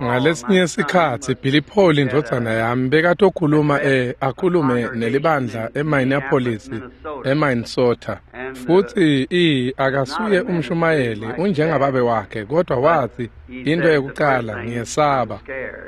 Ngalesinye sikhatsi Billy Paul indvodzana yami bekatokhuluma akhulume nelibandla eMinneapolis eMinnesota, futsi akasuye umshumayeli, unjengababe wakhe, kodwa watsi into yekucala ngiyesaba.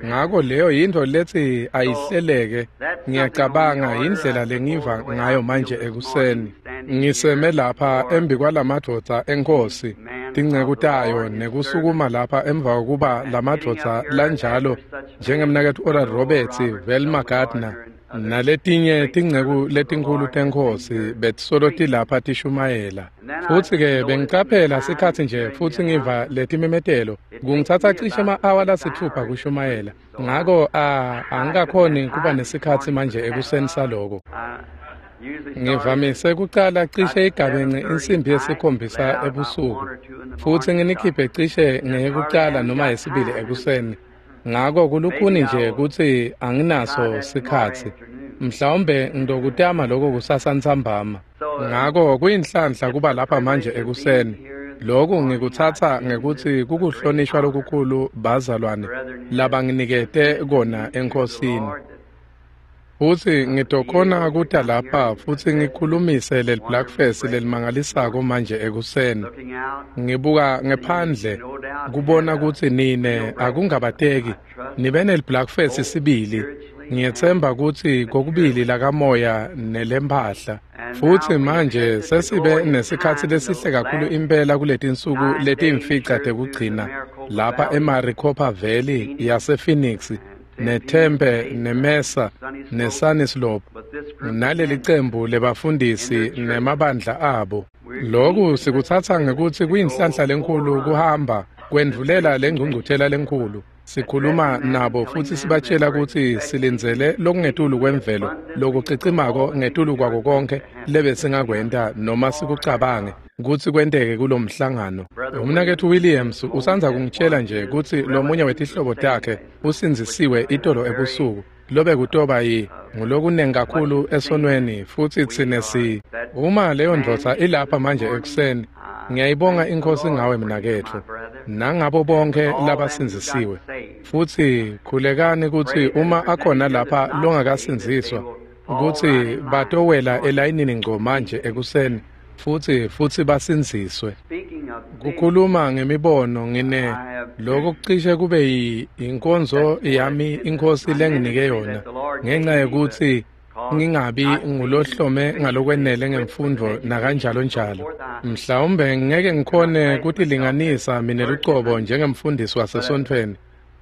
Ngako leyo yintfo letsi ayihleleke, ngiyacabanga indlela lengiva ngayo manje ekuseni. Ngiseme lapha embi kwalamadvodza eNkhosi, tinceku tayo, nekusukuma lapha emva kokuba lamadvodza lanjalo njengemnaketfu Oral Roberts, Velma Gardner, naletinye tinceku letinkhulu teNkhosi betisolo tilapha tishumayela. Futsi-ke bengicaphela sikhatsi nje futsi ngiva letimemetelo. Kungitsatsa cishe ema-awa lasitfupha kushumayela. Ngako angikakhoni kuba nesikhatsi manje ekuseni saloko. Ngivamise kucala cishe igabence insimbi yesikhombisa ebusuku, futsi nginikhiphe cishe ngeyekucala noma yesibili ekuseni. Ngako kulukhuni nje kutsi anginaso sikhatsi. Mhlawumbe ngitokutama lokho kusasa ntsambama. Ngako kuyinhlanhla kuba lapha manje ekuseni. Lokhu ngikutsatsa ngekutsi kukuhlonishwa lokukhulu bazalwane labanginikete kona eNkhosini. Futsi ngitokhona kuta lapha futsi ngikhulumise leli Blackfest lelimangalisako manje ekuseni. Ngibuka ngephandle kubona kutsi nine akungabateki nibe neli Blackfest sibili. Ngiyetsemba kutsi kokubili lakamoya nelempahla. Futsi manje sesibe nesikhatsi lesihle kakhulu impela kuletinsuku letimfica tekugcina lapha eMaricopa Valley yasePhoenix, neTempe, neMesa, neSunnyslope, naleli cembu lebafundisi nemabandla abo. Lokhu sikutsatsa ngekutsi kuyinhlanhla lenkhulu kuhamba kwendvulela lengcungcuthela lenkhulu. Sikhuluma nabo futsi sibatshela kutsi silindzele lokungetulu kwemvelo, lokucicimako ngetulu kwako konke lebesingakwenta noma sikucabange kutsi kwenteke kulomhlangano. Umnaketfu Williams usandza kungitshela nje kutsi lomunye wetihlobo takhe usindzisiwe itolo ebusuku, lobe kutoba ngulokunengi kakhulu esonweni, futsi tsine si. Uma leyo ndvodza ilapha manje ekuseni, ngiyayibonga iNkhosi ngawe mnaketfu, nangabo bonke labasindzisiwe. Futsi khulekani kutsi uma akhona lapha longakasindziswa, kutsi batowela elayinini ngco manje ekuseni, futsi basindziswe. Kukhuluma ngemibono ngine lokho kucishe kube inkonzo yami iNkhosi lenginike yona, ngenxa yekutsi ngingabi ngulohlome ngalokwenele ngemfundo nakanjalo njalo. Mhlawumbe ngeke ngikhone kutilinganisa mina lucobo njengemfundisi wasesontfweni,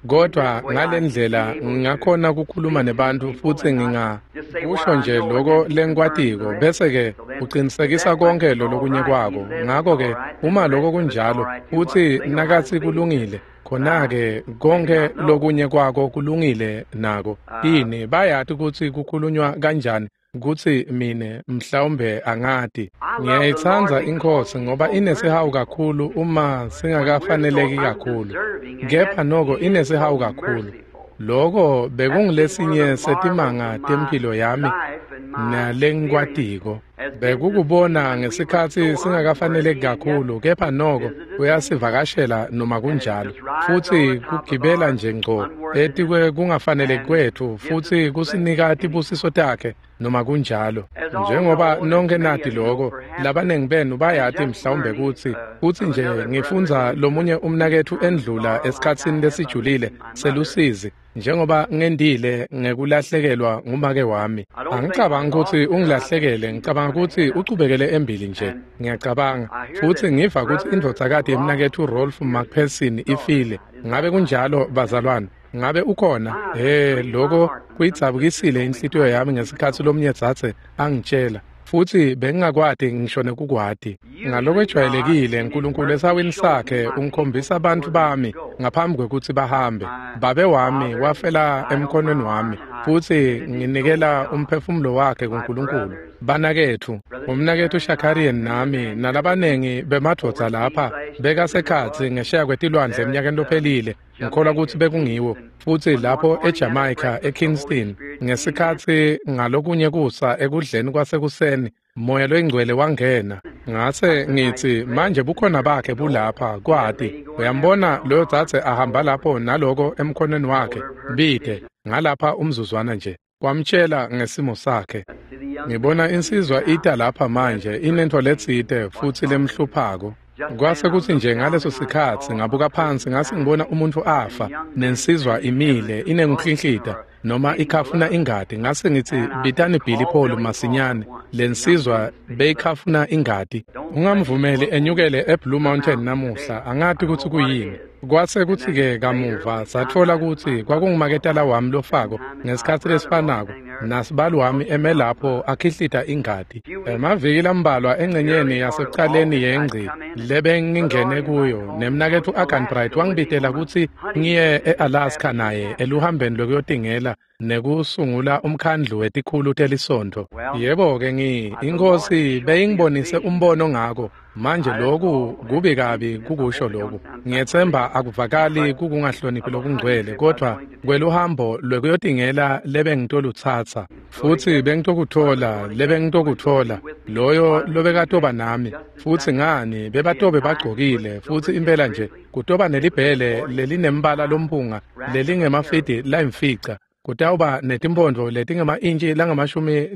kodwa ngalendlela ngingakhona kukhuluma nebantu futsi ngingakusho nje lokho lengikwatiko, bese-ke uqinisekisa konke lolokunye kwako. Ngako-ke uma lokho kunjalo futsi nakatsi kulungile, khona-ke konke lokunye kwako kulungile nako. Yini bayati kutsi kukhulunywa kanjani, kutsi mine mhlawumbe angati. Ngiyayitsandza iNkhosi ngoba inesihawu kakhulu uma singakafaneleki kakhulu, kepha noko inesihawu kakhulu. Lokho bekungulesinye setimanga temphilo yami nalengikwatiko. Bekukubona ngesikhatsi singakafaneleki kakhulu, kepha noko uyasivakashela noma kunjalo, futsi kugibela nje ngco etikwe kungafaneleki kwetfu, futsi kusinika tibusiso takhe noma kunjalo. Njengoba nonke nati lokho, labanengi benu bayati mhlawumbe kutsi futsi nje ngifundza lomunye umnaketfu endlula esikhatsini lesijulile selusizi, njengoba ngendile ngekulahlekelwa ngumake wami. Angicabangi kutsi ungilahlekele, ngicabanga kutsi uchubekele embili nje, ngiyacabanga. Futsi ngiva kutsi indvodzakati yemnaketfu Rolf McPherson ifile. Ngabe kunjalo bazalwane? Ngabe ukhona? Lokho kuyidzabukisile inhlitiyo yami ngesikhatsi lomunye dzadze angitshela, futsi bengingakwati ngisho nekukwati. Ngalokwejwayelekile Nkulunkulu esawini sakhe ungikhombisa abantu bami ngaphambi kwekutsi bahambe. Babe wami wafela emkhonweni wami, futsi nginikela umphefumulo wakhe kuNkulunkulu. Banaketfu, umnaketfu Shakarian nami nalabanengi bemadvodza lapha bekasekhatsi ngesheya kwetilwandle eminyakeni lophelile. Ngikholwa kutsi bekungiwo, futsi lapho eJamaica eKingston ngesikhatsi ngalokunye kusa ekudleni kwasekuseni Moya loyingcwele wangena. Ngase ngithi manje bukhona bakhe bulapha kwati. Uyambona loyo dzadze ahamba lapho naloko emkhonweni wakhe bide ngalapha umzuzwana nje. Kwamtshela ngesimo sakhe. Ngibona insizwa ita lapha manje inento letsite futhi lemhluphako. Kwase kuthi nje ngaleso sikhatsi ngabuka phansi ngase ngibona umuntu afa nensizwa imile inenhlinhlita noma ikhafuna ingadi. Ngase ngithi bitani Billy Paul masinyane, lensizwa beyikhafuna ingadi. Ungamvumeli enyukele eBlue Mountain namuhla, angati ukuthi kuyini. Kwase kuthi-ke kamuva sathola ukuthi kwakungumaketala wami lofako ngesikhathi lesifanako nasibali wami eme lapho akhihlita ingadi. Emaviki lambalwa engcenyeni yasekucaleni yengci lebengingene kuyo nemnaketfu Arganbright wangibitela kutsi ngiye e-Alaska naye eluhambeni lwekuyotingela nekusungula umkhandlu wetikhulu telisontfo. Yebo-ke inkosi beyingibonise umbono ngako. Manje lokhu kubi kabi kukusho lokhu. Ngiyethemba akuvakali kukungahloniphi lokungcwele, kodwa kweluhambo lwekuyotingela lebengitolutsatsa futhi bengitokuthola lebengitokuthola loyo lobekatoba nami futhi ngani bebatobe bagcokile futhi impela nje kutoba nelibhele lelinembala lomphunga lelingemafidi layimfica. Kutawuba netimphondvo letingema-intshi langamashumi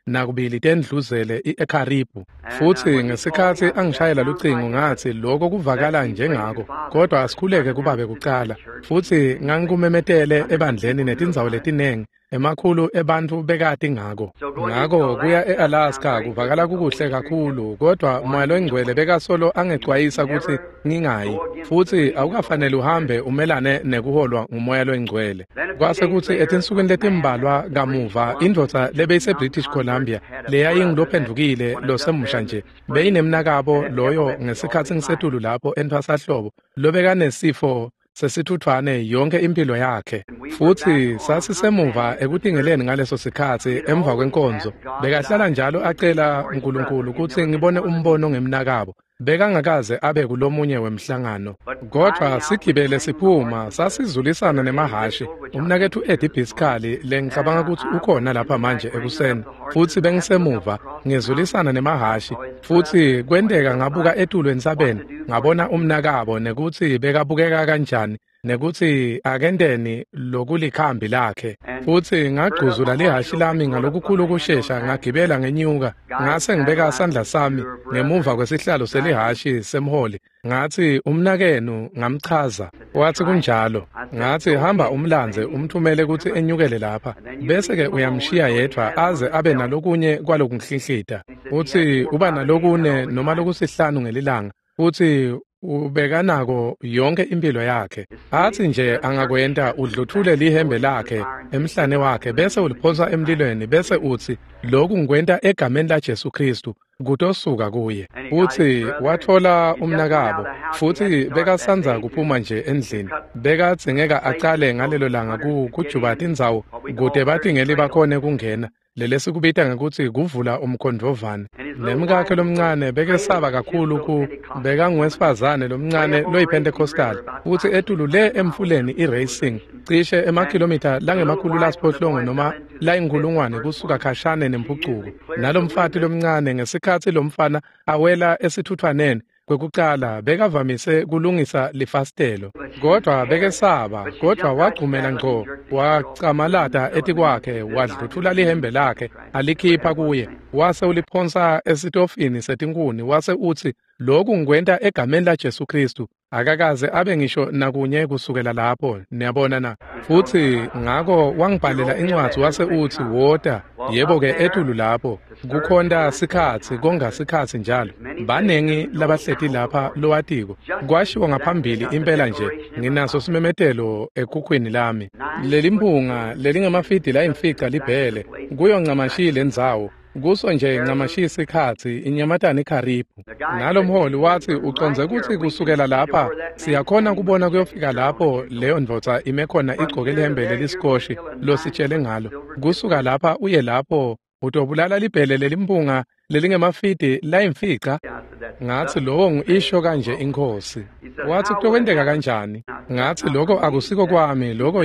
42 tendluzele i-ekharibu. Futhi ngesikhatsi angishayela lucingo ngathi lokho kuvakala njengako, kodwa asikhuleke kubabe kucala. Futhi ngangikumemetele ebandleni netindzawo letinengi, emakhulu ebantfu bekati ngako. Ngako kuya e-Alaska kuvakala kukuhle kakhulu, kodwa Moya loyingcwele bekasolo angecwayisa kutsi ngingayi. Futhi awukafanele uhambe umelane nekuholwa nguMoya loyingcwele. Kwase kutsi etinsukwini letimbalwa kamuva indvodza lebeyise-British Columbia leyayingulophendvukile losemusha nje beyinemnakabo loyo ngesikhatsi ngisetulu lapho entfwasahlobo lobekanesifo sesithuthwane yonke impilo yakhe. Futhi sasisemuva ekutingeleni ngaleso sikhatsi emva kwenkonzo. Bekahlala njalo acela uNkulunkulu kutsi ngibone umbono ngemnakabo. Bekangakaze abe kulomunye wemhlangano. Kodwa sigibele siphuma sasizulisana nemahhashi. Umnaketfu Eddie Biskali lengicabanga kutsi ukhona lapha manje ekuseni. Futhi bengisemuva ngizulisana nemahhashi. Futhi kwenteka ngabuka etulu entsabeni ngabona umnakabo nekutsi bekabukeka kanjani nekutsi akenteni lokulikhambi lakhe. Futhi ngagcuzula lihhashi lami ngalokukhulu kushesha ngagibela ngenyuka. Ngase ngibeka sandla sami ngemuva kwesihlalo selihhashi semholi. Ngathi umnakenu ngamchaza. Wathi kunjalo. Ngathi hamba umlandze umthumele kutsi enyukele lapha. Bese-ke uyamshiya yedvwa aze abe nalokunye kwalokunhlinhlita. Uthi uba nalokune noma lokusihlanu ngelilanga. Futhi ubekanako yonke impilo yakhe. Athi nje angakwenta udluthule lihembe lakhe emhlane wakhe bese uliphonsa emlilweni bese uthi lokhu ngikwenta egameni laJesu Kristu kutosuka kuye. Uthi wathola umnakabo futhi bekasandza kuphuma nje endlini. Bekadzingeka acale ngalelo langa kujuba tindzawo kute batingeli bakhone kungena. Lelesikubita ngekutsi kuvula umkhondvovane. Nemkakhe lomncane bekesaba kakhulu bekanguwesifazane lomncane loyiPentecostal futhi etulu le emfuleni i-Racing cishe emakhilomitha langemakhulu lasiphohlongo noma layinkhulungwane kusuka khashane nempucuko. Nalomfati lomncane ngesikhatsi lomfana awela esithuthwaneni kwekucala bekavamise kulungisa lifasitelo, kodwa bekesaba, kodwa wagcumela ngco wacamalata etikwakhe wadluthula lihembe lakhe alikhipha kuye wase uliphonsa esitofini setinkhuni wase utsi lokhu ngikwenta egameni laJesu Kristu. Akakaze abe ngisho nakunye kusukela lapho, niyabona na. Futhi ngako wangibhalela incwadzi wase utsi wota. Yebo-ke etulu lapho kukhonta sikhatsi konga sikhatsi njalo. Banengi labahleti lapha lowatiko. Kwashiwo ngaphambili impela nje nginaso simemetelo ekhukhwini lami. Lelimphunga lelingemafidi layimfica libhele kuyo ncamashi lendzawo. Kuso nje ncamashi sikhatsi inyamatane ikharibu. Nalomholi wathi ucondze kutsi kusukela lapha siyakhona kubona kuyofika lapho leyo ndvodza ime khona igcoke lihembe leliskoshi lositshele ngalo. Kusuka lapha uye lapho utobulala libhele lelimphunga lelingemafidi layimfica. Ngathi lowo ngu-isho kanje inkosi. Wathi kutokwenteka kanjani? Ngathi lokho akusiko kwami, lokho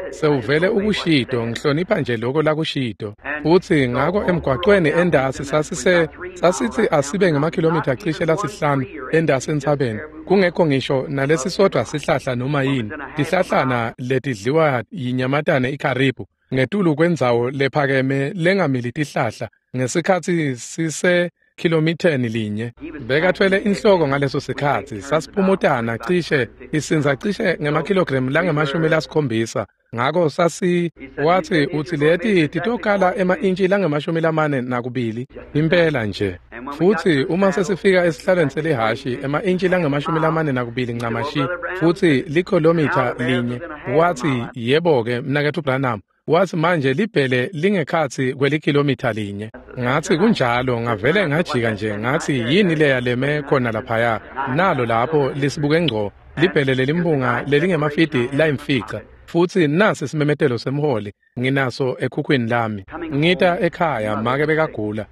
sewuvele ukushito, ngihlonipha nje lokho lakushito. Futhi ngakho emgwaqweni endasi sasithi asibe ngamakhilomitha cishe lasihlanu endasi entsabeni, kungekho ngisho nalesisodwa sihlahla noma yini, tihlahlana letidliwa yinyamatane ikharibu, ngetulu kwendzawo lephakeme lengamili tihlahla, ngesikhatsi sise kilomitheni linye. Bekathwele inhloko ngaleso sikhatsi, sasiphumutana cishe, isinza cishe ngemakilogramu lange-70. Ngako wathi uthi leti titokala ema-intshi lange-42 impela nje. Futhi uma sesifika esihlalweni selihhashi ema-intshi lange-42 ncamashi, futhi likhilomitha linye, wathi yebo-ke mnaketfu Branham, wathi manje libhele lingekhatsi kwelikhilomitha linye. Ngathi kunjalo, ngavele ngajika nje ngathi yini leya leme khona laphaya, nalo lapho lisibuke ngco libhele lelimbunga lelingemafidi layimfica. Futhi nasi simemetelo semholi nginaso ekhukhwini lami. Ngita ekhaya make bekagula,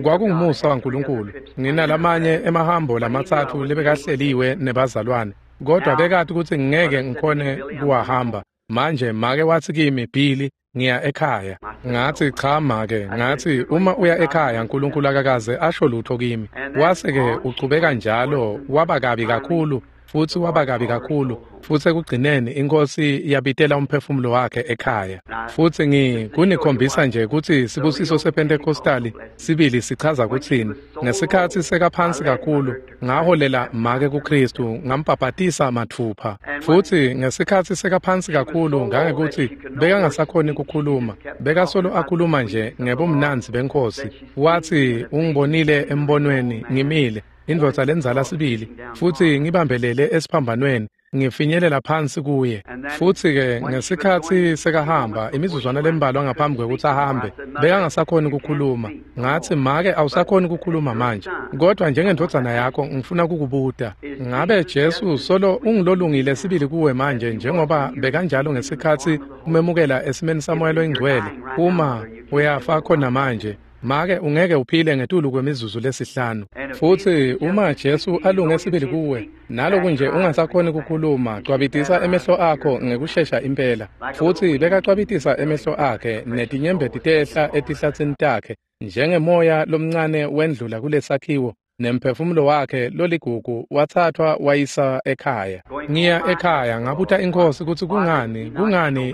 kwakungumusa waNkulunkulu. Nginalamanye emahambo lamatsatfu lebekahleliwe nebazalwane, kodwa bekati kutsi ngeke ngikhone kuwahamba. Manje make wathi kimi, Billy, ngiya ekhaya. Ngathi cha make, ngathi uma uya ekhaya uNkulunkulu akakaze asho lutho kimi. Wase-ke uchubeka njalo, waba kabi kakhulu, futhi waba kabi kakhulu, futhi ekugcineni inkosi yabitela umphefumulo wakhe ekhaya. Futhi kunikhombisa nje kutsi sibusiso sePentecostali sibili sichaza kutsini. Ngesikhatsi sekaphansi kakhulu, ngaholela make kuKristu, ngambhabhatisa mathupha. Futhi ngesikhatsi sekaphansi kakhulu ngangekuthi bekangasakhoni kukhuluma, bekasolo akhuluma nje ngebumnandzi benkosi. Wathi ungibonile embonweni ngimile, indvodza lenzala sibili, futhi ngibambelele esiphambanweni, ngifinyelela phansi kuye. Futhi-ke ngesikhatsi sekahamba, imizuzwana lembalwa ngaphambi kwekutsi ahambe, bekangasakhoni ukukhuluma. Ngathi make awusakhoni ukukhuluma manje, kodwa njengendvodzana yakho ngifuna kukubuta, ngabe Jesu solo ungilolungile sibili kuwe manje njengoba bekanjalo ngesikhatsi umemukela esimeni saMoya loyiNgcwele? Uma uyafa khona manje, make ungeke uphile ngetulu kwemizuzu lesihlanu. Futhi uma Jesu alunge sibili kuwe, naloku nje ungasakhoni ukukhuluma, cwabitisa emehlo akho ngekushesha impela. Futhi bekacwabitisa emehlo akhe netinyembeti tehla etihlatsini takhe njengemoya lomncane wendlula kulesakhiwo, nemphefumulo wakhe loligugu wathathwa wayisa ekhaya. Ngiya ekhaya ngabuta inkosi kutsi kungani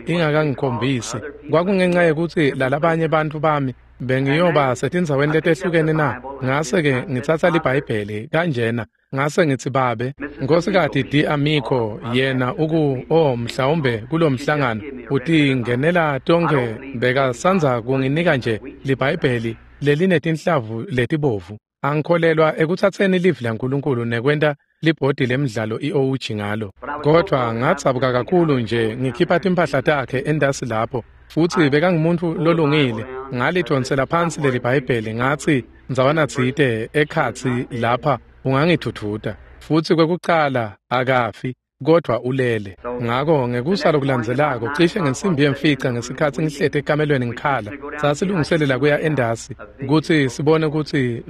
ingakangikhombisi. Kwakungenxa yekutsi lalabanye bantfu bami bengiyoba setindzaweni letehlukene na. Ngase-ke ngitsatsa liBhayibheli kanjena, ngase ngithi babe, Nkhosikati Di Amico yena mhlawumbe kulomhlangano utingenela tonke, bekasandza kunginika nje liBhayibheli lelinetinhlavu letibovu. Angikholelwa ekutsatseni livi laNkulunkulu nekwenta libhodi lemidlalo iOG ngalo. Kodwa ngatsabuka kakhulu nje ngikhipha timphahla takhe endasi lapho, futhi bekangumuntu lolungile. Ngalidonsela phansi leli Bhayibheli ngathi ndzawana tsite ekhatsi lapha ungangithuthuta. Futhi kwekucala akafi, kodwa ulele. Ngako ngekusa lokulandzelako cishe ngensimbi yemfica ngesikhatsi ngihleti ekamelweni ngikhala, sasilungiselela kuya endasi kutsi sibone kutsi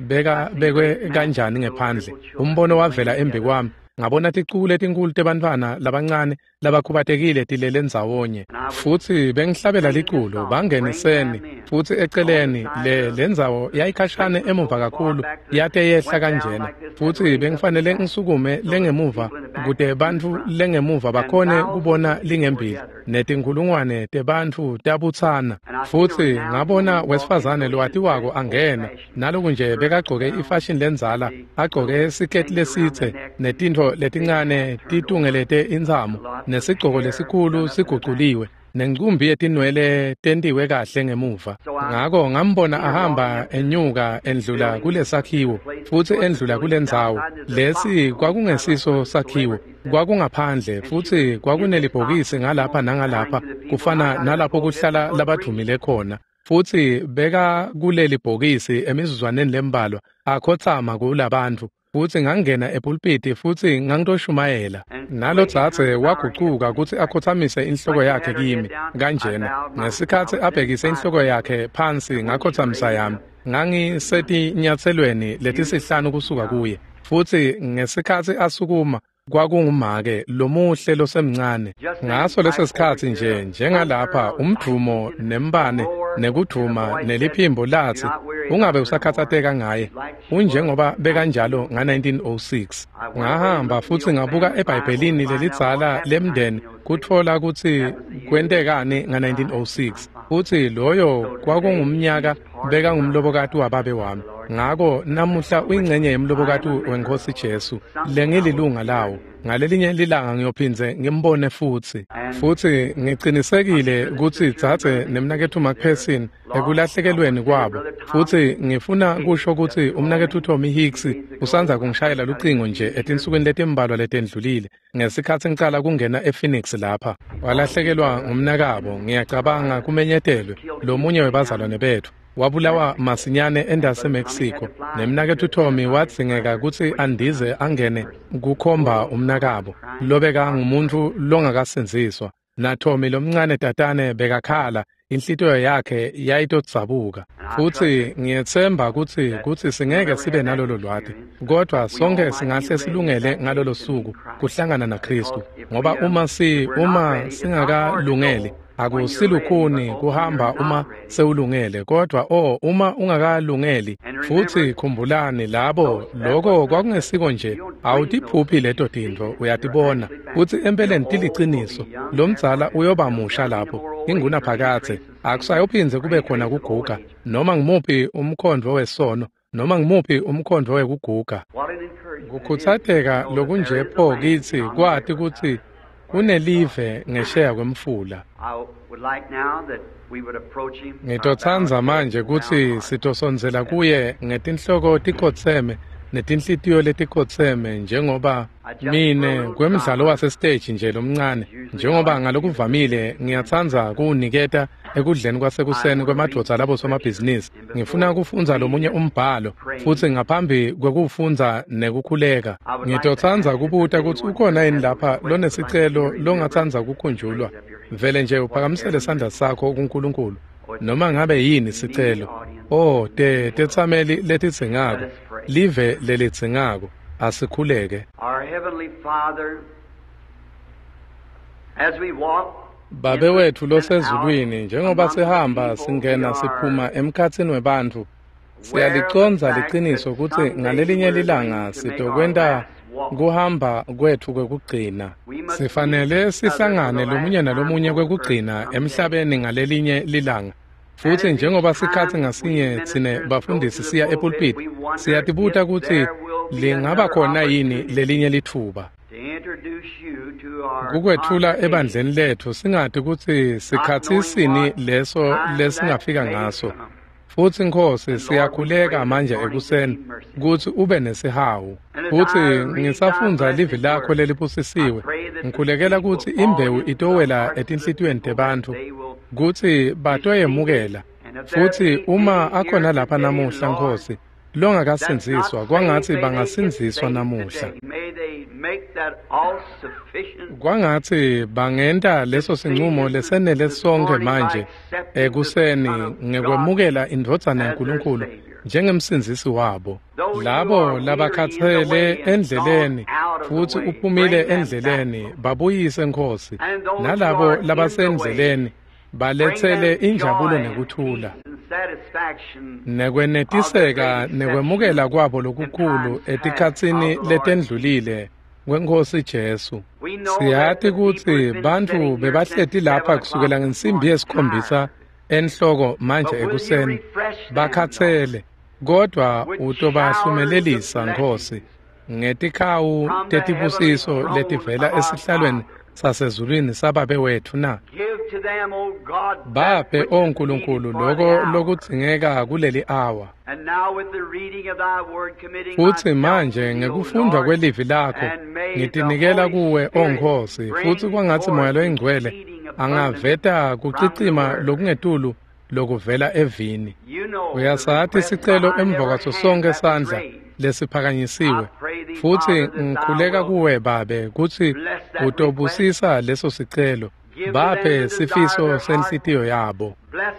bekwe kanjani ngephandle. Umbono wavela embi kwami, ngabona ticuku letinkulu tebantfwana labancane labakhubatekile tilele ndzawonye. Futhi bengihlabela liculo bangeniseni, futhi eceleni lendzawo yayikhashane emuva kakhulu, yate yehla kanjena. Futhi bengifanele ngisukume lengemuva kute bantfu lengemuva bakhone kubona lingembili, netinkhulungwane tebantfu tabutsana. Futhi ngabona wesifazane lowatiwako angena, naloku nje bekagcoke ifashion lendzala, agcoke siketi lesitse netintfo letincane titungelete intsamo, nesigcoko lesikhulu siguculiwe, nencumbi yetinwele tentiwe kahle ngemuva. Ngako ngambona ahamba enyuka endlula kulesakhiwo, futhi endlula kulendzawo. Lesi kwakungesiso sakhiwo, kwakungaphandle, futhi kwakunelibhokisi ngalapha nangalapha, kufana nalapho kuhlala labadvumile khona. Futhi beka kuleli bhokisi emizuzwaneni lembalwa akhotsama kulabantfu. Futhi ngangena epulpiti futhi ngangitoshumayela. Nalodzadze wagucuka kutsi akhotsamise inhloko yakhe kimi kanjena. Ngesikhatsi abhekise inhloko yakhe phansi ngakhotsamisa yami. Ngangisetinyatselweni letisihlanu kusuka kuye. Futhi ngesikhatsi asukuma Kwakungumake lomuhle losemncane. Ngaso leso sikhatsi nje njengalapha umdvumo nembane nekudvuma neliphimbo latsi ungabe usakhatsateka ngaye unjengoba bekanjalo nga-1906. Ngahamba futsi ngabuka eBhayibhelini lelidzala lemndeni kutfola kutsi kwentekani nga-1906 futsi loyo kwakungumnyaka bekangumlobokati wababe wami. Ngako namuhla uyingcenye yemlobokati weNkhosi Jesu lengililunga lawo. Ngalelinye lilanga ngiyophindze ngimbone futsi. Futsi ngicinisekile kutsi dzadze nemnaketfu McPherson ekulahlekelweni kwabo. Futsi ngifuna kusho kutsi umnaketfu Tommy Hicks usandza kungishayela lucingo nje etinsukwini letimbalwa letendlulile ngesikhatsi ngicala kungena ePhoenix lapha. Walahlekelwa ngumnakabo, ngiyacabanga kumenyetelwe lomunye webazalwane betfu. Wabulawa masinyane endase Mexico. Nemnaketfu Tommy wadzingeka kutsi andize angene kukhomba umnakabo lobeka ngumuntu longakasindziswa. Na Tommy lomncane tatane bekakhala, inhlitiyo yakhe yayitodzabuka. Futsi ngiyetsemba kutsi singeke sibe nalolo lwati, kodwa sonke singahle silungele ngalolo suku kuhlangana naKhristu, ngoba uma singakalungeli akusilukhuni kuhamba uma sewulungele, kodwa uma ungakalungeli. Futsi khumbulani labo, lokho kwakungesiko nje awutiphuphi leto tintfo, uyatibona futsi empeleni tiliciniso. Lomdzala uyoba musha lapho ingunaphakadze, akusayophindze kube khona kuguga noma ngumuphi umkhondvo wesono noma ngumuphi umkhondvo wekuguga. Kukhutsateka lokunje pho kitsi kwati kutsi kunelive ngesheya kwemfula. Ngitotsandza manje kutsi sitosondzela kuye ngetinhloko tikhotseme netinhlitiyo letikhotseme, njengoba mine kwemdlalo wasestage nje lomncane, njengoba ngalokuvamile ngiyatsandza kuwuniketa ekudleni kwasekuseni kwemadvodza labo somabhizinisi. Ngifuna kufundza lomunye umbhalo futsi ngaphambi kwekufundza nekukhuleka ngitotsandza kubuta kutsi ukhona yini lapha lonesicelo longatsandza kukhunjulwa. Vele nje uphakamisele sandla sakho kuNkulunkulu noma ngabe yini sicelo. Tetsameli letidzingako, live lelidzingako, asikhuleke. Babe wetfu losezulwini, njengoba sihamba singena siphuma emkhatsini webantfu, siyalicondza liciniso kutsi ngalelinye lilanga sitokwenta kuhamba kwetfu kwekugcina. Sifanele sihlangane lomunye nalomunye kwekugcina emhlabeni ngalelinye lilanga. Futsi njengoba sikhatsi ngasinye tsine bafundisi siya epulpit, siyatibuta kutsi lingaba khona yini lelinye litfuba kukwetfula ebandleni letfu, singati kutsi sikhatsi sini leso lesingafika ngaso. Futsi Nkhosi, siyakhuleka manje ekuseni kutsi ube nesihawu. Futsi ngisafundza livi lakho lelibusisiwe, ngikhulekela kutsi imbewu itowela etinhlitiyweni tebantfu kutsi batoyemukela. Futsi uma akhona lapha namuhla Nkhosi longakasindziswa, kwangatsi bangasindziswa namuhla. Kwangatsi bangenta leso sinqumo lesenele sonke manje ekuseni ngekwemukela indvodzana yaNkulunkulu njengemsindzisi wabo. Labo labakhatsele endleleni futsi uphumile endleleni, babuyise Nkhosi, nalabo labasendleleni baletsele injabulo nekuthula nekwenetiseka nekwemukela kwabo lokukhulu etikhatsini letendlulile kweNkhosi Jesu. Siyati kutsi bantfu bebahleti lapha kusukela ngensimbi yesikhombisa enhloko manje ekuseni bakhatsele, kodwa utobahlumelelisa Nkhosi ngetikhawu tetibusiso letivela esihlalweni sasezulwini sababe wetfu na. Baphe, O Nkulunkulu, loko lokudzingeka kuleli awa. Futsi manje ngekufundwa kwelivi lakho ngitinikela kuwe, O Nkhosi, futsi kwangatsi Moya loyiNgcwele angaveta kucicima lokungetulu lokuvela evini. Uyasati sicelo emva kwaso sonke sandla lesiphakanyisiwe, futsi ngikhuleka kuwe Babe kutsi utobusisa leso sicelo. Baphe sifiso senhlitiyo yabo.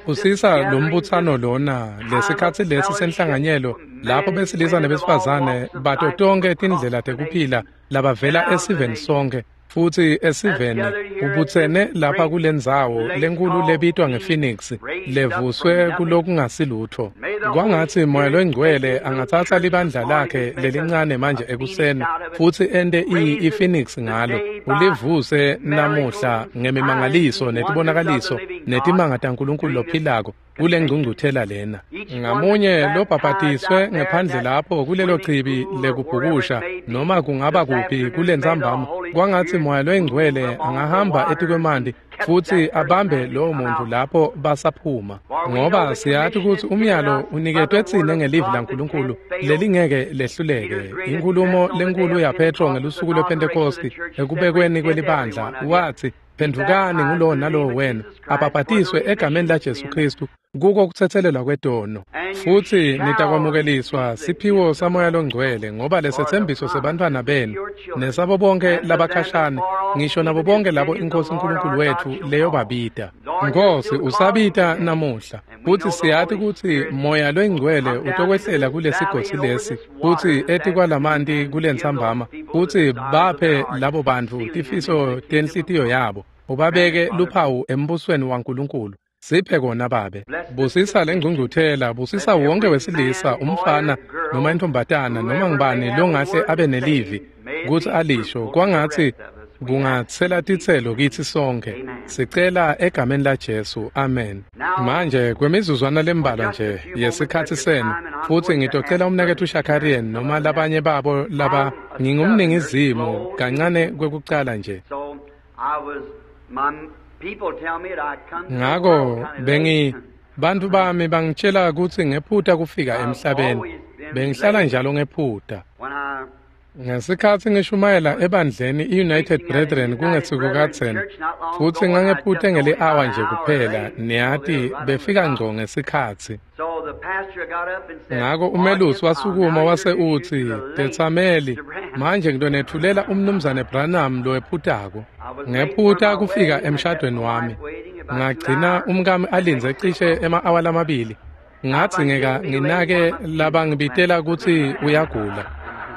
Busisa lombutsano lona lesikhatsi lesi senhlanganyelo lapho besilisa nebesifazane bato tonkhe tindlela tekuphila labavela esiveni sonke futsi esiveni ubutsene lapha kulendzawo lenkulu lebitwa ngePhoenix levuswe kulokungasilutfo. Kwangatsi Moya Longcwele angatsatsa libandla lakhe lelincane manje ekuseni futsi ente iPhoenix ngalo, ulivuse namuhla ngemimangaliso netibonakaliso netimanga taNkulunkulu lophilako kule ngcungcuthela lena. Ngamunye lobhabhatiswe ngephandle lapho kulelo chibi lekubhukusha noma kungaba kuphi kulentsambama, kwangatsi Moya Longcwele angahamba etikwemanti futsi abambe lowo muntu lapho basaphuma, ngoba siyati kutsi umyalo uniketwe tsine ngelivi laNkulunkulu lelingeke lehluleke. Inkhulumo lenkulu yaPetro ngelusuku lwePhentekosti ekubekweni kwelibandla watsi, phendvukani ngulowo nalowo wenu abhabhatiswe egameni laJesu Khristu kuko kutsetselelwa kwetono, futsi nitakwamukeliswa siphiwo saMoya Longcwele, ngoba lesetsembiso sebantfwana benu nesabo bonke labakhashane, ngisho nabo bonke labo iNkhosi uNkulunkulu wethu leyobabita. Nkosi, usabita namuhla, futsi siyati kutsi Moya Longcwele utokwehlela kulesigodzi lesi futsi etikwalamanti kulentsambama, futsi baphe labo bantfu tifiso tenhlitiyo yabo, ubabeke luphawu embusweni waNkulunkulu. Siphe kona Babe. Busisa lengcungcuthela, busisa wonke wesilisa, umfana noma intombatana noma ngubani longahle abe nelivi kutsi alisho, kwangatsi kungatsela titselo kitsi sonke. Sicela egameni laJesu, amen. Manje kwemizuzwana lembalwa nje yesikhatsi senu, futsi ngitocela umnaketfu Shakarian noma labanye babo laba ngingumningizimu kancane kwekucala nje. Ngako bantfu bami bangitshela kutsi ngephuta kufika emhlabeni. Bengihlala njalo ngephuta. Ngesikhatsi ngishumayela ebandleni i-United Brethren kungesiko kadzeni, futsi ngangephute ngeli-awa nje kuphela, niyati befika ngco ngesikhatsi. Ngako umelusi wasukuma wase utsi, tetsameli, manje ngitonetfulela umnumzane Branham lowephutako. Ngephuta kufika emshadweni wami. Ngagcina umkami alindze cishe ema-awa lamabili. Ngadzingeka nginake labangibitela kutsi uyagula.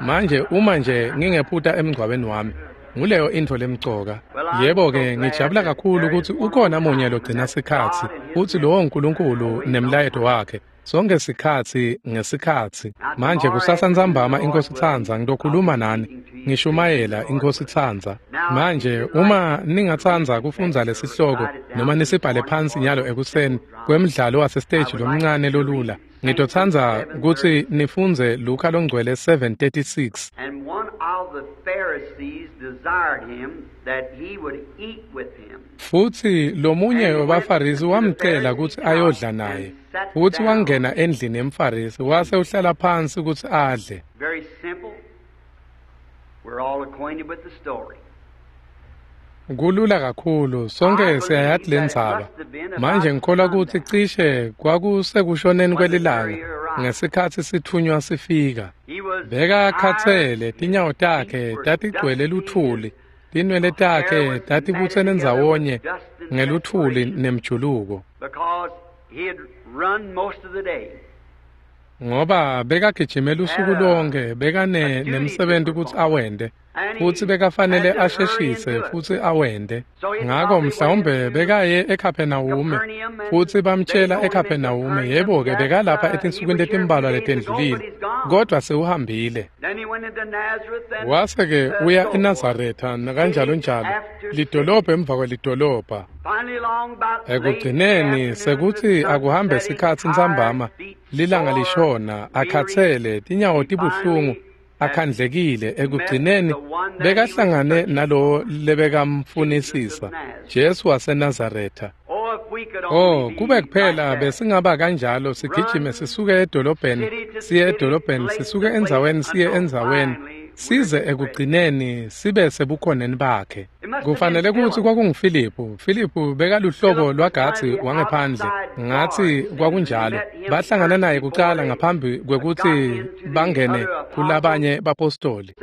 Manje uma nje ngingephuta emngcwabeni wami, nguleyo intfo lemcoka. Yebo-ke, ngijabula kakhulu kutsi ukhona munye logcina sikhatsi, futsi lowo nguNkulunkulu nemlayeto wakhe. Sonke sikhatsi ngesikhatsi. Manje kusasa ntsambama iNkhosi itsandza ngitokhuluma nani, ngishumayela iNkhosi itsandza. Manje uma ningatsandza kufundza lesihloko noma nisibhale phansi nyalo ekuseni kwemdlalo wasesiteji lomncane lolula, ngitotsandza kutsi nifundze Luka Longcwele 7:36. And one of the Pharisees desired him that he would eat with him. Futsi lomunye wabaFarisi wamcela kutsi ayodla naye. Futsi wangena endlini yemFarisi wase uhlala phansi kutsi adle. Very simple. We're all acquainted with the story. Kulula kakhulu, sonke siyayati lendzaba. Manje ngikholwa kutsi cishe kwakusekushoneni kwelilanga ngesikhatsi sithunywa sifika. Bekakhatsele, tinyawo takhe tatigcwele luthuli, tinwele takhe tatibutsene ndzawonye ngeluthuli nemjuluko. Ngoba bekagijime lusuku lonke, bekane nemsebenti kutsi awente, futsi bekafanele asheshise futsi awente. Ngako mhlawumbe bekaye eKhaphenawume, futsi bamtshela eKhaphenawume, yebo-ke bekalapha etinsukwini letimbalwa letendlulile, kodvwa sewuhambile. Wase-ke uya eNazaretha nakanjalo njalo, lidolobha emva kwelidolobha. Ekugcineni sekutsi akuhambe sikhatsi ntsambama, lilanga lishona, akhatsele, tinyawo tibuhlungu, akhandlekile. Ekugcineni bekahlangane nalowo lebekamfunisisa, Jesu waseNazaretha. Oh, kube kuphela besingaba kanjalo, sigijime sisuke edolobheni siye edolobheni, sisuke endzaweni siye endzaweni, size ekugcineni sibe sebukhoneni bakhe. Kufanele kutsi kwakunguFiliphu. Filiphu bekaluhlobo lwagatsi wangephandle, ngatsi kwakunjalo. Bahlangana naye kucala ngaphambi kwekutsi bangene kulabanye bapostoli.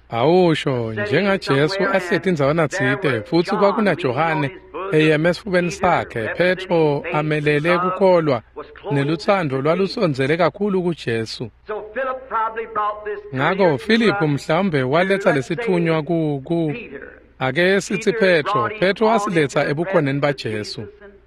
Awusho njengaJesu ahleti ndzawana tsite futsi kwakunaJohane eyeme esifubeni sakhe, Petro amelele kukholwa nelutsandvo lwalusondzele kakhulu kuJesu. Ngako Filiphu mhlawumbe waletsa lesitfunywa ku ake sitsi Petro. Petro wasiletsa ebukhoneni baJesu.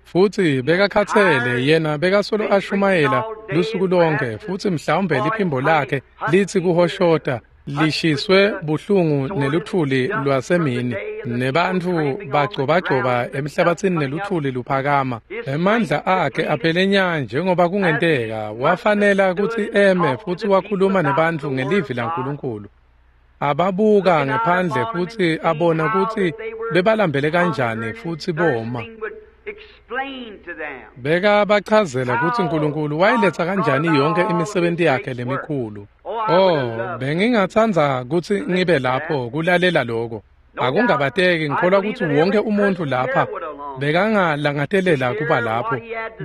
Futsi bekakhatsele yena bekasolo ashumayela lusuku lonke futsi mhlawumbe liphimbo lakhe litsi kuhoshota lishiswe buhlungu neluthuli lwasemini nebantfu bagcobagcoba emhlabatsini neluthuli luphakama. Emandla akhe aphele nya njengoba kungenteka wafanela kutsi eme futsi wakhuluma nebantfu ngelivi laNkulunkulu. Ababuka ngephandle futsi abona kutsi bebalambele kanjani futsi boma. Bekabachazela kutsi Nkulunkulu wayiletsa kanjani yonke imisebenti yakhe lemikhulu. Oh, bengingatsandza kutsi ngibe lapho kulalela lokho. Akungabateki ngikholwa kutsi wonke umuntu lapha bekangalangatelela kuba lapho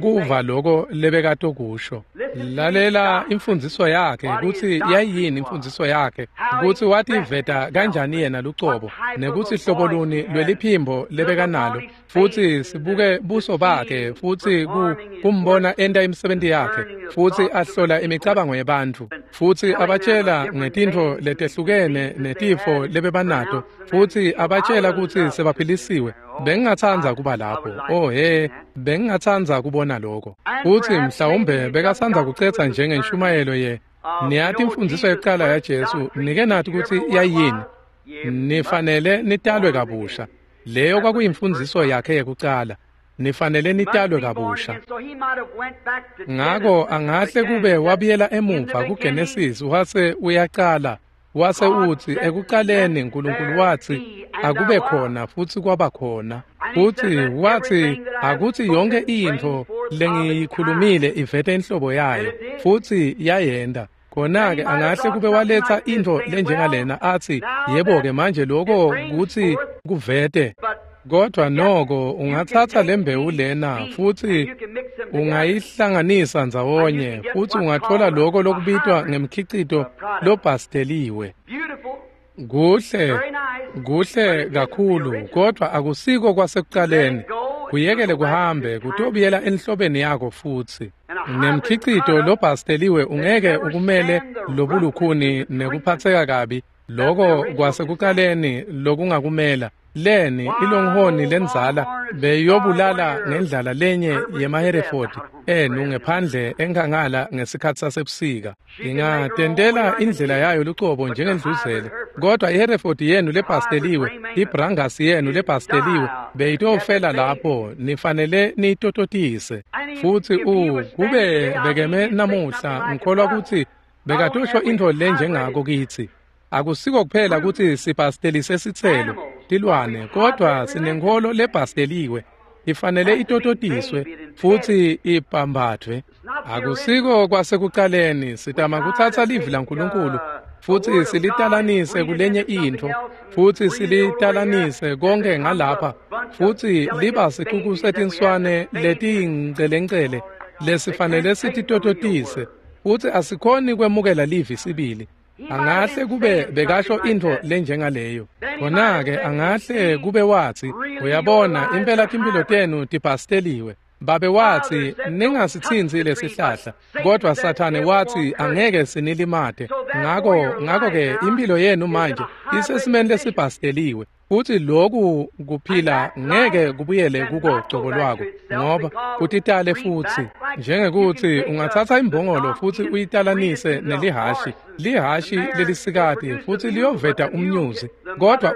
kuva lokho lebekatokusho. Lalela imfundziso yakhe kutsi yayini imfundziso yakhe, kutsi wativeta kanjani yena lucobo, nekutsi hlobo luni lweliphimbo lebekanalo, futsi sibuke buso bakhe futsi kumbona enta imisebenti yakhe, futsi ahlola imicabango yebantfu, futsi abatshela ngetintfo letehlukene netifo lebebanato, futsi abatshela kutsi sebaphilisiwe. Bengingatsandza kuba lapho. Oh he, bengingatsandza kubona lokho. Futsi mhlawumbe bekatsandza kucetsa njengenshumayelo ye niyati imfundziso yekucala yaJesu, nike nathi kutsi yayini. Nifanele nitalwe kabusha. Leyo kwakuyimfundziso yakhe yekucala. Nifanele nitalwe kabusha. Ngako angahle kube wabuyela emuva kuGenesis wase uyaqala. Wase utsi ekucaleni Nkulunkulu watsi akube khona futsi kwaba khona. Futsi watsi akutsi yonke intfo lengiyikhulumile ivete inhlobo yayo futsi yayenda. Khona-ke angahle kube waletsa intfo lenjengalena atsi yebo-ke manje lokho kutsi kuvete. Kodwa noko ungatsatsa lembewu lena futsi ungayihlanganisa ndzawonye futsi ungatfola lokho lokubitwa ngemkhicito lobhasteliwe. Kuhle, kuhle kakhulu, kodwa akusiko kwasekucaleni. Kuyekele kuhambe kutobuyela enhlobeni yako futsi. Nemkhicito lobhasteliwe ungeke ukumele lobulukhuni nekuphatseka kabi lokho kwasekucaleni lokungakumela. Leni ilonghoni lenzala beyobulala ngendlala lenye yemaHereford enu ngephandle enkhangala ngesikhatsi sasebusika. Ingatentela indlela yayo lucobo njengendluzele, kodwa iHereford yenu lebhasteliwe, iBrangus yenu lebhasteliwe beyitofela lapho. Nifanele niyitototise. Futsi kube bekeme namuhla ngikholwa kutsi bekatosho intfo lenjengako kitsi. Akusiko kuphela kutsi sibhastelise sitselo tilwane, kodwa sinenkholo lebhasteliwe ifanele itototiswe futsi ibhambathwe. Akusiko kwasekucaleni sitama kutsatsa livi laNkulunkulu futsi silitalanise kulenye intfo futsi silitalanise konke ngalapha futsi liba sicuku setinswane letiyingcelencele lesifanele sititototise futsi asikhoni kwemukela livi sibili. Angahle kube bekasho intfo lenjengaleyo. Khona-ke angahle kube watsi uyabona impela timphilo tenu tibhasteliwe. Babe watsi ningasitsintsi lesihlahla, kodwa Sathane watsi angeke sinilimate. Ngako-ke impilo yenu manje isesimeni lesibhasteliwe futsi loku kuphila ngeke kubuyele kuko cobo lwako ngoba kutitale futsi. Njengekuthi ungatsatsa imbongolo futsi uyitalanise nelihashi, lihashi lelisikati futsi liyoveta umnyuzi, kodwa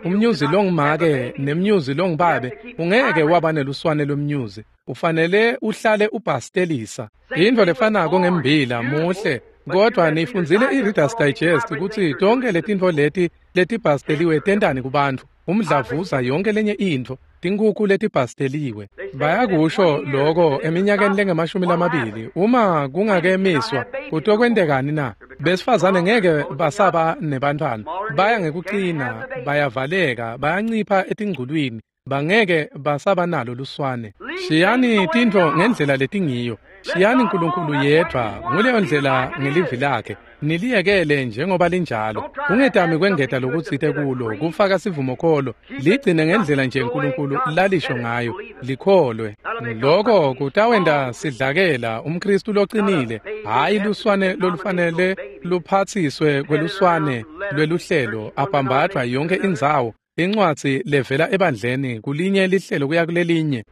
umnyuzi longumake nemnyuzi longubabe ungeke waba neluswane lomnyuzi. Ufanele uhlale ubhastelisa. Intfo lefanako ngembila muhle, kodwa nifundzile i-Reader's Digest kutsi tonke letintfo leti letibhasteliwe tentani kubantfu. Umdlavuza yonke lenye intfo, tinkhukhu letibhasteliwe. Bayakusho lokho eminyakeni lengamashumi lamabili uma kungakemiswa kutokwentekani na? Besifazane ngeke basaba nebantfwana, baya ngekucina, bayavaleka, bayancipha etingculwini, bangeke basaba nalo luswane. Shiyani tintfo ngendlela letingiyo. Shiyani Nkulunkulu yedvwa nguleyo ndlela ngelivi lakhe. Niliyekele njengoba linjalo. Ungetami kwengeta lokutsite kulo, kufaka sivumokholo. Ligcine ngendlela nje uNkulunkulu lalisho ngayo. Likholwe. Lokho kutawenta sidlakela umKristu loqinile, hhayi luswane lolufanele luphathiswe kweluswane lweluhlelo, aphambathwa yonke indzawo. Incwadzi levela ebandleni kulinye lihlelo kuya kulelinye.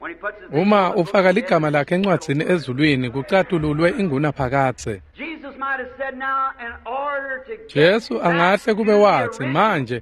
Uma ufaka ligama lakhe encwadzini ezulwini kucatululwe ingunaphakadze. Jesu angahle kube watsi manje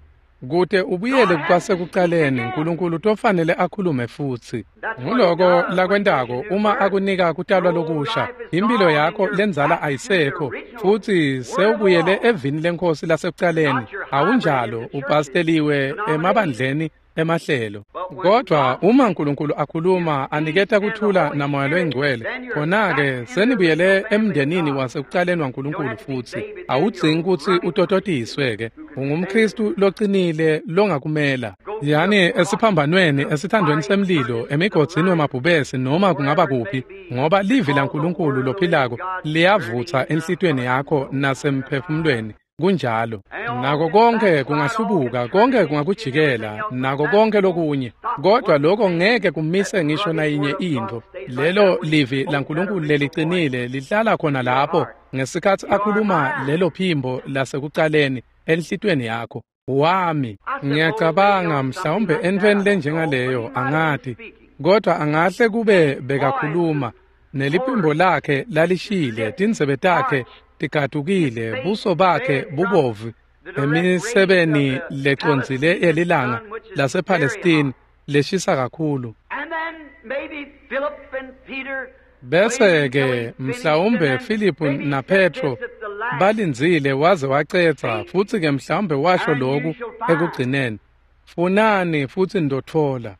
kute ubuyele kwasekucaleni uNkulunkulu tofanele akhulume futsi. Nguloko lakwentako uma akunika kutalwa lokusha, impilo yakho lendzala ayisekho futsi sewubuyele evini lenkosi lasekucaleni. Awunjalo, upasteliwe emabandleni emahlelo. Kodwa uma uNkulunkulu akhuluma aniketa kuthula namoya loyingcwele, khona-ke senibuyele emndenini wasekucaleni waNkulunkulu futsi. Awudzingi kutsi utototiswe-ke. UngumKristu loqinile longakumela. Yani esiphambanweni, esithandweni semlilo, emigodzini wemabhubesi noma kungaba kuphi, ngoba livi laNkulunkulu lophilako liyavutsa enhlitiyweni yakho nasemphefumulweni. Kunjalo. Nako konke kungahlubuka, konke kungakujikela, nako konke lokunye. Kodwa lokho ngeke kumise ngisho nayinye intfo. Lelo livi laNkulunkulu leliqinile lihlala khona lapho ngesikhatsi akhuluma lelo phimbo lasekucaleni enhlitiyweni yakho. Wami, ngiyacabanga mhlawumbe entfweni lenjengaleyo angati, kodwa angahle kube bekakhuluma neliphimbo lakhe lalishile, tindzebe takhe tigatukile, buso bakhe bubovu emisebeni lecondzile yelilanga lasePalestine leshisa kakhulu. Bese-ke mhlawumbe Philip na Petro balindzile waze wacedza, futsi-ke mhlawumbe washo lokhu ekugcineni, funani futsi nitotfola.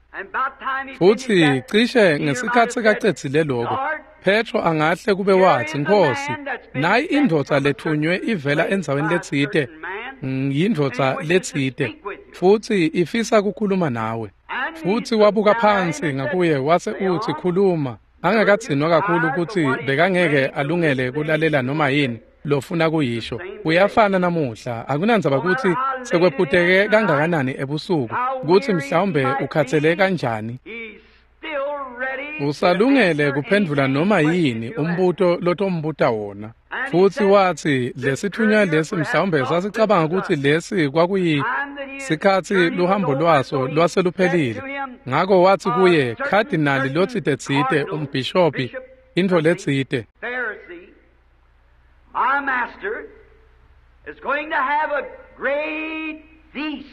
Futsi cishe ngesikhatsi kacedzile lokho, Petro angahle kube watsi, Nkhosi, nayi indvodza lethunywe ivela endzaweni letsite, yindvodza letsite, futsi ifisa kukhuluma nawe. Futsi wabuka phansi ngakuye wase utsi, khuluma. Angakadzinwa kakhulu kutsi bekangeke alungele kulalela noma yini lofuna kuyisho. Uyafana namuhla, akunandzaba kutsi sekwephuteke kangakanani ebusuku, kutsi mhlawumbe ukhathele kanjani. Usalungele kuphendvula noma yini umbuto lotombuta wona. Futsi watsi lesithunywa lesi mhlawumbe sasicabanga kutsi lesi kwakuyisikhatsi luhambo lwaso lwaseluphelile. Ngako watsi kuye, khadinali lotsite-tsite, umbhishobhi, intfo letsite. My master is going to have a great feast.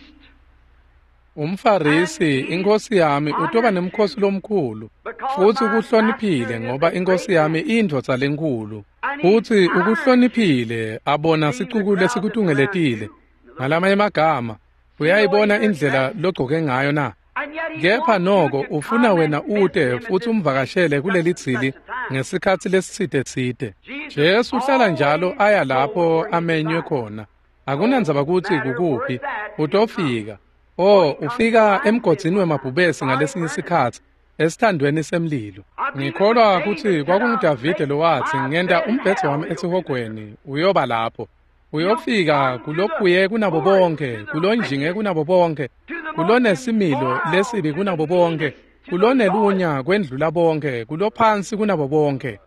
UmFarisi, inkosi yami utoba nemkhosi lomkhulu, futsi ukuhloniphile ngoba inkosi yami iyindvodza lenkulu. Futsi ukuhloniphile abona sicuku lesikutungeletile. Ngalamanye emagama, uyayibona indlela logcoke ngayo na? Kepha noko ufuna wena ute futsi umvakashele kuleli dzili ngesikhatsi lesitsite-tsite. Jesu uhlala njalo aya lapho amenywe khona. Akunandzaba kutsi kukuphi, utofika. Oh, ufika emgodzini wemabhubesi ngalesinye isikhatsi, esithandweni semlilo. Ngikholwa kutsi kwakunguDavide lowatsi, ngenta umbhedze wami esihogweni, uyoba lapho. Uyofika kulophuye kunabo bonke, kulonjinge kunabo bonke, kulonesimilo lesibi kunabo bonke, kulonelunya kwendlula bonke, kulophansi kunabo bonke.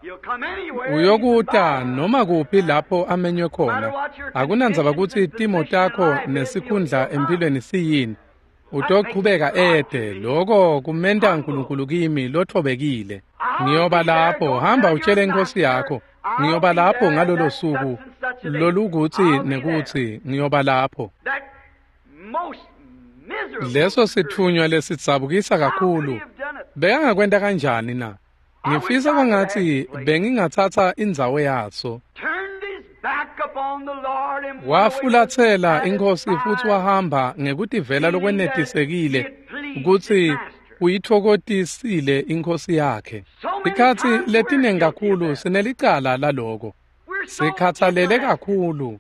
Uyokuta noma kuphi lapho amenywe khona. Akunandzaba kutsi timo takho nesikhundla empilweni siyini. Utochubeka ede, lokho kumenta uNkulunkulu kimi lothobekile. Ngiyoba lapho, hamba utshele inkosi yakho. Ngiyoba lapho ngalolo suku lolukutsi nekutsi ngiyoba lapho. Leso sithunywa lesidzabukisa kakhulu. Bekangakwenta kanjani na? Ngifisa kwangatsi bengingatsatsa indzawo yaso. Wafulatsela inkosi futsi wahamba ngekutivela lokwenetisekile kutsi uyitfokotisile inkosi yakhe. Tikhatsi letiningi kakhulu sinelicala laloko. Sikhatsalele kakhulu.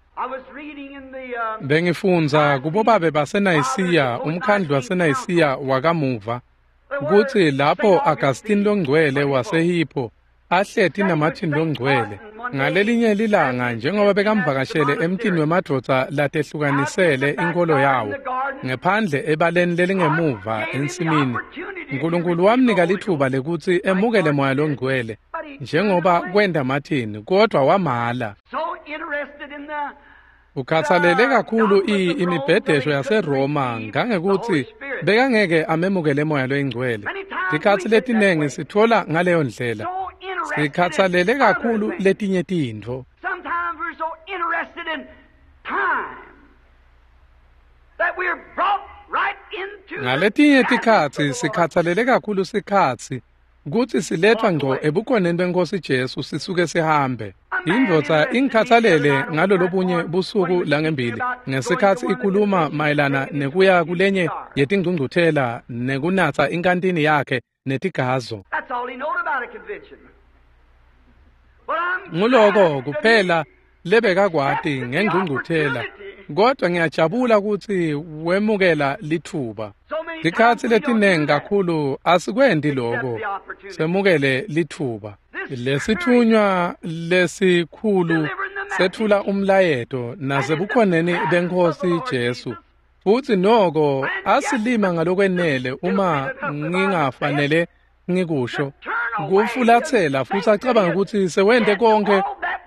Bengifundza kubobabe baseNayisiya, umkhandlu waseNayisiya wakamuva, kutsi lapho Augustine longcwele waseHippo ahleti naMartin longcwele, Ngalelinye lilanga njengoba bekamvakashele emtini wemadvodza latehlukanisele inkolo yawo, ngephandle ebaleni lelingemuva ensimini, Nkulunkulu wamnika litfuba lekutsi emukele Moya Longcwele njengoba kwenta Martin, kodwa wamala. Ukhatsalele kakhulu imibhedesho yaseRoma ngangekutsi bekangeke amemukele Moya Loyingcwele. Tikhatsi letinengi sitfola ngaleyo ndlela. Sikhatsalele kakhulu letinye tintfo. Ngaletinye tikhatsi sikhatsalele kakhulu sikhatsi kutsi silethwa ngco ebukhoneni beNkhosi Jesu sisuke sihambe. Indvodza ingikhatsalele ngalolobunye busuku langembili ngesikhatsi ikhuluma mayelana nekuya kulenye yetingcungcuthela nekunatsa inkantini yakhe netigazo. Nguloko kuphela lebekakwati ngengcungcuthela, kodwa ngiyajabula kutsi wemukela litfuba. Tikhatsi letinengi kakhulu asikwendi loko, semukele litfuba. Lesitfunywa lesikhulu setfula umlayeto nasebukhoneni beNkhosi Jesu, futsi noko asilima ngalokwenele uma ngingafanele ngikusho, kufulatsela futsi acabanga kutsi sewente konke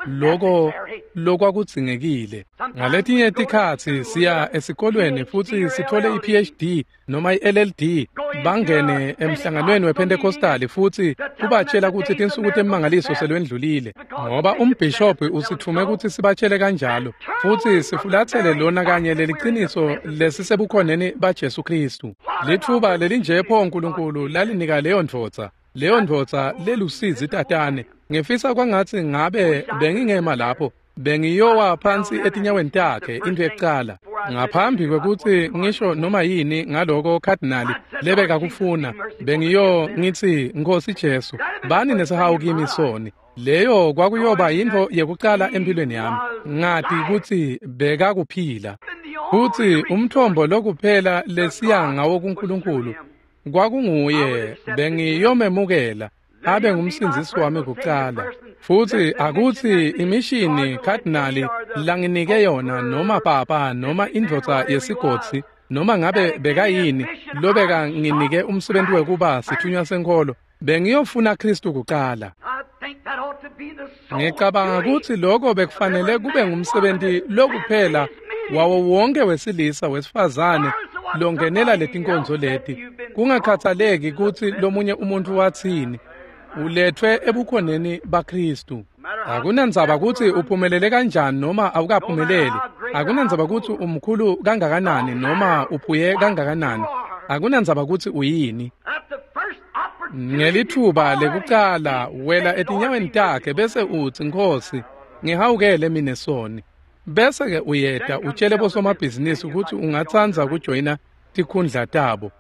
loko lokwakudzingekile. Ngaletinye tikhatsi siya esikolweni futsi sithole i-PhD noma i-LLD, bangene emhlanganweni wePentecostal futsi kubatshela kutsi tinsuku temangaliso selwendlulile, ngoba umbhishobhi usitfume kutsi sibatshele kanjalo, futsi sifulatsele lona kanye leliciniso lesisebukhoneni baJesu Khristu. Litfuba lelinje pho Nkulunkulu lalinika leyo ndvodza, leyo ndvodza lelusizi tatane. Ngifisa kwangatsi ngabe bengingema lapho, bengiyowa phansi etinyaweni takhe intfo yekucala. Ngaphambi kwekutsi ngisho noma yini ngaloko khadinali lebekakufuna, bengiyo ngitsi, Nkhosi Jesu, bani nesihawu kimi soni. Leyo kwakuyoba yintfo yekucala empilweni yami, ngati kutsi bekakuphila. Futsi umthombo lokuphela lesiya ngawo kuNkulunkulu kwakunguye, bengiyomemukela abe ngumsindzisi wami kucala. Futsi akutsi imishini khadinali langinike yona noma papa noma indvodza yesigodzi noma ngabe bekayini lobeka nginike umsebenzi wekuba sithunywa senkholo, bengiyofuna Khristu kucala. Ngicabanga kutsi loko bekufanele kube ngumsebenzi lokuphela wawo wonke wesilisa wesifazane longenela letinkonzo leti, kungakhathaleki kutsi lomunye umuntu watsini, uletfwe ebukhoneni baKhristu. Akunandzaba kutsi uphumelele kanjani noma awukaphumeleli, akunandzaba kutsi umkhulu kangakanani noma uphuye kangakanani, akunandzaba kutsi uyini. Ngelitfuba lekucala wela etinyaweni takhe bese utsi, Nkhosi, ngihawukele mine soni. Bese-ke uyeta utshele bosomabhizinisi kutsi ungatsandza kujoyina tikhundla tabo.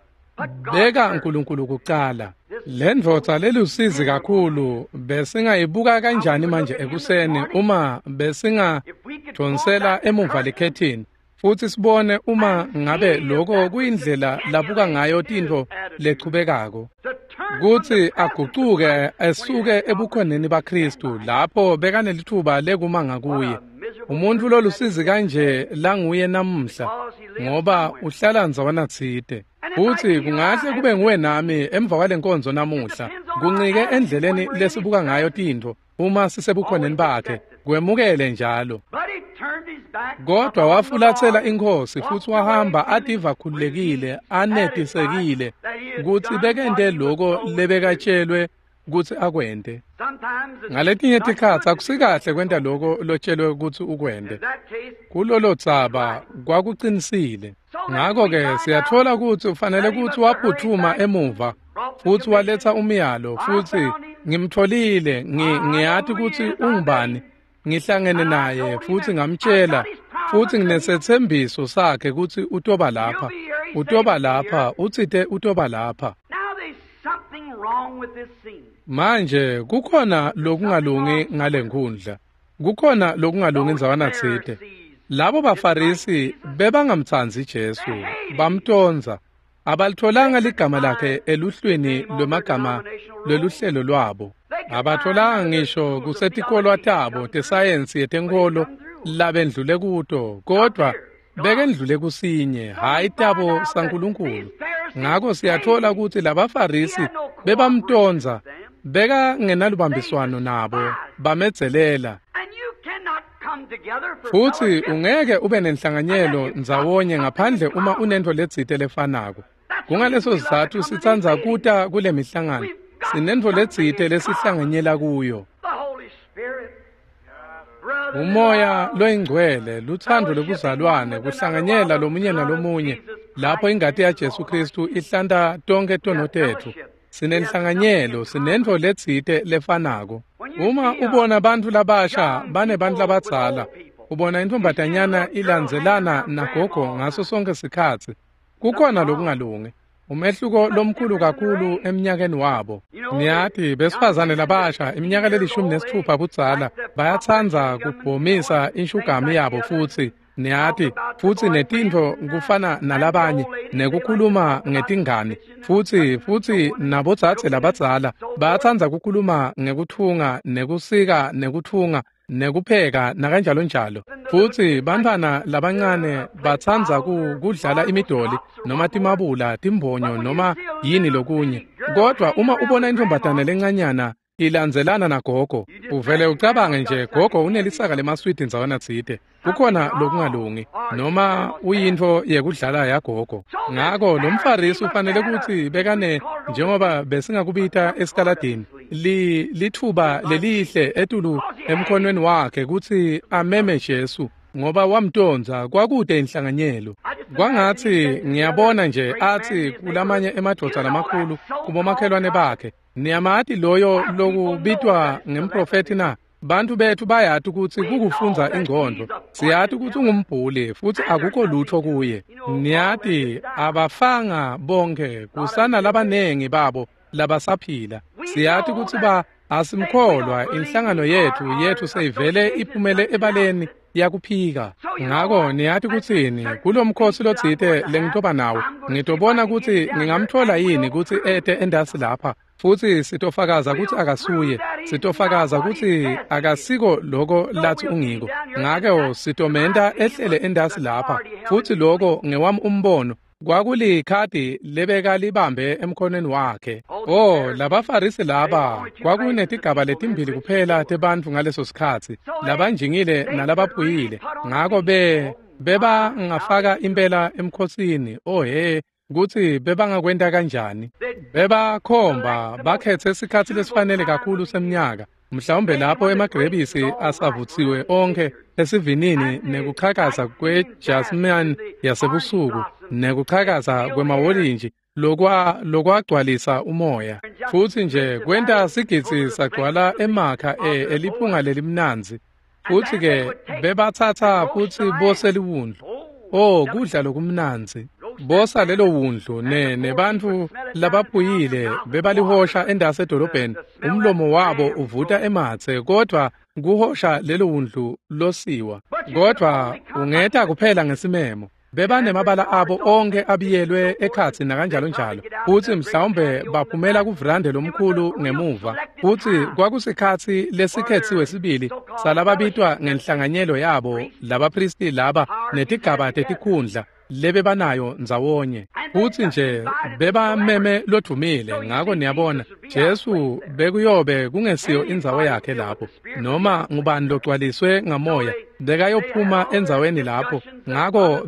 Beka Nkulunkulu kucala. Le ndvodza lelusizi kakhulu besingayibuka kanjani manje ekuseni uma besingadonsela emuva likhethini futsi sibone uma ngabe loko kuyindlela labuka ngayo tintfo lechubekako, kutsi agucuke esuke ebukhoneni baKhristu lapho bekanelitfuba lekuma ngakuye. Umuntfu lolusizi kanje languye namuhla, ngoba uhlala ndzawana tsite. Futsi kungahle kube nguwe nami emva kwalenkonzo namuhla, kuncike endleleni lesibuka ngayo tintfo uma sisebukhoneni bakhe, kwemukele njalo. Kodwa wafulatsela iNkhosi futsi wahamba ativa khululekile, anetisekile kutsi bekente loko lebekatshelwe kutsi akwente. Ngaletinye tikhatsi akusikahle kwenta loko lotshelwe kutsi ukwente. Kulolo dzaba kwakucinisile. Ngako-ke siyatfola kutsi ufanele kutsi waphutfuma emuva futsi waletsa umyalo, futsi ngimtfolile, ngiyati kutsi ungubani, ngihlangene naye futsi ngamtshela, futsi nginesethembiso sakhe kutsi utoba lapha, utoba lapha, utsite utoba lapha. Manje kukhona lokungalungi ngale nkundla, kukhona lokungalungi ndzawana tsite. Labo baFarisi bebangamtsandzi Jesu, bamtondza. Abalitholanga ligama lakhe eluhlwini lwemagama lweluhlelo lwabo. Abatholanga ngisho kusetikolwa tabo tesayensi yetenkolo labendlule kuto, kodwa bekendlule kusinye, hhayi tabo saNkulunkulu. Ngako siyathola ukuthi labaFarisi bebamtonza, bekangenalubambiswano nabo, bamedzelela. Futhi ungeke ube nenhlanganyelo ndzawonye ngaphandle uma unento letsite lefanako. Kungaleso sizatfu sitsandza kuta kule mihlangano, sinento letsite lesihlanganyela kuyo. Umoya loyingcwele, luthando lobuzalwane, kuhlanganyela lomunye nalomunye, lapho ingati yaJesu Kristu ihlanta tonke tono tetfu. Sinenhlanganyelo, sinento letsite lefanako. Uma ubona bantfu labasha banebantfu labadzala, ubona intfombatanyana ilandzelana nagogo ngaso sonke sikhatsi, kukhona lokungalungi. Umehluko lomkhulu kakhulu eminyakeni wabo. Niyati, besifazane labasha iminyaka le-16 budzala bayatsandza kubhomisa inshugami yabo futsi niyati, futsi netintfo kufana nalabanye nekukhuluma ngetingane, futsi nabodzadze labadzala bayatsandza kukhuluma ngekutfunga nekusika nekutfunga nekupheka nakanjalo njalo. Futsi bantfwana labancane batsandza kudlala imidoli noma timabula, timbonyo noma yini lokunye. Kodwa uma ubona intfombatane lencanyana ilandzelana nagogo, uvele ucabange nje gogo unelisaka lemaswidi ndzawana tsite, kukhona lokungalungi, noma uyintfo yekudlala yagogo. Ngako lo mFarisi ufanele kutsi bekane, njengoba besingakubita esitaladini, litfuba lelihle etulu emkhonweni wakhe kutsi ameme Jesu, ngoba wamtondza, kwakude inhlanganyelo. Kwangatsi ngiyabona nje atsi kulamanye emadvodza lamakhulu kubomakhelwane bakhe, niyamati loyo lokubitwa ngemprofethi na? Bantu bethu bayati kutsi kukufundza ingcondvo, siyati kutsi ungumbhuli futsi akukho lutho kuye. Niyati, abafanga bonke, kusana labanengi babo labasaphila. Siyati kutsi asimkholwa, inhlangano yethu seyivele iphumele ebaleni yakuphika. Ngako niyati kutsini, kulomkhosi lotsite lengitoba nawo, ngitobona kutsi ngingamthola yini kutsi ete endasi lapha, futsi sitofakaza kutsi akasuye, sitofakaza kutsi akasiko loko lathi ungiko. Ngako sitomenta ehlele endasi lapha, futsi loko ngewami umbono, kwakulikhadi lebekalibambe emkhonweni wakhe. Oh, labaFarisi laba, kwakunetigaba letimbili kuphela tebantfu ngaleso sikhatsi, labanjingile nalabaphuyile. Ngako bebangafaka impela emkhosini. Oh he, kutsi bebangakwenta kanjani. Bebakhomba bakhethe sikhatsi lesifanele kakhulu semnyaka, mhlawumbe lapho emagrebisi asavutsiwe onke esivinini nekuchakaza kwejasmine yasebusuku nekuchakaza kwemawolintshi lokwagcwalisa umoya, futsi nje kwenta sigidzi sagcwala emakha eliphunga lelimnandzi. Futsi ke bebatsatsa futsi bose liwundlu. Oh, kudla lokumnandzi. Bosa lelo wundlu nebantfu labaphuyile bebalihosha endasi edolobheni, umlomo wabo uvuta ematse, kodvwa kuhosha lelo wundlu losiwa. Kodvwa ungeta kuphela ngesimemo. Bebanemabala abo onke abiyelwe ekhatsi nakanjalo njalo, futsi mhlawumbe baphumela kuvrande lomkhulu ngemuva. Futsi kwakusikhatsi lesikhetsiwe sibili salababitwa ngenhlanganyelo yabo labaphristi laba netigaba tetikhundla lebebanayo ndzawonye. Futsi nje bebameme lodvumile. Ngako niyabona, Jesu bekuyobe kungesiyo indzawo yakhe lapho, noma ngubani logcwaliswe ngamoya bekayophuma endzaweni lapho. Ngako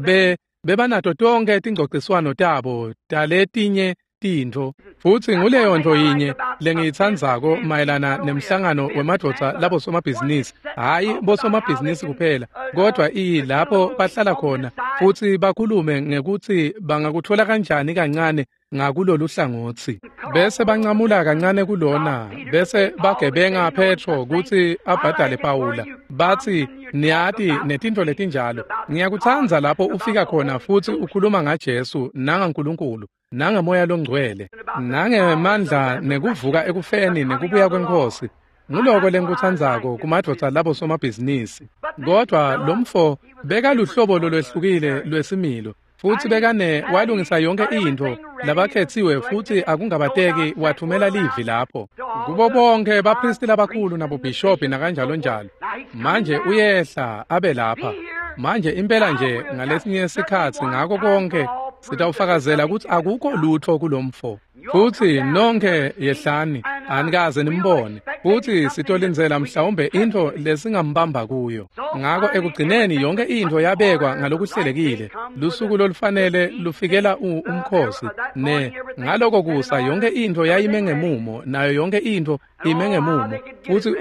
bebanato tonke tingcociswano tabo taletinye tintfo. Futsi nguleyo ntfo yinye lengiyitsandzako mayelana nemhlangano wemadvodza labosomabhizinisi, hhayi bosomabhizinisi kuphela, kodwa lapho bahlala khona futsi bakhulume ngekutsi bangakuthola kanjani kancane ngakulolu hlangotsi, bese bancamula kancane kulona, bese bagebenga Petro kutsi abhadale Pawula, batsi niyati netintfo letinjalo. Ngiyakutsandza lapho ufika khona futsi ukhuluma ngaJesu nangaNkulunkulu nangemoya longcwele nangemandla nekuvuka ekufeni nekubuya kweNkhosi. Nguloko lengikutsandzako kumadvodza labo somabhizinisi. Kodwa lomfo bekaluhlobo lolwehlukile lwesimilo. Futsi bekane walungisa yonke intfo labakhetsiwe futsi akungabateki wathumela livi lapho kubo bonke baphristi labakhulu nabobhishobhi nakanjalo njalo. Manje uyehla abe lapha manje impela nje ngalesinye sikhatsi ngako konke sitawufakazela kutsi akukho lutfo kulomfo. Futsi nonke yehlani anikaze nimbone futsi sitolindzela mhlawumbe intfo lesingambamba kuyo. Ngako ekugcineni yonke intfo yabekwa ngalokuhlelekile. Lusuku lolufanele lufikela umkhosi ne ngaloko kusa yonke intfo yayime ngemumo nayo yonke intfo ime ngemumo. Futsi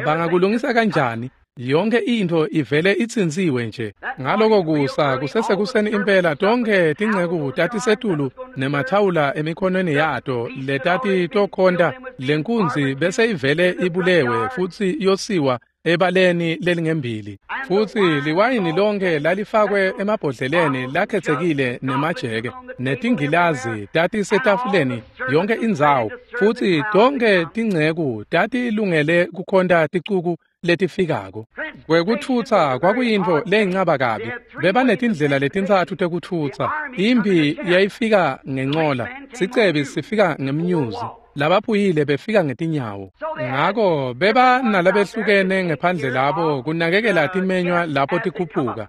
bangakulungisa kanjani? Yonke intfo ivele itsintsiwe nje. Ngaloko kusa kusesekuseni impela tonke tinceku tatisetulu nemathawula emikhonweni yato letati tokhonta lenkunzi bese ivele ibulewe futsi yosiwa ebaleni lelingembili. Futsi liwayini lonke lalifakwe emabhodleleni lakhetsekile nemajeke netingilazi tatisetafuleni yonke indzawo. Futsi tonke tinceku tatilungele kukhonta ticuku letifikako. Kwekuthutsa kwakuyintfo leyincaba kabi. Bebanetindlela letintsatfu tekutfutsa. Impi yayifika ngencola, sicebi sifika ngemnyuzi, labaphuyile befika ngetinyawo. Ngako beba nalabehlukene ngephandle labo kunakekela timenywa lapho tikhuphuka.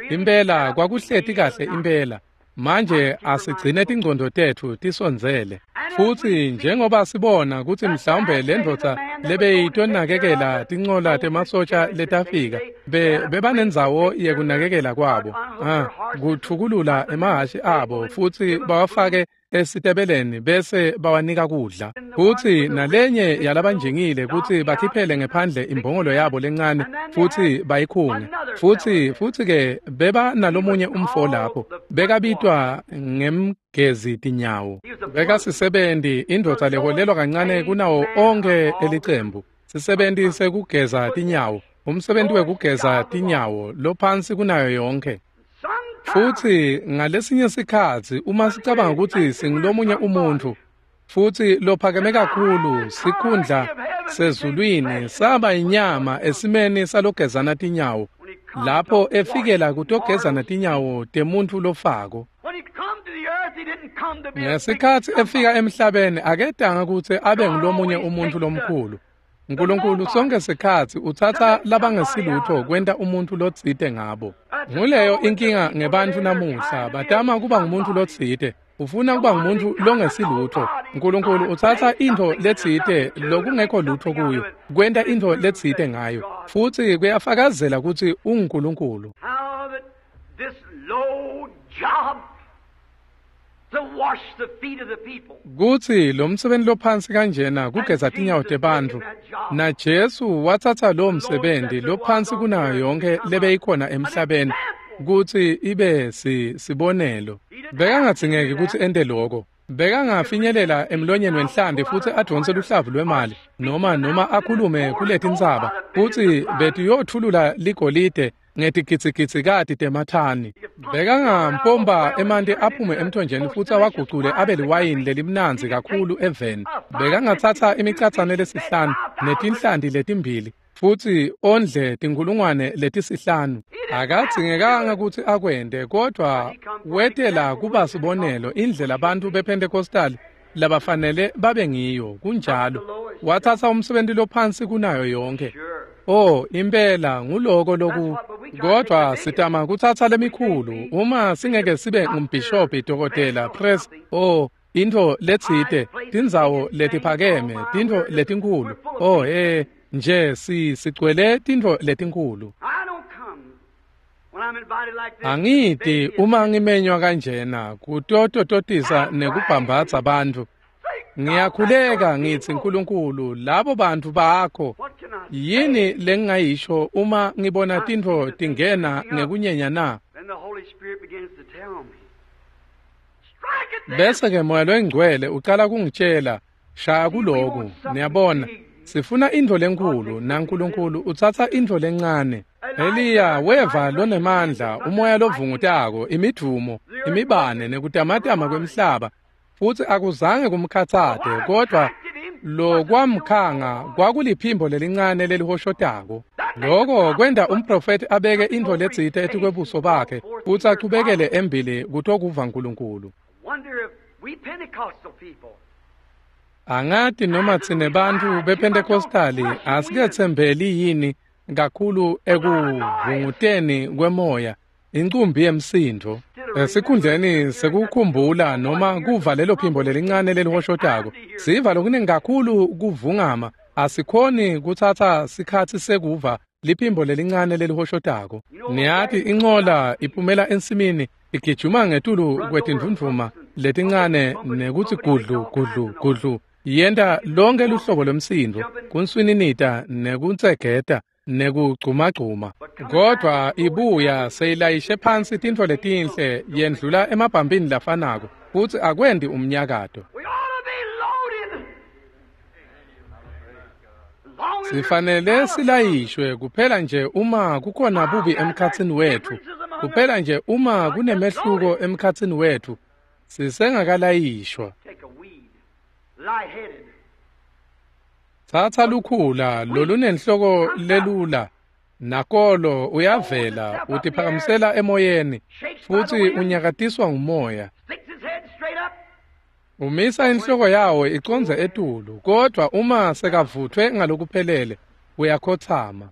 Impela kwakuhleti kahle impela. Manje asigcine tingcondo tetfu tisondzele. Futsi njengoba sibona kutsi mhlawumbe lendvodza lebeyitonakekela tincola temasotsha letafika bebanendzawo yekunakekela kwabo kuthukulula emahhashi abo futsi bawafake esitebeleni bese bawanika kudla. Futsi nalenye yalabanjingile kutsi bakhiphele ngephandle imbongolo yabo lencane futsi bayikhunge. Futsi ke beba nalomunye umfo lapho bekabitwa ngemgezi tinyawo. Bekasisebenti indvodza leholelwa kancane kunawo onke elicembu. Sisebenti sekugeza tinyawo, umsebenti wekugeza tinyawo lophansi kunayo yonke. Futsi ngalesinye sikhatsi uma sicabanga kutsi singulomunye umuntfu futsi lophakeme kakhulu sikhundla sezulwini saba inyama esimeni salogezana tinyawo lapho efikela kutogezana tinyawo temuntfu lofako. Ngesikhatsi efika emhlabeni akedanga kutsi abe ngulomunye umuntfu lomkhulu. Nkulunkulu sonke sikhatsi utsatsa labangesilutfo kwenta umuntfu lotsite ngabo. Nguleyo inkinga ngebantfu namuhla, batama kuba ngumuntu lotsite, ufuna kuba ngumuntu longesilutfo. Nkulunkulu utsatsa intfo letsite lokungekho lutfo kuyo, kwenta intfo letsite ngayo, futsi kuyafakazela kutsi unguNkulunkulu. Kutsi lo msebenti lophansi kanjena kugeza tinyawo tebantfu, na Jesu watsatsa lo msebenti lophansi kunayo yonke lebeyikhona emhlabeni kutsi ibe sibonelo. Bekangadzingeki kutsi ente loko. Bekangafinyelela emlonyeni wenhlanti futsi advonse luhlavu lwemali noma akhulume kuletintsaba futsi betiyotfulula ligolide ngetigidzigidzi temathani. Bekangampompa emanti aphume emthonjeni futsi awagucule abe liwayini lelimnandzi kakhulu eveni. Bekangatsatsa imicatsane lesihlanu netinhlanti letimbili futsi ondle tinkhulungwane letisihlanu. Akadzingekanga kutsi akwente, kodvwa wetela kuba sibonelo indlela bantfu bePentecostal labafanele babe ngiyo. Kunjalo, watsatsa umsebenti lophansi kunayo yonke. Oh, impela nguloko loku. Kodvwa sitama kutsatsa lemikhulu uma singeke sibe ngumbhishobhi, dokotela, press, intfo letsite, tindzawo letiphakeme, tintfo letinkhulu. Nje sigcwele tintfo letinkhulu. Angiti uma ngimenywa kanjena kutotototisa nekubhambatsa bantfu. Ngiyakhuleka ngitsi Nkulunkulu, labo bantfu bakho, yini lengingayisho uma ngibona tintfo tingena ngekunyenya na? Bese ke Moya loyiNgcwele ucala kungitshela, shaya kuloku. Niyabona, sifuna intfo lenkhulu, naNkulunkulu utsatsa intfo lencane. Eliya weva lonemandla, umoya lovungutako, imidvumo, imibane nekutamatama kwemhlaba, futsi akuzange kumkhatsate, kodvwa Lokwamkhanga kwakuliphimbo lelincane lelihoshotako. Loko kwenta umprofeti abeke intfo letsite etikwebuso bakhe futsi achubekele embili kutokuva Nkulunkulu. Angati noma tsine bantfu bePentecostali asiketsembeli yini kakhulu ekuvunguteni kwemoya, incumbi yemsindvo, esikhundleni sekukhumbula noma kuva lelo phimbo lelincane lelihoshotako. Siva lokuningi kakhulu kuvungama, asikhoni kutsatsa sikhatsi sekuva liphimbo lelincane lelihoshotako. Niyati incola iphumela ensimini igijima ngetulu kwetindvundvuma letincane nekutsi gudlu gudlu gudlu, yenta lonke luhlobo lwemsindvo, kunswininita nekuntsegeta nekugcumagcuma, kodvwa ibuya seyilayishe phansi tintfo letinhle, yendlula emabhampini lafanako futsi akwendi umnyakato. Sifanele silayishwe kuphela nje uma kukhona bubi emkhatsini wetfu, kuphela nje uma kunemehluko emkhatsini wetfu, sisengakalayishwa. Tsatsa lukhula lolunenhloko lelula, nakolo uyavela utiphakamisela emoyeni futsi unyakatiswa ngumoya. Umisa inhloko yawo icondze etulu, kodvwa uma sekavutfwe ngalokuphelele uyakhotsama.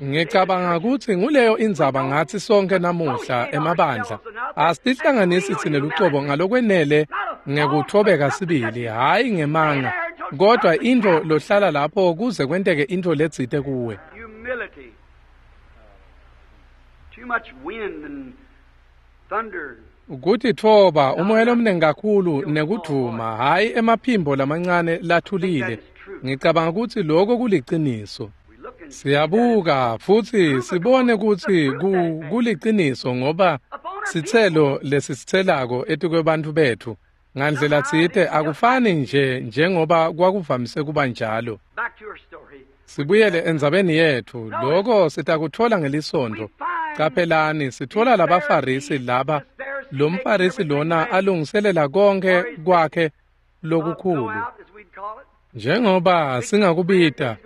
Ngicabanga kutsi nguleyo indzaba ngatsi sonke namuhla emabandla. Asitihlanganisi tsine lucobo ngalokwenele ngekutfobeka sibili, hhayi ngemanga, kodvwa intfo lohlala lapho kuze kwenteke intfo letsite kuwe. Kutitfoba, umoya lomnengi kakhulu nekudvuma, hhayi emaphimbo lamancane lathulile. Ngicabanga kutsi lokho kuliciniso. Siyabuka futsi sibone kutsi kuliciniso ngoba sitselo lesisitselako etikwebantfu betfu ngandlela tsite akufani nje njengoba kwakuvamise kuba njalo. Sibuyele endzabeni yetfu, loko sitakutfola ngelisonto. Caphelani, sitfola labaFarisi laba, lo mFarisi lona alungiselela konke kwakhe lokukhulu. Njengoba singakubita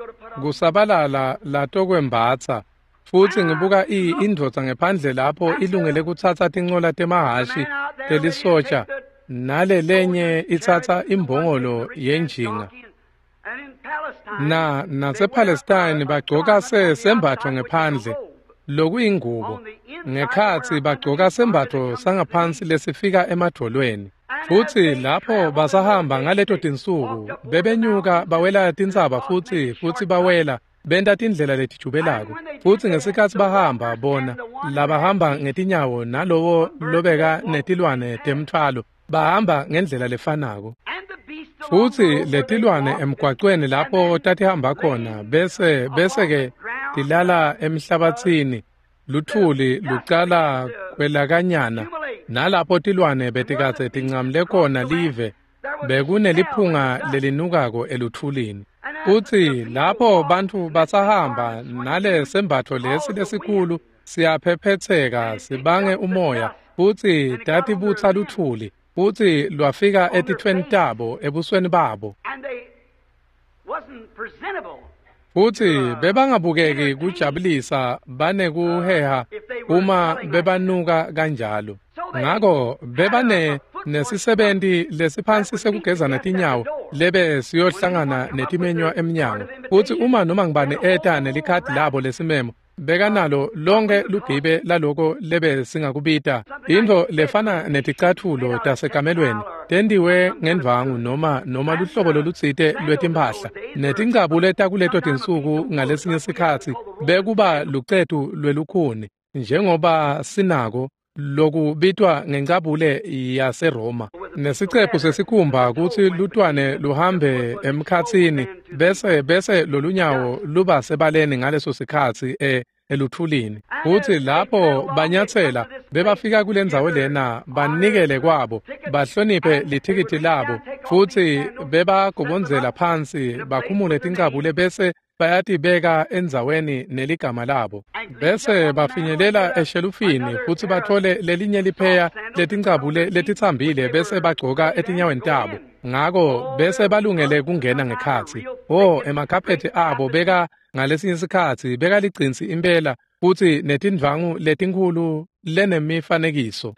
kusabalala latokwembatsa, futsi ngibuka indvodza ngephandle lapho ilungele kutsatsa tincola temahhashi telisotja, nale lenye itsatsa imbongolo yenjinga. Na nasePalestine bagcoka sembatfo ngephandle lokuyingubo, ngekhatsi bagcoka sembatfo sangaphansi lesifika emadvolweni. Futsi lapho basahamba ngaleto tinsuku bebenyuka bawela tintsaba futsi bawela benta tindlela letijubelako. Futsi ngesikhatsi bahamba bona labahamba ngetinyawo nalowo lobeka netilwane temtfwalo bahamba ngendlela lefanako. Futsi letilwane emgwacweni lapho tatihamba khona bese-ke tilala emhlabatsini, luthuli lucala kwelakanyana, nalapho tilwane betikadze tincamule khona live bekuneliphunga lelinukako eluthulini. Futsi lapho bantfu basahamba nale sembatfo lesi lesikhulu siyaphephetseka sibange umoya, futsi tatibutsa luthuli futsi lwafika etitfweni tabo ebusweni babo. Futsi bebangabukeki kujabulisa banekuheha uma bebanuka kanjalo. Ngako bebane nesisebenti lesiphansi sekugezana tinyawo lebe siyohlangana netimenywa emnyango. Futsi uma noma ngibani eta nelikhadi labo lesimemo, bekanalo lonke lugibe laloko lebe singakubita intfo lefana neticatfulo tasekamelweni tentiwe ngendvwangu noma luhlobo lolutsite lwetimphahla, netincabule takuleto tinsuku ngalesinye sikhatsi bekuba lucetu lwelukhuni njengoba sinako lokubitwa ngencabule yaseRoma, nesicephu sesikhumba kutsi lutwane luhambe emkhatsini bese lolunyawo luba sebaleni ngaleso sikhatsi eluthulini. Futsi lapho banyatsela bebafika kulendzawo lena banikele kwabo bahloniphe lithikithi labo, futsi bebagobondzela phansi bakhumule tincabule bese bayatibeka endzaweni neligama labo. Bese bafinyelela eshelufini futsi batfole lelinye lipheya letincabule letitsambile bese bagcoka etinyaweni tabo. Ngako bese balungele kungena ngekhatsi. Oh, emakhaphethi abo beka ngalesinye sikhatsi bekaligcinsi impela futsi netindvangu letinkhulu lenemifanekiso.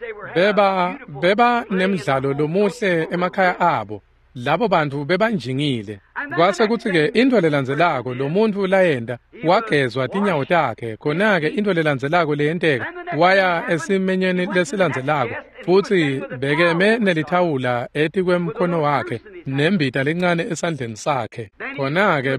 Beba nemidlalo lomuhle emakhaya abo. Labo bantfu bebanjingile. Kwase kutsi-ke intfo lelandzelako lo muntfu layenta wagezwa tinyawo takhe. Khona-ke intfo lelandzelako leyenteka waya esimenyweni lesilandzelako futsi bekeme nelithawula etikwemkhono wakhe nembita lencane esandleni sakhe. Khona-ke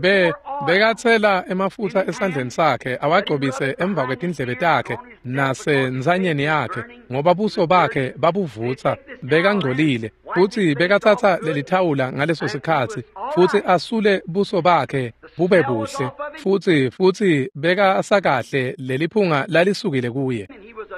bekatsela emafutsa esandleni sakhe awagcobise emva kwetindlebe takhe nasentsanyeni yakhe ngoba buso bakhe babuvutsa bekangcolile futsi bekatsatsa lelithawula ngaleso sikhatsi futsi asule buso bakhe bube buhle futsi bekasakahle leliphunga lalisukile kuye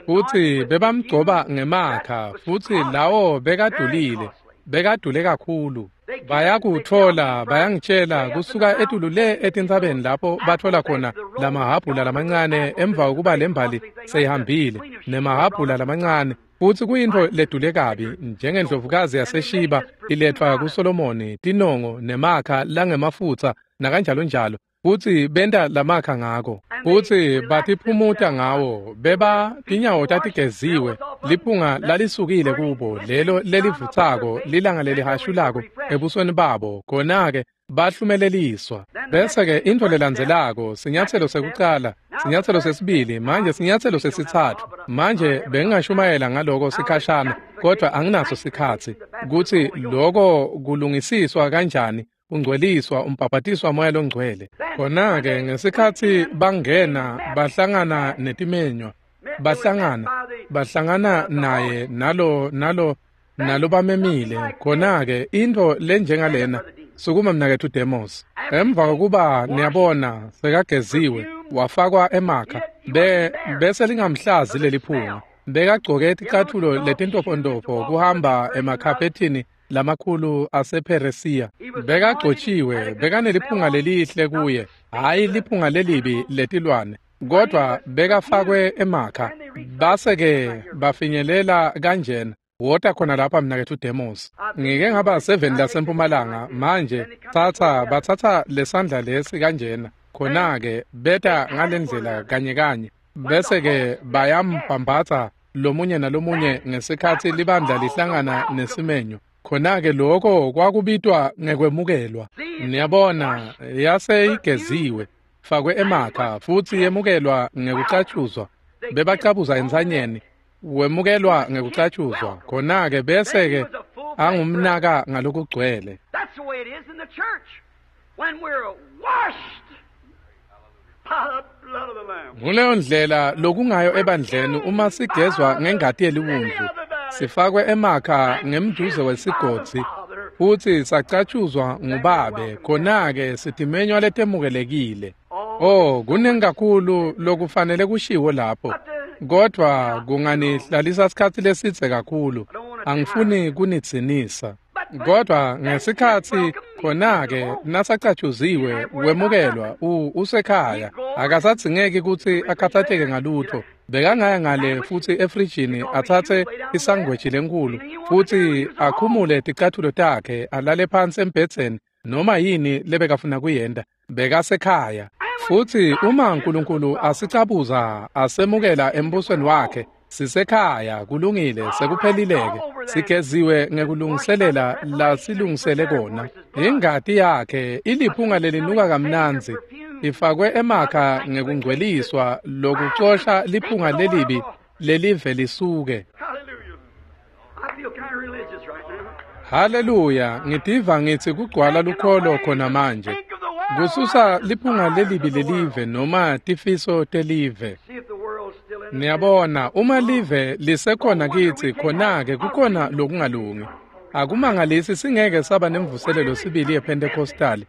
futsi bebamgcoba ngemakha futsi lawo bekadulile bekadule kakhulu. Bayakutfola bayangitshela kusuka etulu le etintsabeni lapho batfola khona lamahabhula lamancane emva kokuba lembali seyihambile nemahabhula lamancane futsi kuyintfo ledule kabi njengendlovukazi yaseShiba iletfwa kuSolomoni tinongo nemakha langemafutsa nakanjalonjalo futsi benta lamakha ngako futsi batiphumuta ngawo beba tinyawo tatigeziwe liphunga lalisukile kubo lelo lelivutsako lilanga lelihashulako ebusweni babo khona-ke bahlumeleliswa. Bese-ke intfo lelandzelako sinyatselo sekucala sinyatselo sesibili manje sinyatselo sesitsatfu. Manje bengingashumayela ngaloko sikhashana kodwa anginaso sikhatsi kutsi loko kulungisiswa kanjani ungcweliswa umbhabhatiswa moya longcwele. Khona-ke ngesikhatsi bangena bahlangana netimenywa bahlangana naye nalo bamemile. Khona-ke intfo lenjengalena sukuma mnaketfu Demos. Emva kokuba niyabona sekageziwe wafakwa emakha bese lingamhlazi leliphunga bekagcoke ticatfulo letintofontofo kuhamba emakhaphethini lamakhulu asePheresiya. Bekagcotshiwe bekaneliphunga lelihle kuye hhayi liphunga lelibi letilwane kodwa bekafakwe emakha. Base-ke bafinyelela kanjena wota khona lapha mnaketfu Demos. Ngike ngaba 7 lasempumalanga manje batsatsa lesandla lesi kanjena khona-ke beta ngalendlela kanye kanye bese-ke bayambhambatsa lomunye nalomunye ngesikhatsi libandla lihlangana nesimenyo. Khona-ke lokho kwakubitwa ngekwemukelwa. Niyabona yase igeziwe fakwe emakha futsi yemukelwa ngekucatshuzwa bebacabuza entsanyeni wemukelwa ngekucatshuzwa. Khona-ke bese-ke angumnaka ngalokugcwele. Nguleyo ndlela lokungayo ebandleni uma sigezwa ngengati yeliwundlu sifakwe emakha ngemduze wesigodzi futsi sacatshuzwa ngubabe. Khona-ke sitimenywa letemukelekile. Oh, kuningi kakhulu lokufanele kushiwo lapho kodwa kunganihlalisa sikhatsi lesidze kakhulu angifuni kunidzinisa. Kodwa ngesikhatsi khona-ke nasacatshuziwe wemukelwa usekhaya akasadzingeki kutsi akhathatseke ngalutho. Bekangaya ngale futsi efrijini atsatse isangweji lenkulu futsi akhumule ticatfulo takhe alale phansi embhedzeni noma yini lebekafuna kuyenta. Bekasekhaya. Futsi uma uNkulunkulu asicabuza asemukela embusweni wakhe sisekhaya kulungile sekuphelileke sigeziwe ngekulungiselela lasilungisele kona. Ingati yakhe iliphunga lelinuka kamnandzi ifakwe emakha ngekungcweliswa lokucosha liphunga lelibi lelive lisuke. Haleluya, ngitiva ngitsi kugcwala lukholo khona manje. Kususa liphunga lelibi lelive noma tifiso telive. Niyabona uma live lisekhona kitsi khona-ke kukhona lokungalungi. Akumangalisi singeke saba nemvuselelo sibili yePentecostal.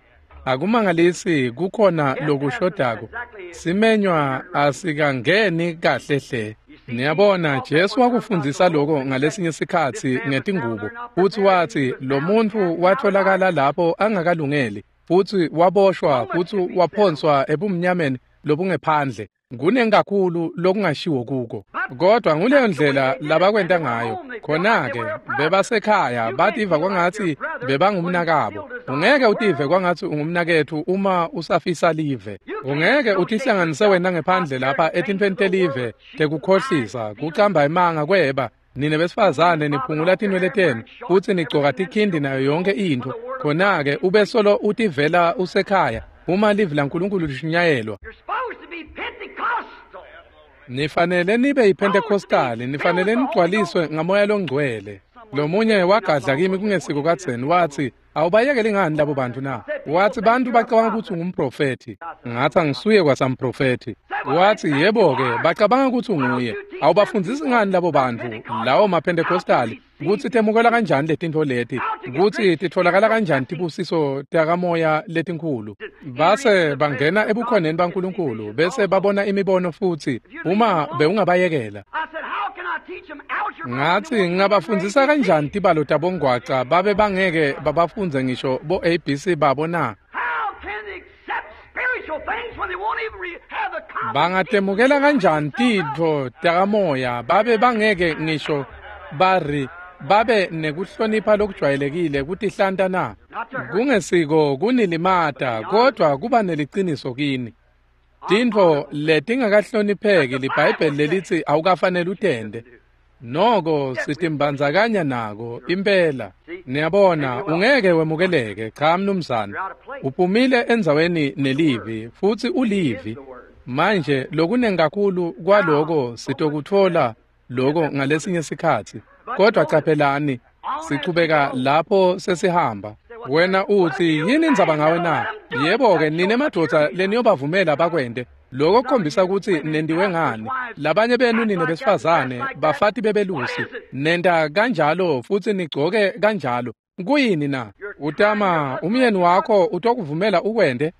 Akumangalisi kukhona lokushodako. Simenywa asikangeni kahle hle. Niyabona Jesu wakufundzisa lokho ngalesinye sikhatsi ngetingubo futsi watsi lo muntfu watholakala lapho angakalungeli. futsi waboshwa futsi waphonswa ebumnyameni lobungephandle. Kunengi kakhulu lokungashiwo kuko, kodwa nguleyo ndlela labakwenta ngayo. Khona-ke bebasekhaya bativa kwangatsi bebangumnakabo. Ungeke utive kwangatsi ungumnaketfu uma usafisa live. Ungeke utihlanganise wena ngephandle lapha etintfweni telive tekukhohlisa, kucamba emanga, kweba. Nine besifazane niphungula tinwele tenu futsi nigcoka tikhindi nayo yonke intfo. Khona-ke ube solo utivela usekhaya uma livi laNkulunkulu lishunyayelwa. Nifanele nibe yiPentecostali, nifanele nigcwaliswe ngaMoya loNgcwele. Lomunye wagadla kimi kungesiko kadzeni wathi, awubayekeli ngani labo bantu na? Wathi bantu bacabanga ukuthi ungumprofethi. Ngathi angisuye kwasamprofethi. Wathi yebo-ke bacabanga ukuthi unguye. Awubafundzisi ngani labo bantu lawo maPentecostali kutsi temukela kanjani letintfo leti, kutsi titfolakala kanjani tibusiso takamoya letinkhulu? Base bangena ebukhoneni baNkulunkulu bese babona imibono futsi uma bewungabayekela. Ngathi ngingabafundzisa kanjani tibalo tabongwaca babe bangeke babafundze ngisho bo ABC babo na? Bangatemukela kanjani tintfo takamoya babe bangeke ngisho bari babe nekuhlonipha lokujwayelekile kutihlanta na? Kungesiko kunilimata, kodwa kuba neliciniso kini. Tintfo letingakahlonipheki liBhayibheli lelithi awukafanele utende. Noko sitimbandzakanya nako impela. Niyabona, ungeke wemukeleke, cha mnumzane. Uphumile endzaweni nelivi futsi ulivi. Manje lokunengi kakhulu kwaloko sitokutfola loko ngalesinye sikhatsi. Kodwa caphelani, sichubeka lapho sesihamba. Wena uthi yini indzaba ngawe na? Yebo-ke nine madvodza leniyobavumela bakwente. Lokho kukhombisa kutsi nendiwe ngani. Labanye benu nine besifazane, bafati bebelusi, nenta kanjalo futsi nigcoke kanjalo. Kuyini na? Utama umyeni wakho utokuvumela ukwente?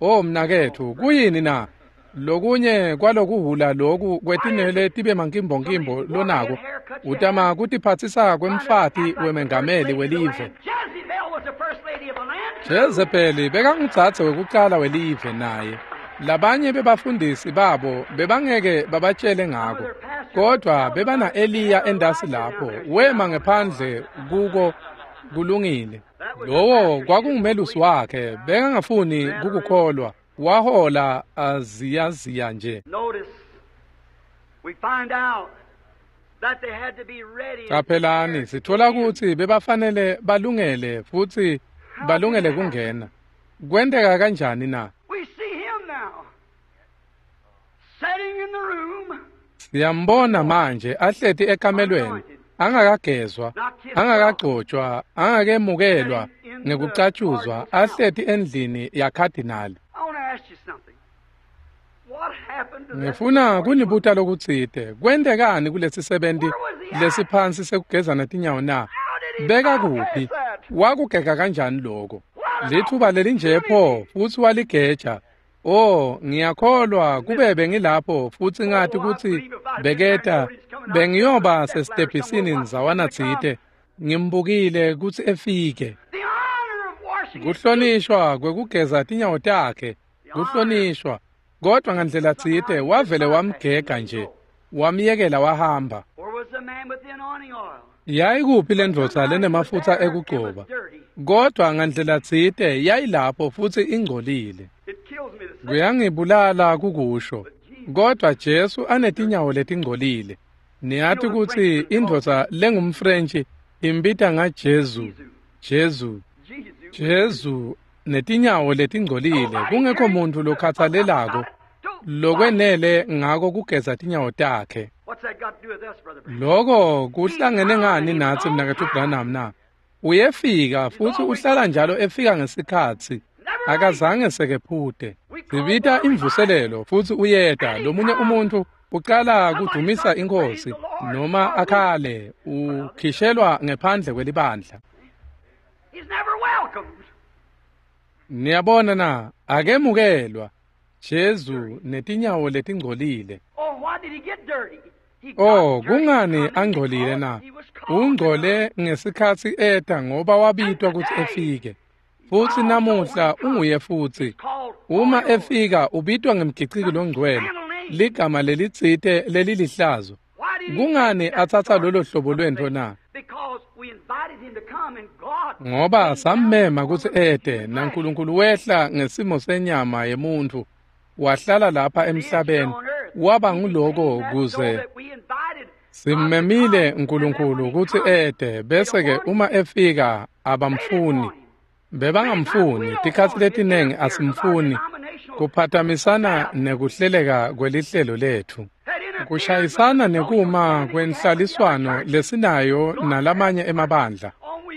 Oh mnaketfu, kuyini na? Lokunye kwalokuhula loku kwetinwele tibe mankimbonkimbo lonako, utama kutiphatsisa kwemfati wemengameli welive. Jezebeli bekangudzadze wekucala welive naye. Labanye bebafundisi babo bebangeke babatshele ngako, kodwa bebana Eliya endasi lapho wema ngephandle kuko kulungile. Lowo kwakungumelusi wakhe, bekangafuni kukukholwa. Wahola aziyaziya nje. Caphelani, sithola kutsi bebafanele balungele futsi balungele kungena. Kwenteka kanjani na? Siyambona manje ahleti ekamelweni, angakagezwa, angakagcotshwa, angakemukelwa ngekucatshuzwa, ahleti endlini yakhadinali. Ngifuna kunibuta lokutsite. Kwentekani kulesisebenti lesiphansi sekugezana tinyawo na? Beka kuphi? Wakugega kanjani lokho? Lithuba lelinje pho futsi waligeja. Oh, ngiyakholwa kube bengilapho futsi ngathi kutsi beketa bengiyoba sesitebhisini ndzawana tsite. Ngimbukile kutsi efike. Kuhlonishwa kwekugeza tinyawo takhe, kuhlonishwa. Kodwa ngandlela tsite wavele wamgega nje, wamyekela wahamba. Yayikuphi lendvodza lenemafutsa ekugcoba? Kodwa ngandlela tsite yayilapho futsi ingcolile. Kuyangibulala kukusho, kodwa Jesu anetinyawo letingcolile. Niyati kutsi indvodza lengumFrentshi imbita ngaJesu, Jesu, Jesu netinyawo letingcolile, kungekho muntu lokhathalelako lokwenele ngako kugeza tinyawo takhe. Loko kuhlangene ngani natsi mnaketfu Branham na? Uyefika futsi uhlala njalo efika ngesikhatsi. Akazange sekephute. Sibita imvuselelo futsi uyeta. Lomunye umuntu ucala kudumisa inkosi noma akhale, ukhishelwa ngephandle kwelibandla. Niyabona na, akemukelwa. Jesu netinyawo letingcolile. Oh, kungani angcolile na? Ungcole ngesikhatsi eta ngoba wabitwa kutsi efike. Futsi namuhla unguye futsi. Uma efika ubitwa ngemgiciki longcwele, ligama lelitsite lelilihlazo. Kungani atsatsa lolo hlobo lwentfo na? Ngoba sammema kutsi ete, naNkulunkulu wehla ngesimo senyama yemuntfu, wahlala lapha emhlabeni, waba nguloko kuze simmemile uNkulunkulu kutsi ete, bese-ke uma efika abamfuni. Bebangamfuni, tikhatsi letinengi asimfuni, kuphatamisana nekuhleleka kwelihlelo letfu. Kushayisana nekuma kwenhlaliswano lesinayo nalamanye emabandla.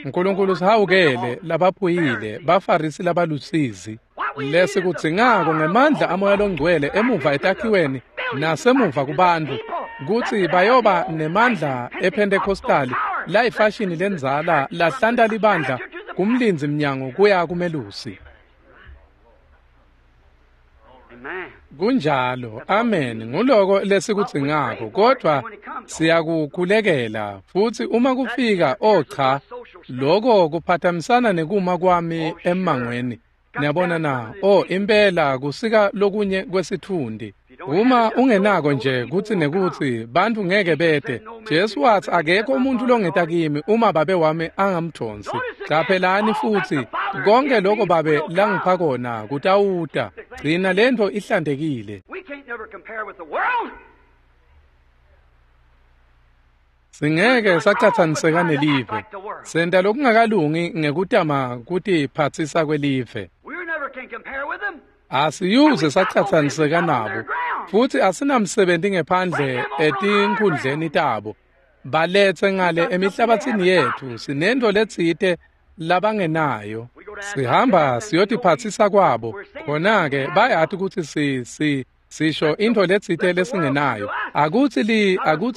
uNkulunkulu sihawukele labaphuyile, baFarisi labalusizi. Lesikudzingako ngemandla amoya longcwele emuva etakhiweni nasemuva kubantfu, kutsi bayoba nemandla ePhentekhostali layifashini lendzala lahlanta libandla kumlindzi mnyango kuya kumelusi. Kunjalo, amen. Nguloko lesikudzingako, kodvwa siyakukhulekela. Futsi uma kufika, oh cha, loko kuphatamisana nekuma kwami emmangweni. Niyabona na? Oh, impela kusika lokunye kwesitfundi. Uma ungenako nje kutsi nekutsi bantfu ngeke bete. Jesu watsi akekho umuntu longeta kimi uma babe wami angamdvonsi. Caphelani futsi konke lokho babe langipha kona kutawuta. Gcina lentfo ihlantekile. Singeke sacatsaniseka nelive. Senta lokungakalungi ngekutama kutiphatsisa kwelive. Asiyuze sacatsaniseka nabo, futsi asinamsebenzi ngephandle etinkhundleni tabo. Baletse ngale emihlabatsini yetfu, sinento letsite labangenayo. Sihamba siyotiphatsisa kwabo, khona-ke bayati kutsi sisho intfo letsite lesingenayo. Akutsi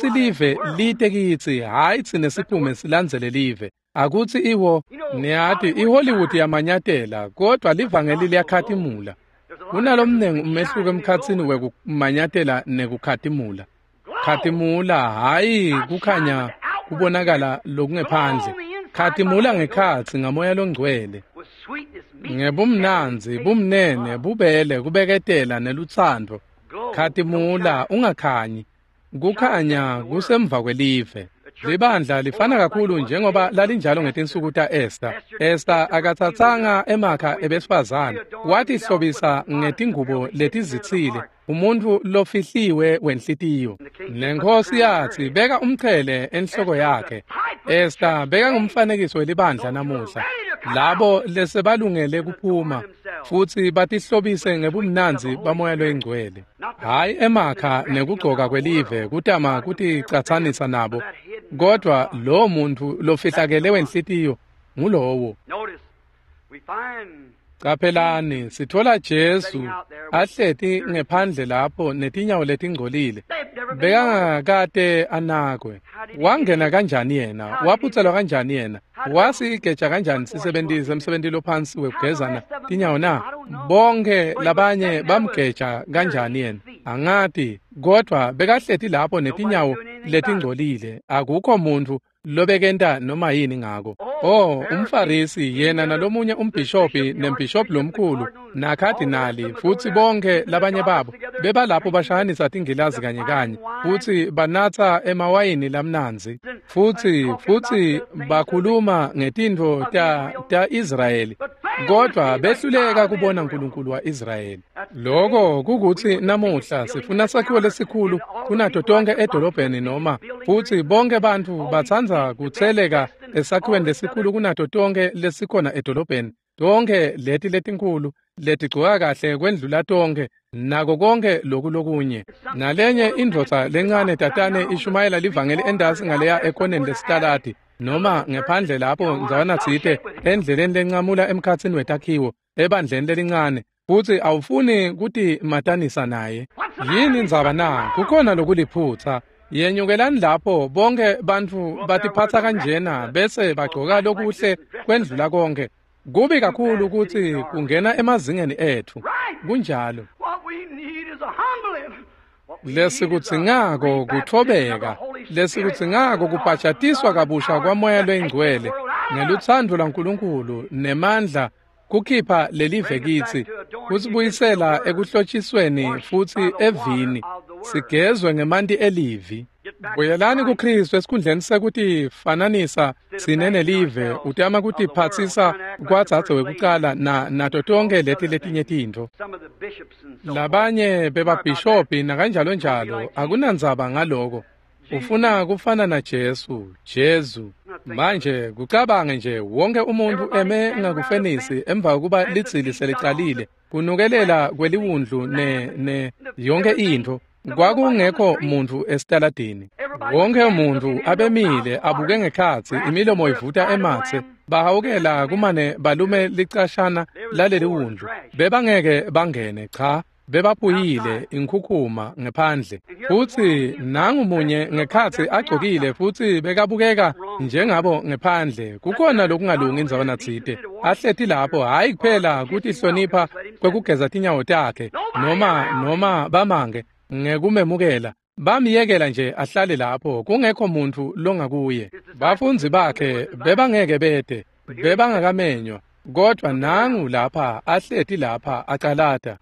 live lite kitsi, hhayi tsine siphume silandzele live. Akutsi iwo, niyati iHollywood yamanyatela, kodvwa livangeli liyakhatimula. Kunalomnengi umehluko emkhatsini wekumanyatela nekukhatimula. Khatimula hhayi kukhanya kubonakala lokungephandle. Khatimula ngekhatsi ngamoya longcwele. Ngebumnandzi, bumnene, bubele, kubeketela nelutsandvo. Khatimula ungakhanyi. Kukhanya kusemva kwelive. Libandla lifana kakhulu njengoba lalinjalo ngetinsuku ta-Esta. Esta akatsatsanga emakha ebesifazane, watihlobisa ngetingubo letizitsile, umuntfu lofihliwe wenhlitiyo. Nenkosi yatsi beka umchele enhloko yakhe. Esta beka ngumfanekiso welibandla namuhla. Labo lesebalungele kuphuma futsi batihlobise ngebumnandzi bamoya loyingcwele. Hhayi emakha nekugcoka kwelive kutama kuticatsanisa nabo, kodvwa lowo muntfu lofihlakele wenhlitiyo ngulowo. Caphelani, sitfola Jesu ahleti ngephandle lapho netinyawo letingcolile. Bekangakate anakwe. Wangena kanjani yena? Waphutselwa kanjani yena? Wasigeja kanjani sisebenti semsebenti lophansi wekugezana tinyawo na? Bonke labanye bamgeja kanjani yena? Angati, kodvwa bekahleti lapho netinyawo letingcolile. Akukho muntfu lobekenta noma yini ngako. Oh, umFarisi yena nalomunye umbhishobhi nembhishobhi lomkhulu nakhadinali futsi bonke labanye babo bebalapho bashayanisa tingilazi kanye kanye futsi banatsa emawayini lamnandzi futsi bakhuluma ngetintfo ta Israyeli, kodvwa behluleka kubona uNkulunkulu wa-Israyeli. Lokho kukutsi namuhla sifuna sakhiwo lesikhulu kunato tonke edolobheni noma futsi bonke bantfu batsandza kutseleka esakhiweni lesikhulu kunato tonke lesikhona edolobheni. Tonke leti letinkhulu letigcoka kahle kwendlula tonke nako konke loku lokunye. Nalenye indvodza lencane tatane ishumayela livangeli endasi ngaleya ekoneni lesitaladi noma ngephandle lapho ndzawana tsite endleleni lencamula emkhatsini wetakhiwo ebandleni lelincane, futsi awufuni kutimatanisa naye. Yini indzaba na? Kukhona lokuliphutsa. Yenyukelani lapho bonke bantfu batiphatsa kanjena bese bagcoka lokuhle kwendlula konke. Kubi kakhulu kutsi kungena emazingeni etfu. Kunjalo. Lesikudzingako kutfobeka, lesikudzingako kubhajatiswa kabusha kwamoya loyingcwele ngelutsandvo lwaNkulunkulu nemandla Kukhipha lelive kitsi, kusibuyisela ekuhlotshisweni futsi evini, sigezwe ngemanti elivi. Buyelani kuKristu esikhundleni sekutifananisa sine nelive, utama kutiphatsisa kwadzadze wekucala nato tonkhe leti letinye tintfo. Labanye bebabhishobhi nakanjalo njalo, akunandzaba ngaloko. Ufuna kufana na Jesu, Jesu. Manje kucabange nje wonke umuntu eme ngakufenisi emva kokuba lidzili selicalile, kunukelela kweliwundlu ne yonke intfo. Kwakungekho muntu esitaladini. Wonke umuntu abemile abuke ngekhatsi, imilomo ivuta ematse, bahawukela kumane balume licashana laleli wundlu. Bebangeke bangene, cha. Bebaphuyile inkhukhuma ngephandle. Futsi nangu munye ngekhatsi agcokile futsi bekabukeka njengabo ngephandle. Kukhona lokungalungi indzawana tsite. Ahleti lapho hhayi kuphela kutihlonipha kwekugeza tinyawo takhe noma bamange ngekumemukela. Bamyekela nje ahlale lapho kungekho muntu longakuye. Bafundzi bakhe bebangeke bete, bebangakamenywa, kodwa nangu lapha ahleti lapha acalata.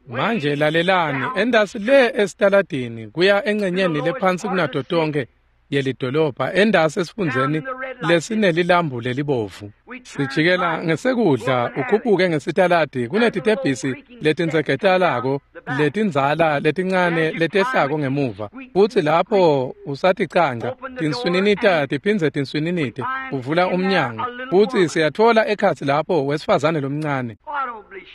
Manje lalelani, endasi le esitaladini kuya engcenyeni lephansi kunato tonke yelidolobha, endasi esifundzeni lesinelilambu lelibovu. Sijikela ngesekudla ukhuphuke ngesitaladi kunetitebhisi letinsegetalako letindzala letincane letehlako ngemuva. Futsi lapho usaticanca tinswininita tiphindze tinswininite, uvula umnyango futsi siyatfola ekhatsi lapho wesifazane lomncane.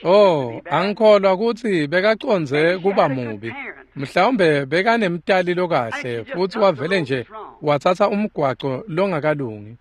Oh, angikholwa kutsi bekacondze kuba mubi. Mhlawumbe bekanemtali lokahle futsi wavele nje watsatsa umgwaco longakalungi.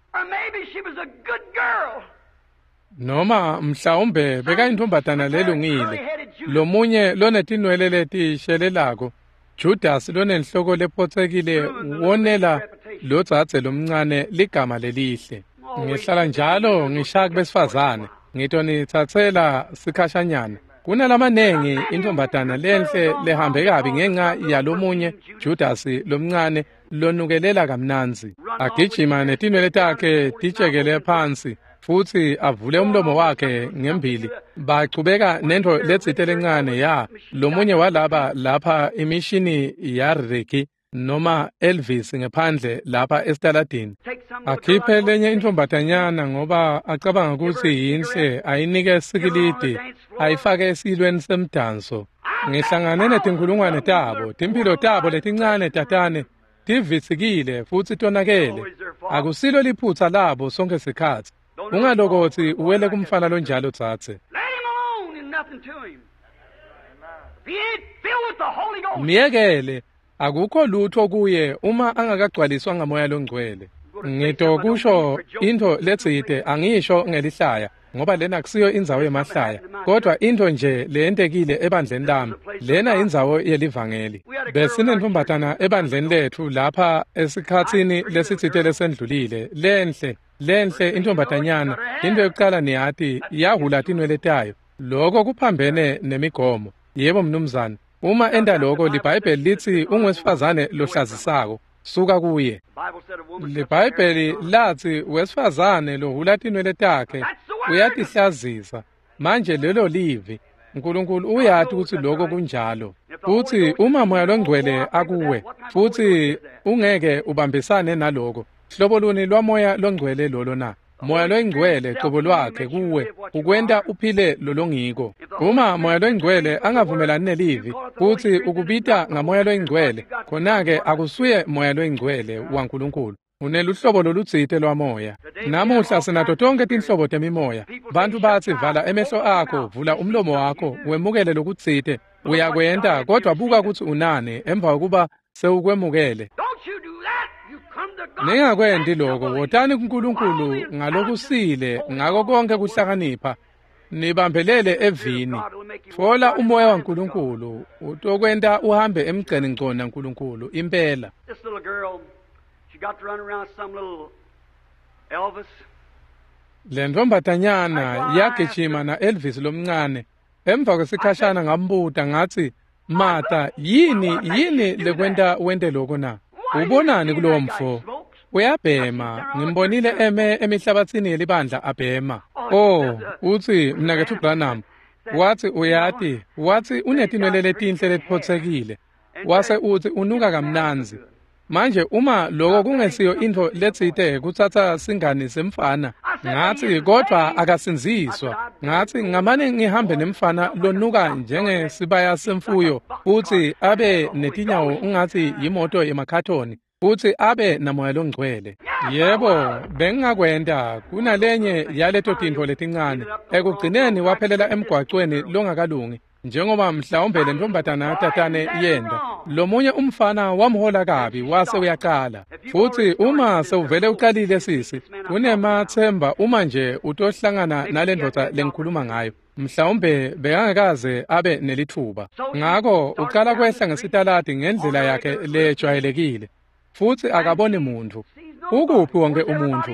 Noma mhlawumbe bekayintombatana lelungile, lomunye lonetinwele letishelelako, Judas lonenhloko lephotsekile wonela lodzadze lomncane ligama lelihle. Ngihlala njalo ngishaya kubesifazane, ngitonitsatsela sikhashanyana. Kunalamanengi intombatana lenhle lehambe kabi ngenxa yalomunye Judas lomncane lonukelela kamnandzi. Agijima netinwele takhe titshekele phansi futsi avule umlomo wakhe ngembili. Bachubeka nento letsite lencane ya lomunye walaba lapha imishini ya Ricky noma Elvis ngephandle lapha esitaladini. Akhiphe lenye intombatanyana ngoba acabanga kutsi yinhle, ayinike sikilidi, ayifake esilweni semdanso. Ngihlangane netinkhulungwane tabo, timphilo tabo letincane tatane tivitsikile futsi tonakele. Akusilo liphutsa labo sonke sikhatsi. Ungalokothi uwele kumfana lonjalo dzadze. Miyekele, akukho lutho kuye uma angakagcwaliswa ngamoya longcwele. Ngitokusho intfo letsite, angisho ngelihlaya ngoba lena akusiyo indzawo yemahlaya, kodwa intfo nje leyentekile ebandleni lami. Lena indzawo yelivangeli. Besinentombatana ebandleni lethu lapha esikhatsini lesitsite lesendlulile, lenhle intombatanyana. Into yokucala niyati, yahula tinwele tayo. Lokho kuphambene nemigomo. Yebo mnumzane, uma enta lokho liBhayibheli litsi ungwesifazane lohlazisako. Suka kuye. LiBhayibheli latsi wesifazane lohula tinwele takhe uyatihlazisa. Manje lelo livi. Nkulunkulu uyati kutsi lokho kunjalo. Futsi uma moya longcwele akuwe futsi ungeke ubambisane naloko, hlobo luni lwamoya longcwele lolo na? Moya longcwele cobo lwakhe kuwe ukwenta uphile lolongiko. Uma moya longcwele angavumelani nelivi futsi ukubita ngamoya longcwele, khona-ke akusuye moya longcwele waNkulunkulu. Uneluhlobo lolutsite lwamoya. Namuhla sinato tonke tinhlobo temimoya. Bantu batsi vala emehlo akho, vula umlomo wakho, wemukele lokutsite. Uyakwenta, kodwa buka kutsi unane emva kokuba sewukwemukele. Ningakwenti lokho, wotani kuNkulunkulu ngalokusile ngako konke kuhlakanipha. Nibambelele evini. Tfola umoya waNkulunkulu, utokwenta uhambe emgceni ngco naNkulunkulu impela. Le ntombatanyana yagijima na Elvis lomncane. Emva kwesikhashana ngambuta ngatsi, "Mata, yini lekwenta wente lokho na? Ubonani kulowo mfo? Uyabhema, ngimbonile eme emihlabatsini yelibandla abhema." Oh, utsi mnaketfu Branham, watsi uyati, watsi unetinwele letinhle letiphotsekile. Wase utsi unuka kamnandzi. Manje uma lokho kungesiyo intfo letsite kutsatsa singani semfana, ngatsi kodvwa akasindziswa. Ngatsi ngamane ngihambe nemfana lonuka njengesibaya semfuyo futsi abe netinyawo ungatsi yimoto yemakhathoni futsi abe namoya longcwele. Yebo, bengingakwenta kunalenye yaleto tintfo letincane. Ekugcineni waphelela emgwacweni longakalungi, njengoba mhlawumbe le ntombazana tatane yenda. Lomunye umfana wamhola kabi wase uyaqala. Futsi uma sewuvele uqalile sisi, kunemathemba uma nje utohlangana nalendvodza lengikhuluma ngayo. Mhlawumbe bekangakaze abe nelithuba. Ngako uqala kwehla ngesitaladi ngendlela yakhe lejwayelekile. Futsi akaboni muntfu. Ukuphi wonke umuntfu?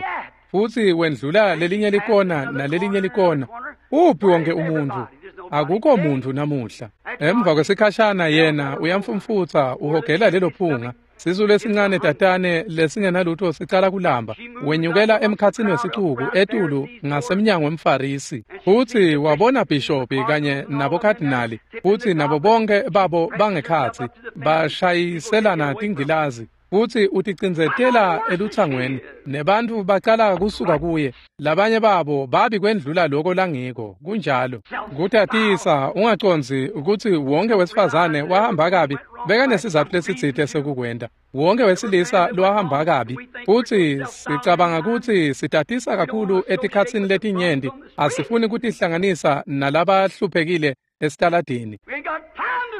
Futsi wendlula lelinye likona nalelinye likona. Uphi wonke umuntfu? Akukho muntfu namuhla. Emva kwesikhashana yena uyamfumfutsa uhogela lelo phunga. Sisu lesincane tatane lesingenalutho sicala kulamba. Wenyukela emkhatsini wesicuku etulu ngasemnyango wemFarisi. Futsi wabona bhishopi kanye nabokadinali futsi nabo bonke babo bangekhatsi bashayiselana tingilazi. Futsi uticindzetela elutsangweni nebantfu bacala kusuka kuye. Labanye babo babi kwendlula loko langiko. Kunjalo kutatisa ungacondzi ukuthi wonke wesifazane wahamba kabi bekanesizatfu lesitsite sekukwenta. Wonke wesilisa lwahamba kabi. Futsi sicabanga kutsi sitatisa kakhulu etikhatsini letinyenti, asifuni kutihlanganisa nalabahluphekile esitaladini.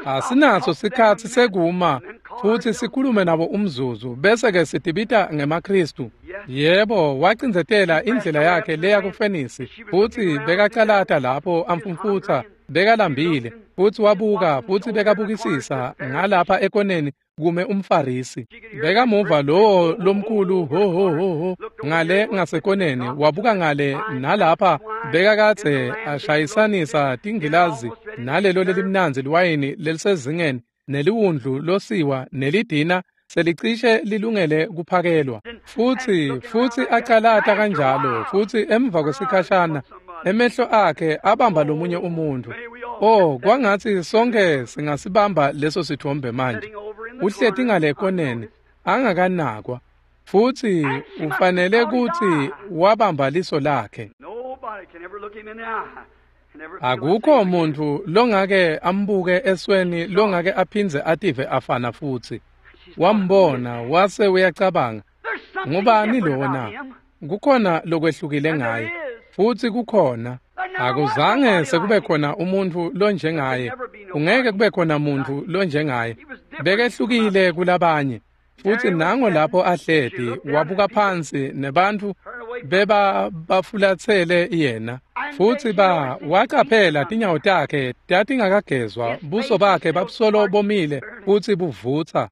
Asinaso sikhatsi sekuma futsi sikhulume nabo umzuzu bese ke sitibita ngemaKristu. Yebo, wacindzetela indlela yakhe leya kufenisi futsi bekacalata lapho amfumfutsa, bekalambile futsi wabuka futsi bekabukisisa ngalapha ekoneni kume umFarisi. Bekamuva lowo lomkhulu ho ho ho ho ngale ngasekoneni, wabuka ngale nalapha bekakadze ashayisanisa tingilazi nalelo lelimnandzi liwayini lelisezingeni neliwundlu losiwa nelidina selicishe lilungele kuphakelwa. Futsi acalata kanjalo futsi emva kwesikhashana emehlo akhe abamba lomunye umuntu. Oh, kwangatsi sonke singasibamba leso sithombe manje. Uhleti ngale koneni angakanakwa futsi ufanele kutsi wabamba liso lakhe. Akukho muntfu longake ambuke esweni longake aphindze ative afana futsi. Wambona wase uyacabanga, ngubani lona? Kukhona lokwehlukile ngaye. Futsi kukhona. Akuzange sekube khona umuntfu lonjengaye. Ungeke kube khona muntfu lonjengaye. Bekehlukile kulabanye. Futsi nango lapho ahleti wabuka phansi nebantfu beba bafulatsele yena. Futsi wacaphela tinyawo takhe tatingakagezwa, buso bakhe babusolo bomile futsi buvutsa.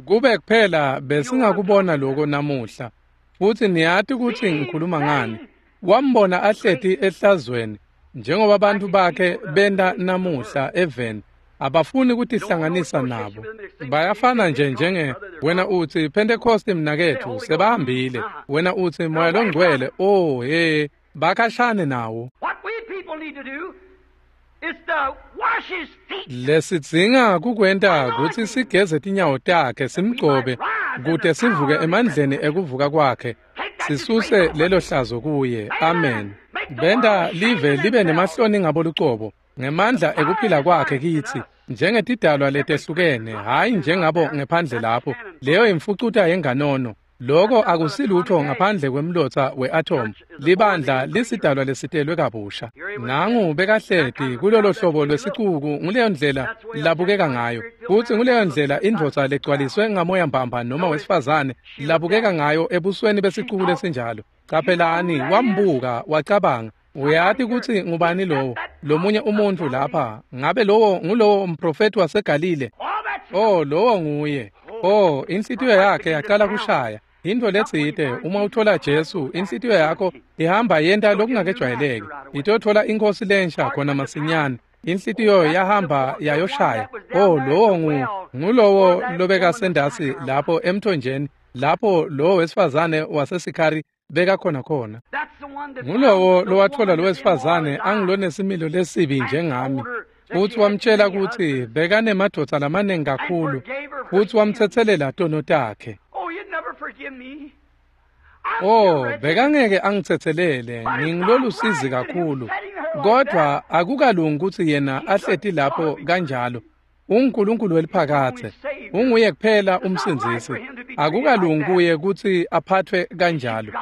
Kube kuphela besingakubona lokho namuhla. Futsi niyati kutsi ngikhuluma ngani. Wambona ahleti ehlazweni njengoba abantu bakhe benta namuhla eveni. Abafuni kutihlanganisa nabo. Bayafana nje njenge wena utsi Pentecost mnaketfu sebahambile. Wena utsi Moya longcwele, oh hey, bakhashane nawo. Lesidzinga kukwenta kutsi sigeze tinyawo takhe simgcobe kute sivuke emandleni ekuvuka kwakhe. Sisuse lelo hlazo kuye. Amen. Benta live libe nemahloni ngabo lucobo ngemandla ekuphila kwakhe kitsi njengetidalwa letehlukene, hhayi njengabo ngephandle lapho. Leyo imfucuta yenganono. Lokho akusilutho ngaphandle kwemlotsa we-atom. Libandla lisidalwa lesitelwe kabusha. Nangu bekahleti kulolo hlobo lwesicuku, nguleyo ndlela labukeka ngayo. Futsi nguleyo ndlela indvodza legcwaliswe ngamoya mbamba noma wesifazane labukeka ngayo ebusweni besicuku lesinjalo. Caphelani, wambuka wacabanga, uyati kutsi ngubani lowo? Lomunye umuntfu lapha, ngabe lowo ngulowo mprofethi waseGalile? Oh, lowo nguye. Oh, inhlitiyo yakhe yaqala kushaya. Into letsite, uma uthola Jesu, inhlitiyo yakho ihamba yenta lokungakejwayeleki. Itothola inkosi lensha khona masinyane. Inhlitiyo yahamba yayoshaya. Oh, lowo ngulowo lobekasendasi lapho emthonjeni, lapho lowo wesifazane waseSikhari Bekakhona khona. Ngulowo lowatfola lowesifazane angilonesimilo lesibi njengami, futsi wamtshela kutsi bekanemadvodza lamaningi kakhulu, futsi wamtsetselela tono takhe. Oh, bekangeke angitsetselele, ngingilolusizi kakhulu. Kodwa akukalungi kutsi yena ahleti lapho kanjalo. UNkulunkulu weliphakathe, unguye kuphela umsindzisi. Akukalungi kuye kutsi aphathwe kanjalo.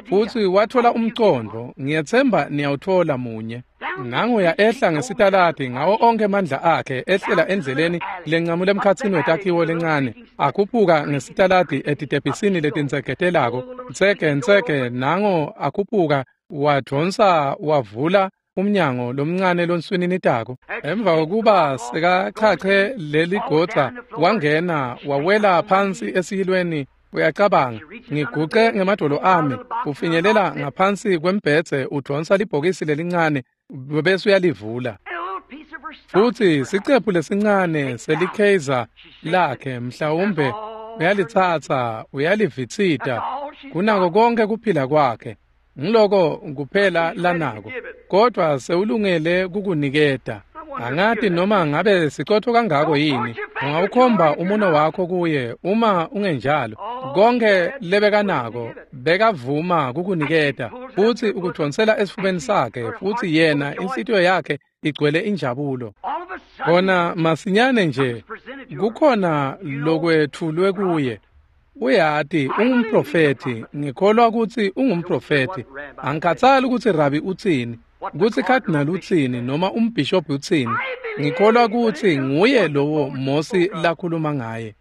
Futsi wathola umcondvo, ngiyetsemba niyawuthola munye. Nanguya ehla ngesitaladi ngawo onke amandla akhe, ehlela endleleni lencamule emkhatsini wetakhiwo lencane, akhuphuka ngesitaladi etitebhisini letinsegetelako, nsege nsege, nango akhuphuka, wadvonsa wavula umnyango lomncane lonswininitako. Emva kokuba sekachache leligodza, wangena wawela phansi esiyilweni. Uyacabanga, ngiguce ngemadolo ami, ufinyelela ngaphansi kwembhedze, udvonsa libhokisi lelincane bese uyalivula. Futsi sicephu lesincane selikheza lakhe mhlawumbe uyalitsatsa, uyalivitsita kunako konke kuphila kwakhe. Ngiloko kuphela lanako, kodwa sewulungele kukuniketa. Angati noma ngabe sicotho kangako yini. Ungawukhomba umuno wakho kuye uma ungenjalo. Konke lebekanako bekavuma kukuniketa, futsi ukudvonsela esifubeni sakhe, futsi yena inhlitiyo yakhe igcwele injabulo. Kona masinyane nje kukhona lokwetfulwe kuye. Uyati ungumprofethi, ngikholwa kutsi ungumprofethi. Angikhatsali kutsi rabi utsini, kutsi cardinal utsini, noma umbhishobhi utsini. Ngikholwa kutsi nguye lowo Mosi lakhuluma ngaye.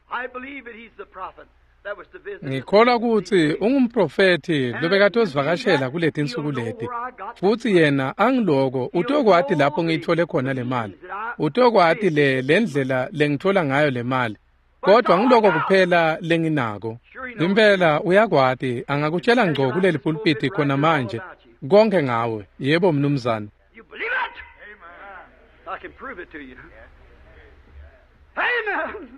Ngikholwa kutsi ungumprofethi lobekatosivakashela kuletinsuku leti. Futsi yena angiloko utokwati lapho ngiyithole khona le mali. Utokwati le ndlela lengithola ngayo le mali. Kodwa ngiloko kuphela lenginako. Impela uyakwati, angakutshela ngco kuleli pulpiti khona manje konke ngawe. Yebo mnumzane. You believe it? Amen. I can prove it to you. Amen.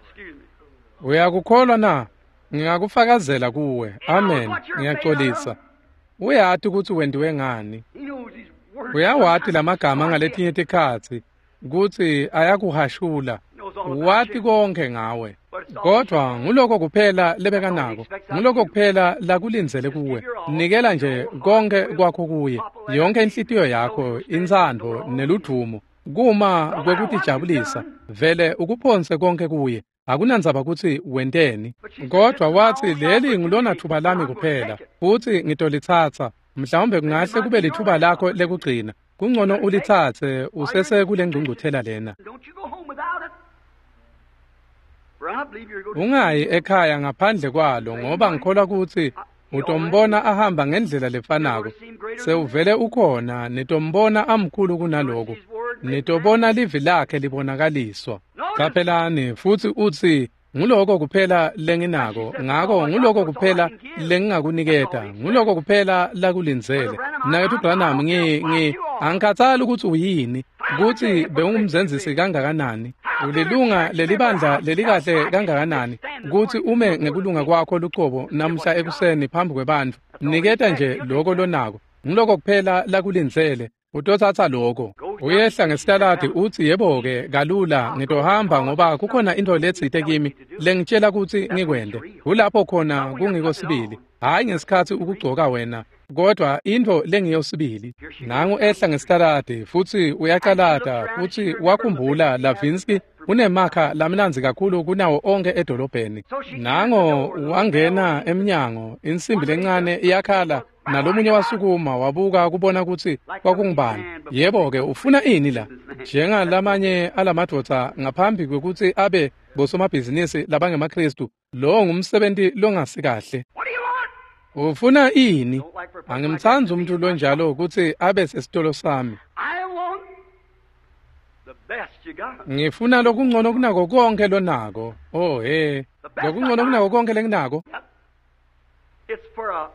Excuse me. Uyakukholwa na? Ngingakufakazela kuwe. Amen. Ngiyaxolisa. Uyati kutsi wentiwe ngani. He knows his words. Uyawati lamagama ngaletinye tikhatsi kutsi ayakuhashula. Wati konke ngawe. Kodwa nguloko kuphela lebekanako, nguloko kuphela lakulindzele kuwe. Nikela nje konke kwakho kuye, yonke inhlitiyo yakho, intsandvo neludvumo, kuma kwekutijabulisa, vele ukuphonse konke kuye. Akunandzaba kutsi wenteni. Kodwa watsi leli ngulona thuba lami kuphela, futsi ngitolitsatsa. Mhlawumbe kungahle kube lithuba lakho lekugcina. Kungcono ulitsatse usese kule ngcungcuthela lena. Don't you go home without it. For I believe you're going to Ungayi ekhaya ngaphandle kwalo, ngoba ngikholwa kutsi utombona ahamba ngendlela lefanako. Sewuvele ukhona, nitombona amkhulu kunaloku. Nitobona livi lakhe libonakaliswa. Caphelani, futsi utsi nguloko kuphela lenginako, ngako nguloko kuphela lengingakuniketa, nguloko kuphela lakulindzele. Mnaketfu Branham, angikhatsali kutsi uyini, kutsi bewungumzenzisi kangakanani, ulilunga lelibandla lelikahle kangakanani, kutsi ume ngekulunga kwakho lucobo namhla ekuseni phambi kwebantfu. Niketa nje loko lonako, nguloko kuphela lakulindzele. Utotsatsa loko. Uyehla ngesitaladi utsi yebo-ke kalula ngitohamba ngoba kukhona intfo letsite kimi lengitshela kutsi ngikwente. Kulapho khona kungiko sibili. Hhayi ngesikhatsi ukugcoka wena, kodwa intfo lengiyo sibili. Nangu ehla ngesitaladi futsi uyacalata futsi wakhumbula Lavinsky unemakha lamnandzi kakhulu kunawo onke edolobheni. Nango wangena emnyango, insimbi lencane iyakhala, nalomunye wasukuma wabuka kubona kutsi kwakungubani. Yebo-ke, ufuna ini la? Njengalamanye alamadvodza ngaphambi kwekutsi abe bosomabhizinisi labangemaKhristu, lowo ngumsebenti longasikahle. What do you want? Ufuna ini? Angimtsandzi umuntu lonjalo kutsi abe sesitolo sami. I want the best you got. Ngifuna lokungcono kunako konke lonako. Oh he, lokungcono kunako konke lenginako. It's for a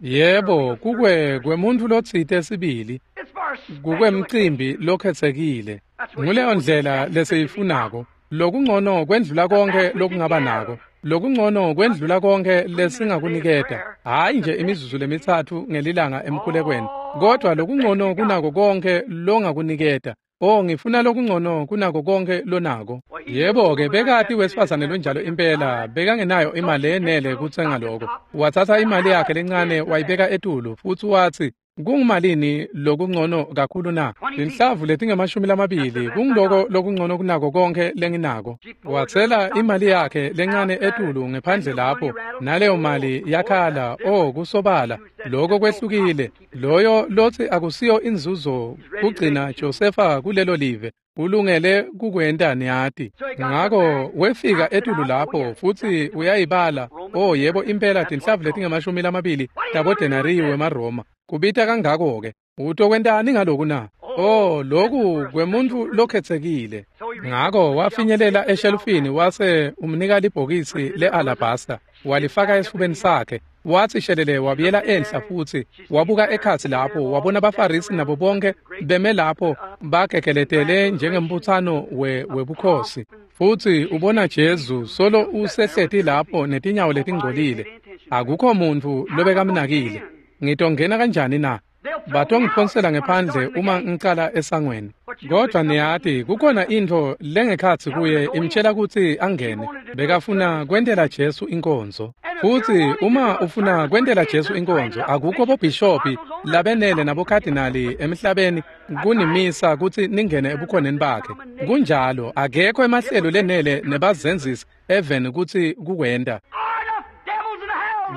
Yebo, kukwe kwemuntu lotsite sibili, it's for a special kukwemcimbi lokhetsekile. Nguleyo ndlela lesiyifunako. Lokungcono kwendlula konke lokungaba nako. Lokungcono kwendlula konke lesingakuniketa, hhayi nje imizuzu lemithathu ngelilanga emkhulekweni, kodwa lokungcono kunako konke longakuniketa. Oh, ngifuna lokungcono kunako konke lonako. Yebo-ke, bekati wesifazane lonjalo impela, bekangenayo imali yenele kutsenga lokho. Wathatha imali yakhe lencane wayibeka etulu futsi watsi, kungumalini lokungcono kakhulu na? Tinhlavu letingama-20 kungiloko lokungcono kunako konke lenginako. Watsela imali yakhe lencane etulu ngephandle lapho, naleyo mali yakhala. Oh, kusobala lokho kwehlukile. Loyo lotsi akusiyo inzuzo kugcina Josefa kulelo live, ulungele kukwenta, niyati. Ngako wefika etulu lapho futsi uyayibala. Oh yebo, impela tinhlavu letingama-20 tabodenariyu wemaRoma. Kubita kangako-ke. Utokwentani ngaloku na? Oh, loku kwemuntfu lokhetsekile. Ngako wafinyelela eshelufini wase umnika libhokisi le-alabasta, walifaka esifubeni sakhe. Watsi shelele wabuyela enhla futsi wabuka ekhatsi lapho, wabona baFarisi nabo bonke beme lapho bagegeletele njengembutsano webukhosi. Futsi ubona Jesu solo usehleti lapho netinyawo letingcolile. Akukho muntfu lobekamnakile. Ngitongena kanjani na? Batongiphonsela ngephandle uma ngicala esangweni. Kodwa niyati, kukhona intfo lengekhatsi kuye imtshela kutsi angene. Bekafuna kwentela Jesu inkonzo. Futsi uma ufuna kwentela Jesu inkonzo, akukho bobhishophi labenele nabokhadinali emhlabeni kunimisa kutsi ningene ebukhoneni bakhe. Kunjalo, akekho emahlelo lenele nebazenzisi eveni kutsi kukwenta.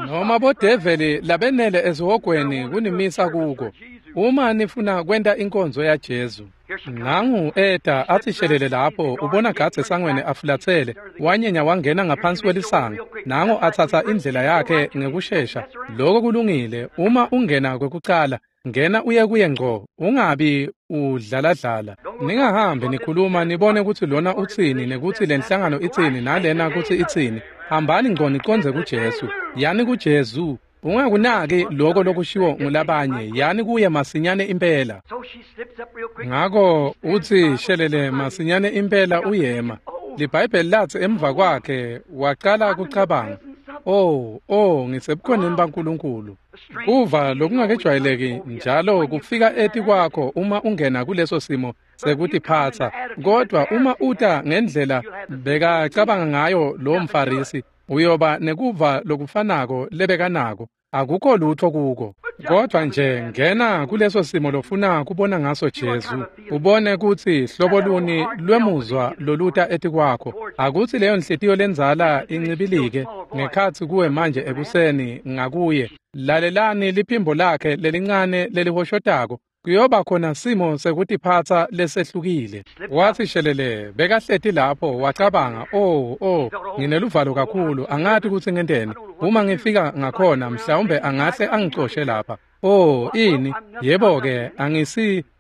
Noma bodeveli labenele esihogweni kunimisa kuko. Uma nifuna kwenta inkonzo yaJesu. Nangu eta atsi shelele lapho, ubona gadze esangweni afulatsele, wanyenya wangena ngaphansi kwelisango. Nangu atsatsa indlela yakhe ngekushesha. Lokho kulungile. Uma ungena kwekucala, ngena uye kuye ngco, ungabi udlaladlala. Ningahambi nikhuluma nibone kutsi lona utsini nekutsi lenhlangano itsini nalena kutsi itsini. Hambani ngco nicondze kuJesu. Yani kuJesu. Ungakunaki lokho lokushiwo ngulabanye, yani kuye masinyane impela. Ngako utsi shelele masinyane impela uyema. LiBhayibheli latsi emva kwakhe waqala kucabanga, oh, ngisebukhoneni baNkulunkulu. Kuva lokungakejwayeleki njalo kufika etikwakho uma ungena kuleso simo sekutiphatsa. Kodwa uma uta ngendlela bekacabanga ngayo lo mFarisi, uyoba nekuva lokufanako lebekanako. Akukho lutho kuko. Kodwa nje ngena kuleso simo lofuna kubona ngaso Jesu, ubone kutsi hlobo luni lwemuzwa loluta etikwakho. Akutsi leyo nhliziyo lendzala incibilike ngekhatsi kuwe manje ekuseni ngakuye. Lalelani liphimbo lakhe lelincane lelihoshotako. Kuyoba khona simo sekutiphatsa lesehlukile. Watsi shelele bekahleti lapho wacabanga, oh, ngineluvalo kakhulu, angati kutsi ngenteni. Uma ngifika ngakhona mhlawumbe angahle angicoshe lapha. Oh, ini? Yebo-ke,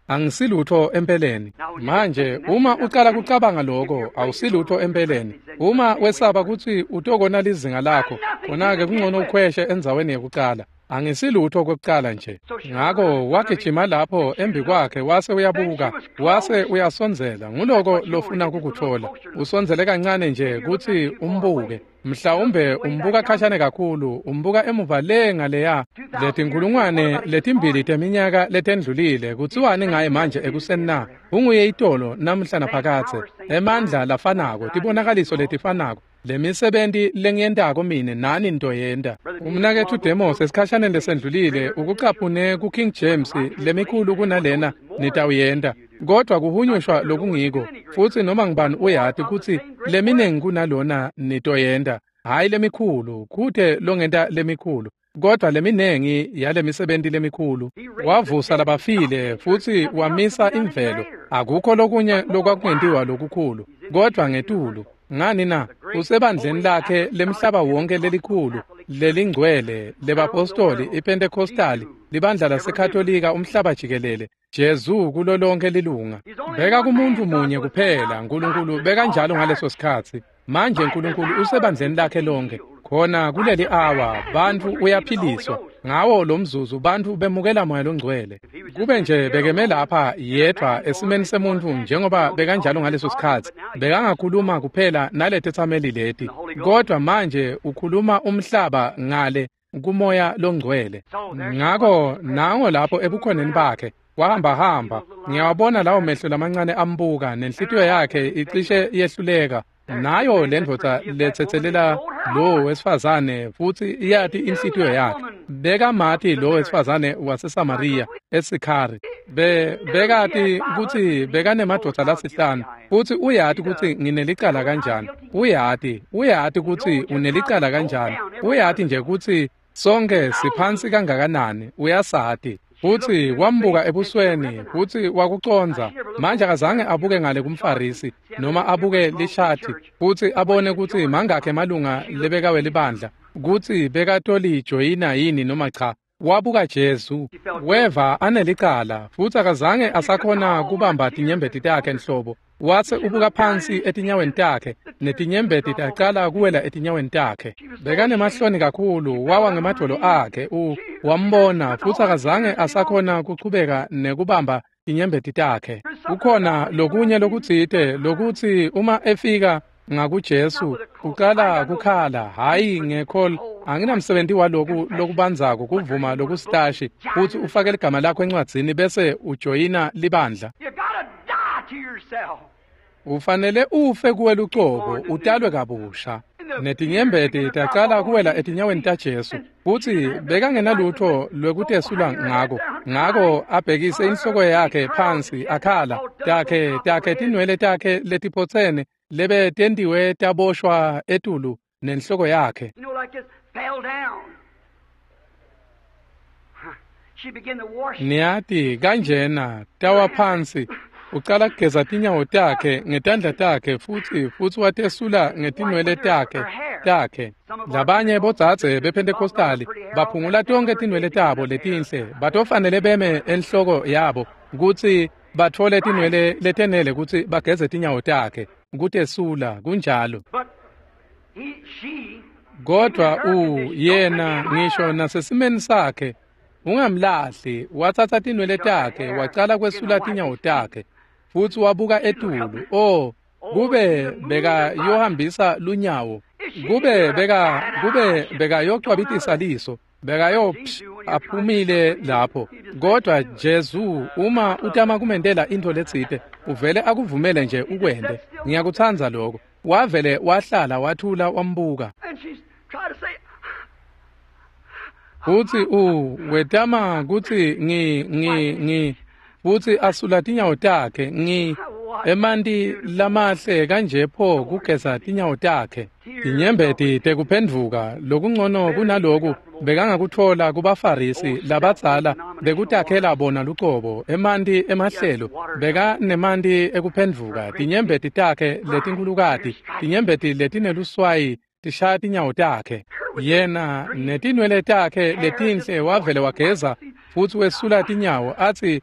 angisilutho empeleni. Manje uma ucala kucabanga lokho, awusilutho empeleni. Uma wesaba kutsi utokona lizinga lakho, khona-ke kungcono ukhweshe endzaweni yekucala. Angisilutho kwekucala nje. Ngako wagijima lapho embi kwakhe wase uyabuka, wase uyasondzela. Nguloko lofuna kukutfola. Usondzele kancane nje kutsi umbuke. Mhlawumbe umbuka khashane kakhulu, umbuka emuva le ngaleya. Letinkulungwane letimbili teminyaka letendlulile, kutsiwani ngaye manje ekuseni na? Unguye itolo namuhla naphakadze. Emandla lafanako, tibonakaliso letifanako. Lemisebenti lengiyentako mine nani ntoyenta. Umnaketfu Demos esikhashaneni lesendlulile ukucaphune ku-King James lemikhulu kunalena nitawuyenta. Kodwa kuhunyushwa lokungiko, futsi noma ngibani uyati kutsi leminengi kunalona nitoyenta. Hhayi lemikhulu, kute longenta lemikhulu, kodwa leminengi yalemisebenti lemikhulu. Wavusa labafile futsi wamisa imvelo. Akukho lokunye lokwakungentiwa lokukhulu, kodwa ngetulu. Ngani na? Usebandleni lakhe lemhlaba wonke lelikhulu, lelingcwele, lebapostoli, iPentecostali, libandla laseKatolika umhlaba jikelele. Jesu kulo lonke lilunga. Beka kumuntu munye kuphela, Nkulunkulu bekanjalo ngaleso sikhatsi. Manje Nkulunkulu usebandleni lakhe lonke. Khona kuleli awa bantfu uyaphiliswa ngawo lo mzuzu bantfu bemukela Moya Longcwele. Kube nje bekeme lapha yedvwa esimeni semuntfu njengoba bekanjalo ngaleso sikhatsi, bekangakhuluma kuphela naletetsameli leti, kodwa manje ukhuluma umhlaba ngale kuMoya Longcwele. Ngako nango lapho ebukhoneni bakhe wahamba-hamba, ngiyawabona lawo mehlo lamancane ambuka nenhlitiyo yakhe icishe yehluleka. Nayo lendvodza letsetselela lo wesifazane futsi iyati inhlitiyo yakhe. Bekamati lo wesifazane waseSamariya eSikhari. Bekati kutsi bekanemadvodza lasihlanu futsi uyati kutsi nginelicala kanjani. Uyati kutsi unelicala kanjani. Uyati nje kutsi sonke siphansi kangakanani, uyasati. Futsi wambuka ebusweni futsi wakucondza. Manje akazange abuke ngale kumFarisi noma abuke lishati futsi abone kutsi mangakhe emalunga lebekawe libandla, kutsi bekatolijoyina yini noma cha. Wabuka Jesu, weva anelicala futsi akazange asakhona kubamba tinyembeti takhe nhlobo. Wase ubuka phansi etinyaweni takhe netinyembeti tacala kuwela etinyaweni takhe. Bekanemahloni kakhulu, wawa ngemadvolo akhe. Wambona futsi akazange asakhona kuchubeka nekubamba tinyembeti takhe. Kukhona lokunye lokutsite lokutsi uma efika ngakuJesu uqala kukhala, hhayi ngekhol, anginamsebenzi waloku lokubandzako kuvuma lokusitashi futsi ufake ligama lakho encwadzini bese ujoyina libandla. Ufanele ufe kuwe lucobo, utalwe kabusha. Netinyembeti tacala kuwela etinyaweni taJesu futsi bekangenalutho lwekutesula ngako. Ngako abhekise inhloko yakhe phansi akhala, takhe tinwele takhe letiphotsene lebe tentiwe taboshwa etulu nenhloko yakhe. Niyati kanjena tawa phansi. Ucala kugeza tinyawo takhe ngetandla takhe futsi watesula ngetinwele takhe. Labanye bodzadze bePentecostali baphungula tonkhe tinwele tabo letinhle, batofanele beme enhloko yabo kutsi batfole tinwele letenele kutsi bageze tinyawo takhe kutesula kunjalo. Kodwa yena ngisho nasesimeni sakhe ungamlahli, watsatsa tinwele takhe wacala kwesula tinyawo takhe futsi wabuka etulu. Oh, kube bekayohambisa lunyawo, kube bekayocwabitisa liso, bekayo aphumile lapho. Kodwa Jesu uma utama kumentela intfo letsite, uvele akuvumele nje ukwente. Ngiyakutsandza lokho. Wavele wahlala wathula wambuka. Futsi wetama kutsi ngi futsi asula tinyawo takhe emanti lamahle kanje pho kugeza tinyawo takhe. Tinyembeti tekuphendvuka lokungcono kunaloku bekangakutfola kubaFarisi labadzala bekutakhela bona lucobo emanti emahlelo. Bekanemanti ekuphendvuka, tinyembeti takhe letinkhulukati, tinyembeti letineluswayi tishaya tinyawo takhe. Yena netinwele takhe letinhle wavele wageza futsi wesula tinyawo atsi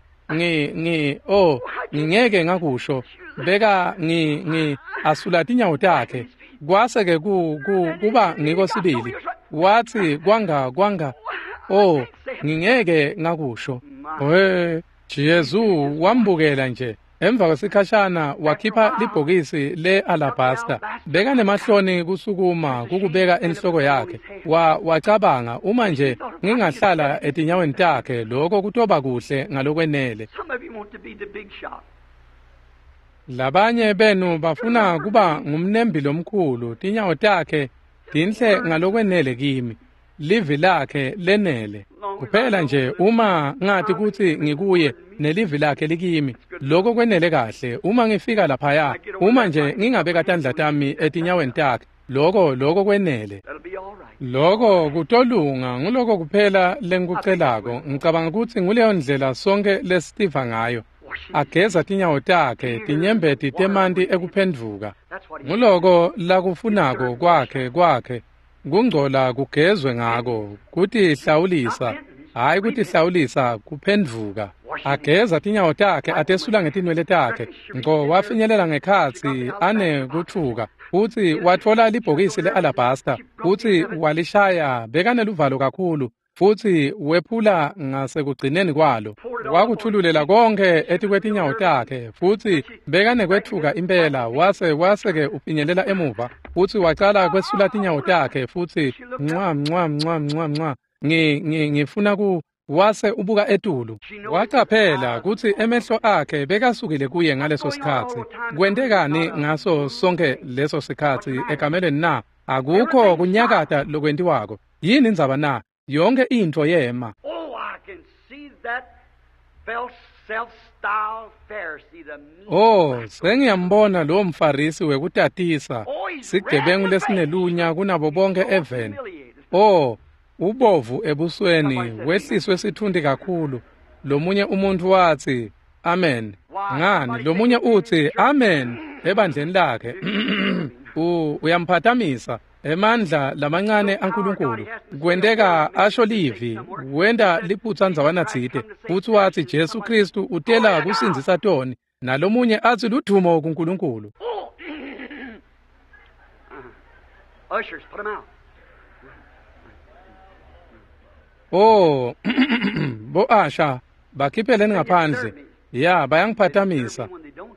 ngingeke ngakusho. Beka ngi asula tinyawo takhe kwase ke kuba ngiko sibili. Watsi kwanga oh ngingeke ngakusho. Jesu wambukela nje. Emva kwesikhashana wakhipha libhokisi le-alabasta. Bekanemahloni kusukuma kukubeka enhloko yakhe. Wacabanga uma nje ngingahlala etinyaweni takhe lokho kutoba kuhle ngalokwenele. Labanye benu bafuna kuba ngumnembi lomkhulu, tinyawo takhe tinhle ngalokwenele kimi, livi lakhe lenele. Kuphela nje uma ngathi kutsi ngikuye nelivi lakhe likimi, lokho kwenele kahle. Uma ngifika laphaya, uma nje ngingabeka tandla tami etinyaweni takhe, lokho kwenele. Lokho kutolunga, nguloko kuphela lengikucelako. Ngicabanga kutsi nguleyo ndlela sonke lesitiva ngayo. Ageza tinyawo takhe, tinyembeti temanti ekuphendvuka. Nguloko lakufunako kwakhe. Kungcola kugezwe ngako, kutihlawulisa, hhayi kutihlawulisa, kuphendvuka. Ageza tinyawo takhe, atesula ngetinwele takhe, ngco wafinyelela ngekhatsi anekutfuka. Futsi watfola libhokisi le-alabasta, futsi walishaya, bekaneluvalo kakhulu, futsi wephula ngasekugcineni kwalo. Wakuthululela konke etikwetinyawo takhe, futsi bekanekwetfuka impela, wase-ke ufinyelela emuva, futsi wacala kwesula tinyawo takhe, futsi ncwa ncwa ncwa ncwa ncwa, ngifuna ku wase ubuka etulu. Wacaphela kutsi emehlo akhe bekasukile kuye ngaleso sikhatsi. Kwentekani ngaso sonke leso sikhatsi ekamelweni na? Akukho kunyakata lokwentiwako. Yini indzaba na? Yonke intfo yema. Oh, sengiyambona lowo mfarisi wekutatisa, sigebengu lesinelunya kunabo bonke eveni. Oh, ubovu ebusweni, wehliswe sitfunti kakhulu. Lomunye umuntu wathi amen. Ngani lomunye uthi amen ebandleni lakhe. Uyamphathamisa emandla lamancane aNkulunkulu. Kwenteka asho livi, wenta liphutsa ndzawana tsite, futsi wathi Jesu Kristu utela kusindzisa toni, nalomunye athi ludumo kuNkulunkulu. Ushers, put 'em out. Oh, bo-asha bakhiphele ngaphandle. Ya, bayangiphathamisa.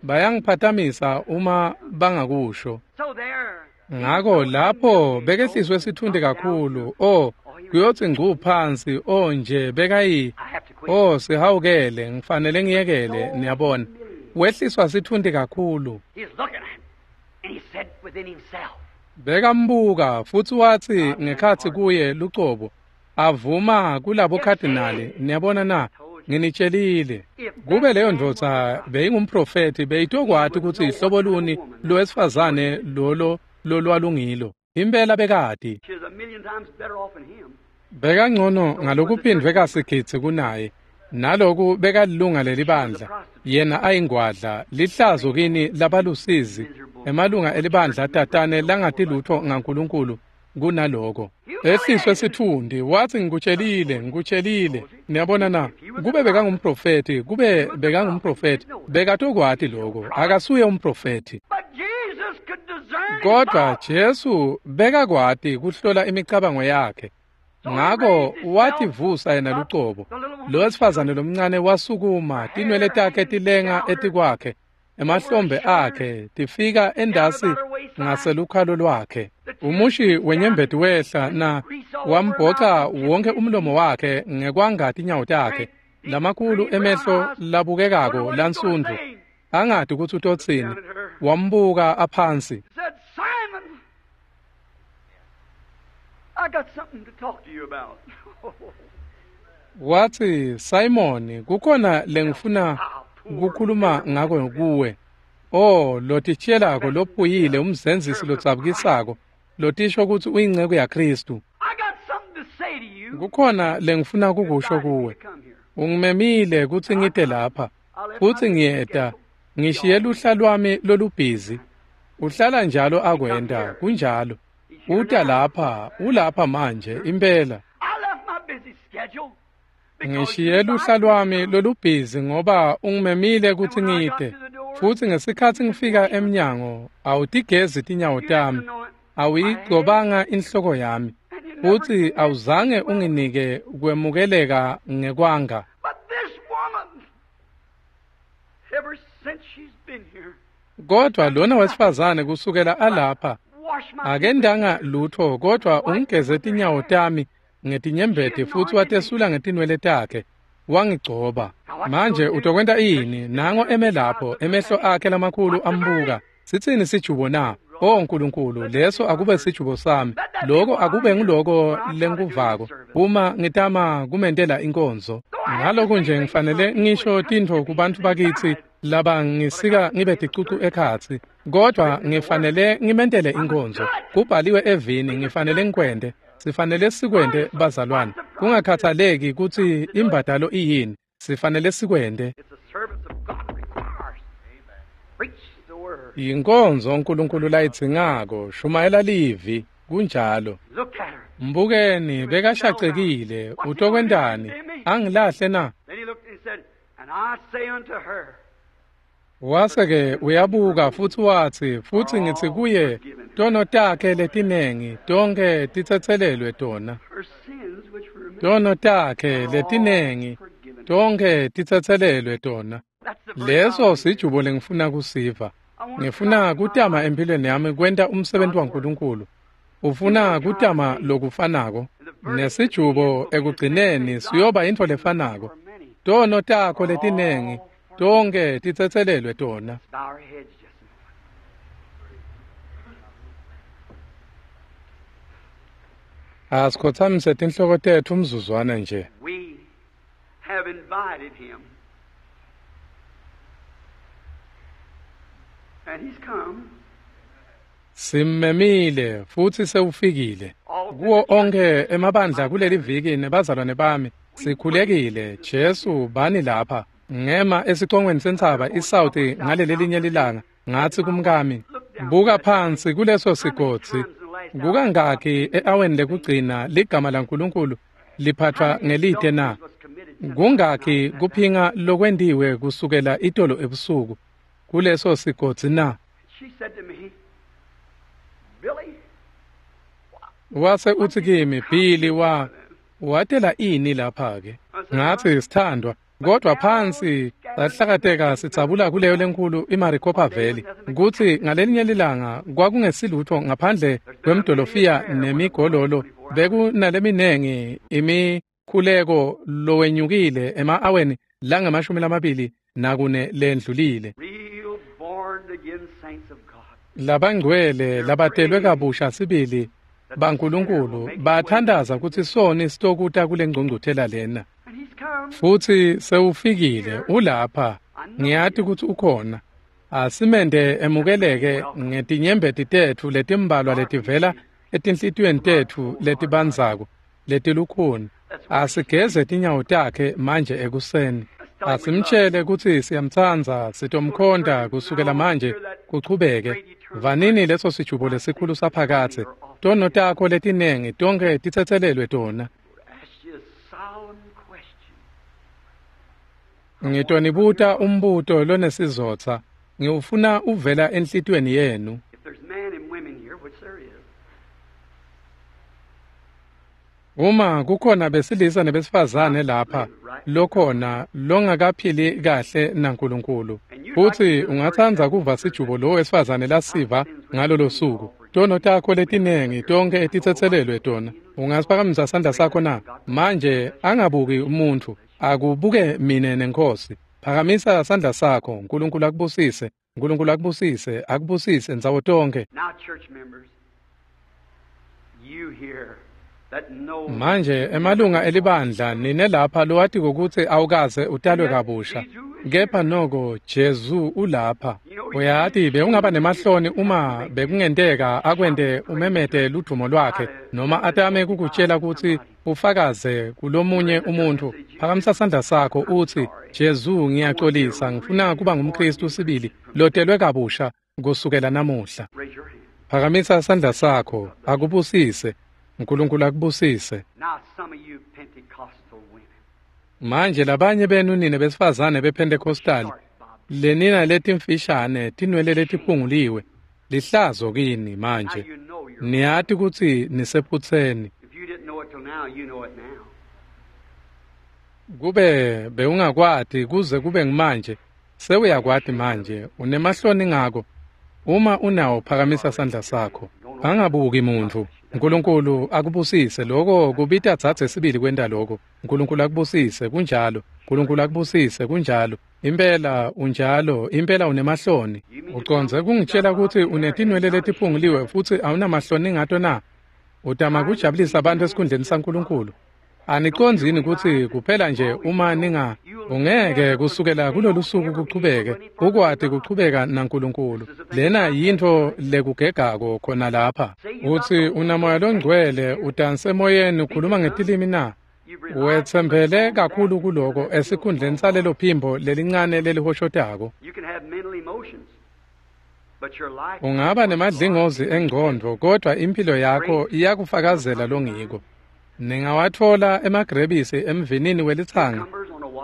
Bayangiphathamisa uma bangakusho. Ngako lapho bekehliswe sitfunti kakhulu. Oh, kuyothi ngcu phansi. Oh nje bekayi. Oh, sihawukele, ngifanele ngiyekele, niyabona. Wehliswa sitfunti kakhulu. Bekambuka futsi wathi ngekhatsi kuye lucobo, avuma kulabo khadinali, niyabona na? Nginitshelile. Kube leyo ndvodza beyingumprofethi, beyitokwati kutsi ihlobo luni lowesifazane lolo lolwalungilo. Impela bekati. Bekangcono ngalokuphindvwe kasigidzi kunaye. Naloku bekalilunga lelibandla, yena ayingwadla, lihlazo kini labalusizi, emalunga elibandla tatane langati lutho ngaNkulunkulu kunaloko. Ehliswe sitfundi, wathi ngikutshelile, ngikutshelile. Niyabona na? Kube bekangumprofethi, kube bekangumprofethi, bekatokwati lokho. Akasuye umprofethi. Kodwa Jesu bekakwati kuhlola imicabango yakhe. Ngako wativusa yena lucobo. Lo wesifazane lomncane wasukuma, tinwele takhe tilenga etikwakhe, emahlombe akhe tifika endasi ngaselukhalo lwakhe. Umushi wenyembeti wehla na wambhoca wonke umlomo wakhe ngekwanga tinyawo takhe, lamakhulu emehlo labukekako lansundvu, angati kutsi utotsini. Wambuka aphansi. I got something to talk to you about. Wathi, Simon, kukhona lengifuna kukhuluma ngako kuwe. Oh, lotitshelako lophuyile, umzenzisi lotsabukisako, lotisho kutsi uyinceku yaKristu. I got something to say to you. Kukhona lengifuna kukusho kuwe. Ungimemile kutsi ngite lapha, futsi ngiyeta, ngishiye luhla lwami lolubhizi. Uhlala njalo akwenta, kunjalo. Uta lapha, ulapha manje, impela. I left my busy schedule. Ngishiye luhla lwami lolubhizi ngoba ungimemile kutsi ngite. Futsi ngesikhatsi ngifika emnyango, awutigezi tinyawo tami, awuyigcobanga inhloko yami, futsi awuzange unginike kwemukeleka ngekwanga. But this woman, ever since she's been here, Kodwa lona wesifazane kusukela alapha, wash my akendanga lutho kodwa ungigeze tinyawo tami ngetinyembeti futsi watesula ngetinwele takhe, wangigcoba. Manje utokwenta ini? Nango eme lapho, emehlo akhe lamakhulu ambuka. Sitsini sijubo na? Oh Nkulunkulu, leso akube sijubo sami. Loko akube nguloko lengikuvako uma ngitama kumentela inkonzo. Ngalokhu nje ngifanele ngisho tintfo kubantfu bakitsi laba ngisika ngibe ticucu ekhatsi, kodwa ngifanele ngimentele inkonzo. Kubhaliwe evini, ngifanele ngikwente. Sifanele sikwente bazalwane, kungakhathaleki kutsi imbadalo iyini, sifanele sikwente. It's the service of God requires. Preach the word. Yinkonzo uNkulunkulu layidzingako, shumayela livi, kunjalo. Look at her. Mbukeni bekashacekile, utokwentani? Angilahle na? Then he looked and he said, And I say unto her, Wase-ke uyabuka futsi watsi, futsi ngitsi kuye, tono takhe letinengi tonkhe titsetselelwe tona. Tono takhe letinengi tonkhe titsetselelwe tona. Leso sijubo lengifuna kusiva. Ngifuna kutama empilweni yami kwenta umsebenzi waNkulunkulu. Ufuna kutama lokufanako. Nesijubo ekugcineni siyoba intfo lefanako. Tono takho letinengi tonkhe titsetselelwe tona. Asikhothamise tinhloko tetfu umzuzwana nje. We have invited him. And he's come. Simmemile futsi sewufikile. Kuwo onkhe emabandla kuleli viki nebazalwane bami sikhulekile, Jesu bani lapha. Ngema esicongweni sentsaba iSouth ngaleli linye lilanga, ngatsi kumkami, buka phansi kuleso sigodzi. Kukangaki e-aweni lekugcina ligama laNkulunkulu liphathwa ngelite na? Kungaki kuphinga lokwentiwe kusukela itolo ebusuku kuleso sigodzi na? Wase utsi kimi, Billy, watela ini lapha-ke? Ngatsi, sithandwa, kodwa phansi sahlakateka sitsabula kuleyo lenkulu iMaricopa Valley, kutsi ngalelinye lilanga kwakungesilutho ngaphandle kwemdolofiya nemigololo, bekunaleminengi imikhuleko lowenyukile ema-aweni lange-24 lendlulile. Labangcwele labatelwe kabusha sibili baNkulunkulu bathandaza kutsi soni sitokuta kule ngcungcuthela lena. Futsi sewufikile, ulapha. Ngiyati kutsi ukhona. Asimende emukeleke ngetinyembeti tetfu letimbalwa letivela etinhlitiyweni tetfu letibandzako letilukhuni. Asigeze tinyawo takhe manje ekuseni. Asimtshele kutsi siyamtsandza, sitomkhonta kusukela manje kuchubeke. Vanini leso sijubo lesikhulu saphakadze. Tono takho letinengi tonkhe titsetselelwe tona. Ngitonibuta umbuto lonesizotsa, ngiwufuna uvela enhlitiyweni yenu. Uma kukhona besilisa nebesifazane lapha lokhona longakaphili kahle naNkulunkulu, futsi ungatsandza kuva sijubo lo wesifazane lasiva ngalolo suku, tono takho letinengi tonkhe titsetselelwe tona, ungasiphakamisa sandla sakho na? Manje angabuki umuntfu, akubuke mine nenkosi. Phakamisa sandla sakho. Nkulunkulu akubusise, Nkulunkulu akubusise, akubusise ndzawo tonkhe. Manje emalunga elibandla nine lapha lowatiko kutsi awukaze utalwe kabusha, kepha noko Jesu ulapha. Uyati bewungaba nemahloni uma bekungenteka akwente umemete ludumo lwakhe noma atame kukutshela kutsi ufakaze kulomunye umuntfu. Phakamisa sandla sakho utsi, Jesu, ngiyaxolisa, ngifuna kuba ngumKristu sibili lotelwe kabusha kusukela namuhla. Phakamisa sandla sakho, akubusise. Nkulunkulu akubusise. Manje labanye benu nine besifazane bePentecostal, lenina letimfishane tinwele letiphunguliwe, lihlazo kini manje. Niyati kutsi nisephutseni. Kube bewungakwati kuze kube ngimanje, sewuyakwati manje, unemahloni ngako. Uma unawo, phakamisa sandla sakho. Angabuki muntfu. Nkulunkulu akubusise. Lokho kubita dzadze sibili kwenta lokho. Nkulunkulu akubusise, kunjalo. Nkulunkulu akubusise, kunjalo. Impela unjalo, impela unemahloni. Ucondze kungitshela kutsi unetinwele letiphunguliwe futsi awunamahloni ngato na? Utama kujabulisa abantu esikhundleni saNkulunkulu. Anicondzi yini kutsi kuphela nje uma ninga ungeke kusukela kulolu suku kuchubeke ukwati kuchubeka naNkulunkulu. Lena yintfo lekugegako khona lapha. Utsi unamoya longcwele, udanse emoyeni, ukhuluma ngetilimi na? Wetsembele kakhulu kuloko esikhundleni salelo phimbo lelincane lelihoshotako. Ungaba nemadlingozi engcondvo, kodwa impilo yakho iyakufakazela longiko. Ningawatfola emagrebisi emvinini welitsanga.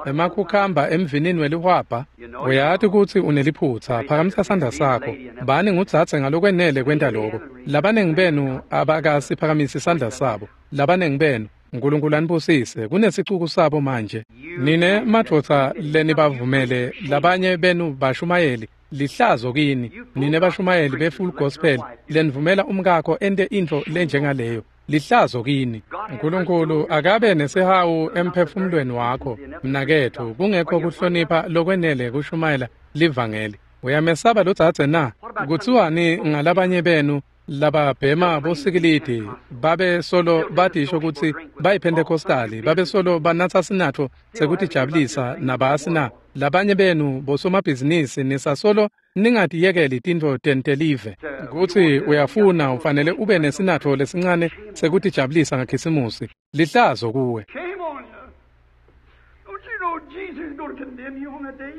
Emakhukhamba emvinini welihwabha? Uyati kutsi uneliphutsa, phakamisa sandla sakho. Bani ngudzadze ngalokwenele kwenta loko. Labanengi benu abakasiphakamisi sandla sabo. Labanengi benu, uNkulunkulu anibusise, kunesicuku sabo manje. Nine madvodza lenibavumele labanye benu bashumayeli, lihlazo kini. Nine bashumayeli be-full gospel lenivumela umkakho ente intfo lenjengaleyo. Lihlazo kini. uNkulunkulu akabe nesihawu emphefumulweni wakho, mnaketfu, kungekho kuhlonipha lokwenele kushumayela livangeli. Uyamesaba lodzadze na? Kutsiwani ngalabanye benu lababhema bosikilidi, babe solo batisho kutsi bayiPentecostali, babe solo banatsa sinatfo sekutijabulisa nabasi na? Labanye benu bosomabhizinisi nisasolo ningatiyekeli tintfo tentelive. Kutsi uyafuna ufanele ube nesinatfo lesincane sekutijabulisa ngaKhisimusi. Lihlazo kuwe. Shame on you. Don't you know Jesus is going to condemn you on that day?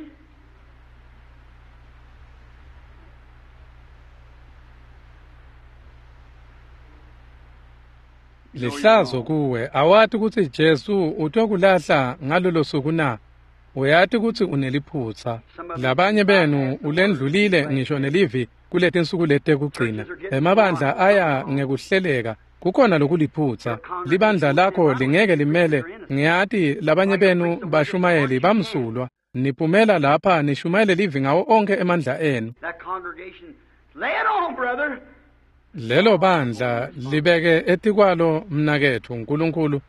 Lihlazo kuwe. Awati kutsi Jesu utokulahla ngalolo suku na? Uyati kutsi uneliphutsa. Labanye benu ulendlulile ngisho nelivi kuletinsuku letekugcina. Emabandla aya ngekuhleleka. Kukhona lokuliphutsa. Libandla lakho lingeke limele. Ngiyati labanye benu bashumayeli bamsulwa. Niphumela lapha nishumayele livi ngawo onke emandla enu. That congregation, lay it on, brother. Lelo bandla libeke etikwalo mnaketfu uNkulunkulu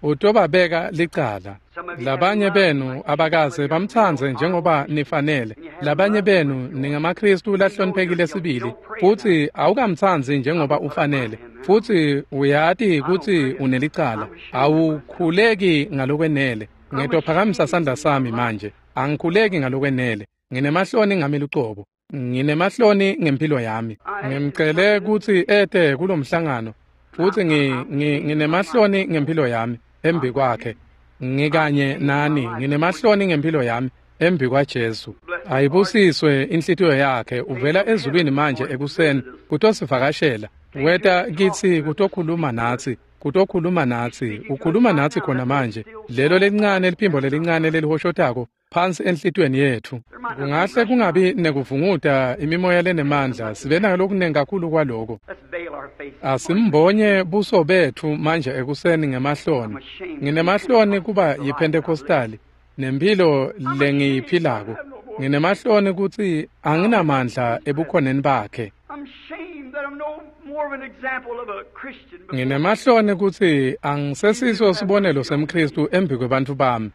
utobabeka licala. Labanye benu abakaze bamtsandze njengoba nifanele. Labanye benu ningamaKristu lahloniphekile sibili, futsi awukamtsandzi njengoba ufanele, futsi uyati kutsi unelicala. Awukhuleki ngalokwenele. Ngitophakamisa sandla sami manje. Angikhuleki ngalokwenele. Nginemahloni ngami lucobo. Nginemahloni ngempilo yami. Ngimcele kutsi ete kulomhlangano, futsi nginemahloni ngempilo yami embi kwakhe. Ngikanye nani, nginemahloni ngempilo yami embi kwaJesu. Ayibusiswe inhlitiyo yakhe, uvela ezulwini manje ekuseni kutosivakashela. Weta kitsi kutokhuluma natsi, kutokhuluma natsi, ukhuluma natsi khona manje. Lelo lelincane liphimbo lelincane lelihoshotako phansi enhlitiyweni yetfu. Kungahle kungabi nekuvunguta imimoya lenemandla, sibe nalokunengi kakhulu kwaloko. Let's veil our faces. Asimbonye buso betfu manje ekuseni ngemahloni. Nginemahloni kuba yiPentecostali nempilo lengiyiphilako. Nginemahloni kutsi anginamandla ebukhoneni bakhe. I'm ashamed that I'm no more of an example of a Christian. before Nginemahloni kutsi angisesiso sibonelo semKhristu embi kwebantfu bami.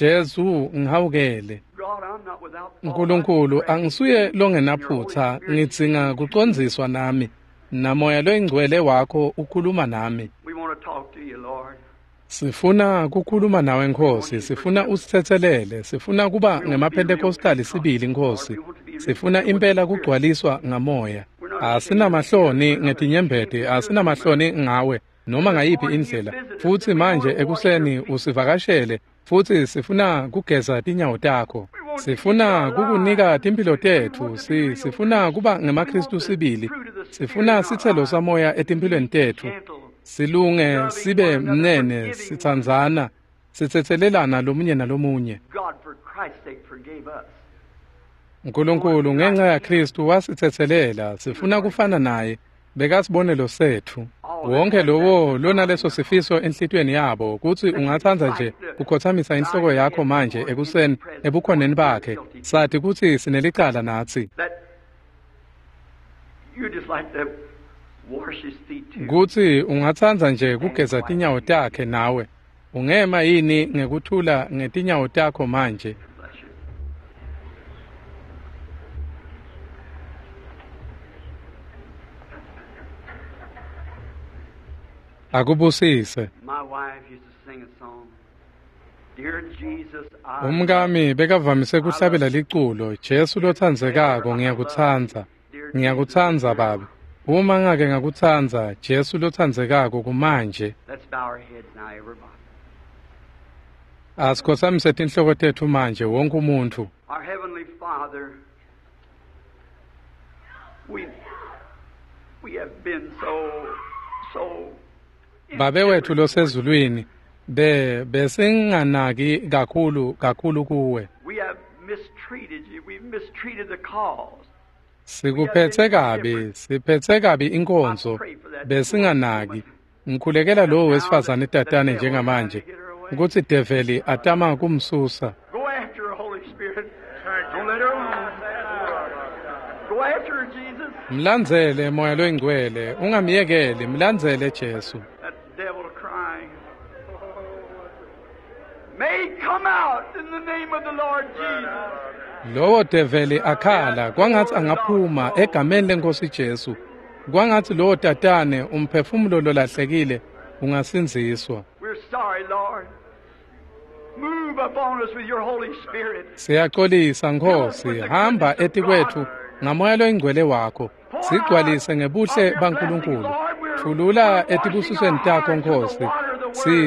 Jesu ngihawukele. God, I'm not without fault. uNkulunkulu angisuye longenaphutsa, ngidzinga kucondziswa nami. Namoya loyingcwele wakho ukhuluma nami. We want to talk to you, Lord. Sifuna kukhuluma nawe Nkosi, sifuna usitsetselele, sifuna kuba ngemaPentecostali sibili Nkosi. Sifuna impela kugcwaliswa ngamoya. Asinamahloni ngetinyembeti, asinamahloni ngawe noma ngayiphi indlela. Futsi manje ekuseni usivakashele, futsi sifuna kugeza tinyawo takho. Sifuna kukunika timphilo tetfu, sifuna kuba ngemaKristu sibili. Sifuna sitselo samoya etimphilweni tetfu. Silunge sibe mnene, sitsandzana, sitsetselelana lomunye nalomunye. God, for Christ's sake, forgave us. uNkulunkulu ngenxa yaKristu wasitsetselela, sifuna kufana naye, bekasibonelo setfu. Wonke lowo lonaleso sifiso enhlitiyweni yabo kutsi ungatsandza nje kukhotsamisa inhloko yakho manje ekuseni ebukhoneni bakhe, sathi kutsi sinelicala natsi. That you just like to wash his feet too. Kutsi ungatsandza nje kugeza tinyawo takhe nawe. Ungema yini ngekuthula ngetinyawo takho manje? Bless you. Akubusise. My wife used to sing a song. Dear Jesus, I Umkami bekavamise kuhlabela liculo, Jesu lotsandzekako ngiyakutsandza. Ngiyakutsandza Baba. Uma ngake ngakutsandza, Jesu lotsandzekako kumanje. Let's bow our heads now, everybody. Asikhotsamise tinhloko tetfu manje wonke umuntfu. Our Heavenly Father, we have been so Babe wethu losezulwini, Besinganaki kakhulu kakhulu kuwe. We have mistreated you. We've mistreated the cause. Sikuphetse kabi, siphetse kabi inkonzo, besinganaki. Ngikhulekela lowo wesifazane tatane njengamanje, ukuthi develi atama kumsusa. Go after her, Holy Spirit. Don't let her alone. Go after her, Jesus. Mlandzele Moya loyingcwele, ungamyekeli, mlandzele Jesu. That devil crying. May he come out in the name of the Lord Jesus. Lowo develi akhala kwangathi angaphuma egameni lenkosi Jesu. Kwangathi lowo tatane umphefumulo lolahlekile ungasindziswa. We're sorry, Lord. Move upon us with your Holy Spirit. Siyaxolisa Nkosi, hamba etikwethu ngamoya loyingcwele wakho. Sigcwalise ngebuhle baNkulunkulu. Thulula etibusisweni takho Nkosi.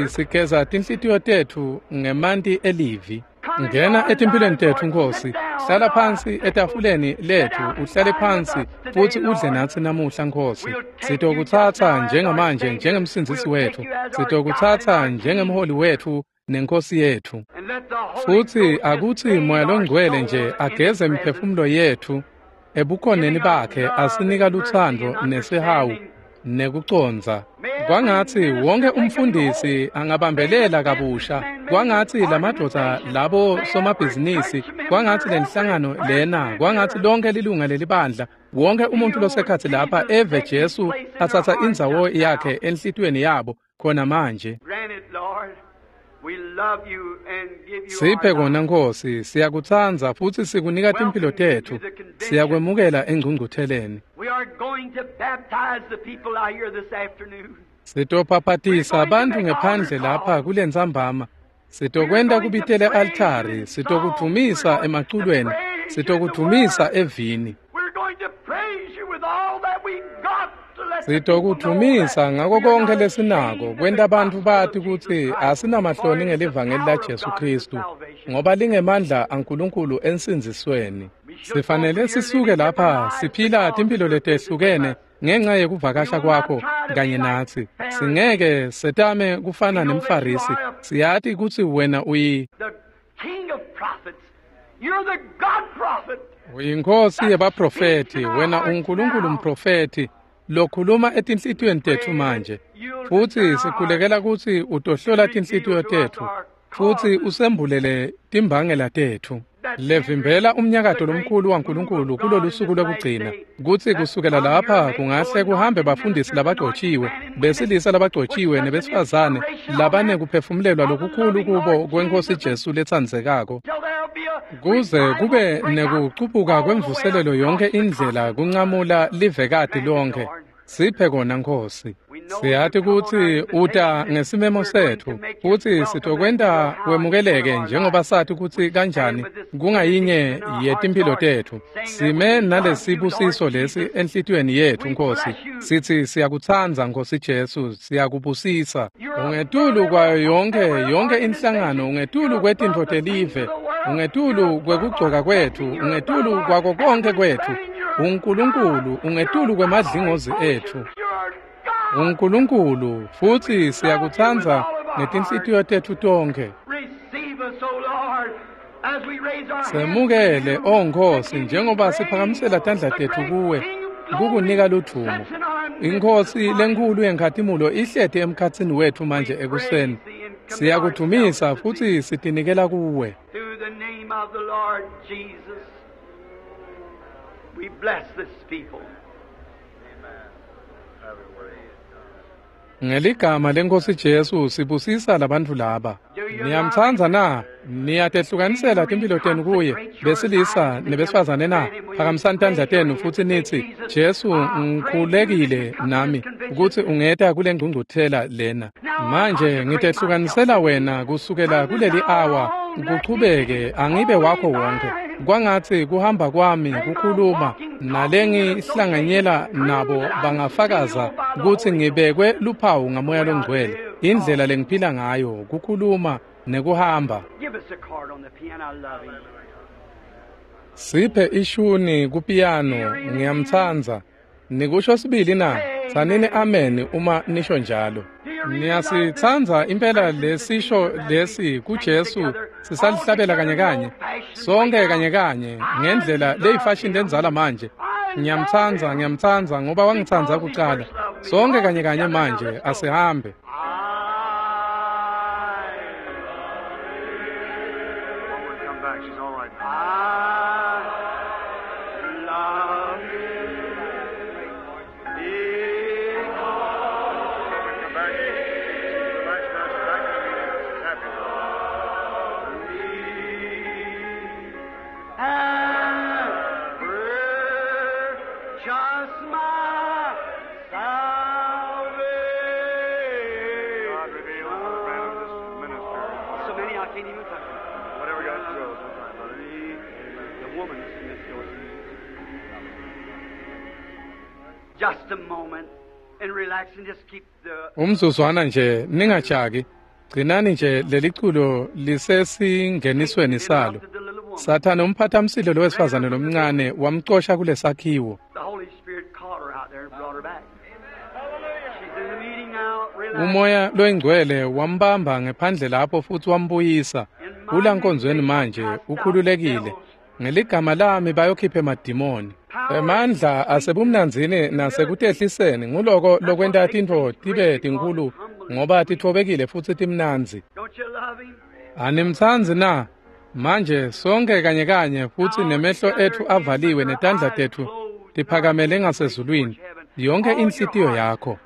Sigeza tinhlitiyo tethu ngemanti elivi. Ngena etimpilweni tethu Nkosi. Hlala phansi etafuleni lethu, uhlale phansi futhi udle natsi namuhla Nkosi. Sitokutsatsa njengamanje njengemsindzisi wethu. Sitokutsatsa njengemholi wethu nenkosi yethu. And let the Holy Futhi Ghost akuthi just Moya bathe our loNgcwele souls nje in ageze His imiphefumulo yethu ebukhoneni bakhe asinika luthando nesihawu nekucondza. Kwangathi wonke umfundisi angabambelela kabusha, kwangathi lamadvodza labo somabhizinisi, kwangathi lenhlangano lena, kwangathi lonke lilunga lelibandla, wonke umuntu losekhathi lapha eve Jesu athatha indzawo yakhe enhlitiyweni yabo khona manje. Grant it, Lord. We love you and give you Siphe our kona lives. Nkosi, siyakutsandza futhi sikunika timphilo tethu. Siyakwemukela engcungcutheleni. We are going to baptize the people out here this afternoon. Sitophapathisa abantu ngephandle lapha kulentsambama. Sitokwenta kubitele altari, sitokudvumisa emaculweni, sitokudvumisa evini. We're going to praise you with all that we got to let the people know Sitokudvumisa that ngako we are konke not lesinako ashamed of kwenta the bantfu gospel bati of Jesus kutsi Christ, asinamahloni for it is the ngelivangeli power la of Jesu God to Kristu, salvation. ngoba lingemandla aNkulunkulu ensindzisweni. Sifanele sisuke lapha siphila timphilo letehlukene ngenxa yekuvakasha kwakho kanye natsi. Singeke setame kufana nemFarisi. Siyati kutsi wena The King of prophets. You're the God prophet. uyinkosi yebaprofethi, wena uNkulunkulu mprofethi lokhuluma etinhlitiyweni tetfu manje. Futhi sikhulekela kutsi utohlola tinhlitiyo tetfu futhi usembulele timbangela tetfu. Levimbela umnyakato lomkhulu waNkulunkulu kulolu suku lokugcina, kutsi kusukela lapha kungahle kuhambe bafundisi labagcotshiwe, besilisa labagcotshiwe nebesifazane labanekuphefumulelwa lokukhulu kubo kwenkosi Jesu letsandzekako. Till there'll be a Kuze revival kube break out nekucubuka all the way kwemvuselelo yonke across the indlela continent. kunqamula livekati lonke. Siphe kona Nkosi. Siyati kutsi uta ngesimemo setfu futhi sitokwenta wemukeleke njengoba sati kutsi kanjani kungayinye yetimphilo tetfu. Sime nalesibusiso lesi enhlitiyweni yetfu Nkosi. Sithi siyakutsandza Nkosi Jesu, siyakubusisa. Ungetulu kwayo yonke inhlangano, ungetulu kwetintfo telive, ungetulu kwekugcoka kwetfu, ungetulu kwako konke kwetfu. uNkulunkulu ungetulu kwemadlingozi etfu. You're God. uNkulunkulu futhi siyakutsandza ngetinhlitiyo tetfu tonke. Receive us, O Lord, as we raise our hands to Semukele you, o Nkosi to give you njengoba praise. siphakamisela tandla The tetfu great kuwe King of kukunika glory ludvumo. sits in our midst Inkosi this morning. lenkulu yenkhatimulo ihleti emkhatsini wetfu manje We ekuseni. praise thee and commit Siyakudvumisa ourselves to thee. futhi sitinikela kuwe. Through the name of the Lord Jesus, we bless this people. Ngeligama lenkosi Jesu sibusisa labantfu laba. Niyamtsandza na? Niyatehlukanisela timphilo tenu kuye, besilisa nebesifazane na? Phakamisani tandla tenu futhi nithi, Jesu ngikhulekile nami ukuthi ungeta kule ngcungcuthela lena. Manje ngitehlukanisela wena kusukela kuleli awa kuchubeke angibe wakho wonke. Kwangathi kuhamba kwami kukhuluma nalengihlanganyela nabo bangafakaza kutsi ngibekwe luphawu ngamoya longcwele. Indlela lengiphila ngayo kukhuluma nekuhamba. Give us a card on the piano. I love him. Siphe ishuni kupiyano ngiyamtsandza. Nikusho sibili na? Tsanini amen uma nisho njalo. Do you Niyasitsandza impela lesisho lesi kuJesu sisalihlabela kanye kanye, sonke kanye kanye ngendlela leyifashion lenzala manje. Ngiyamtsandza, ngiyamtsandza ngoba wangitsandza kucala. Sonke kanye kanye manje asihambe. Umzuzwana nje ningajaki, gcinani nje leliculo lisesingenisweni salo. Sathane umphathamsilo lowesifazane lomncane wamcosha kulesakhiwo. Umoya loyingcwele wambamba ngephandle lapho futhi wambuyisa. Kulankonzweni manje ukhululekile. Ngeligama lami bayokhipha emadimoni. Emandla asebumnanzini nasekutehliseni nguloko lokwenta tintfo tibe tinkulu ngoba titfobekile futsi timnandzi. Animtsandzi na? Manje sonke kanye kanye futsi nemehlo etfu avaliwe netandla tetfu tiphakamele ngasezulwini, yonke inhlitiyo yakho.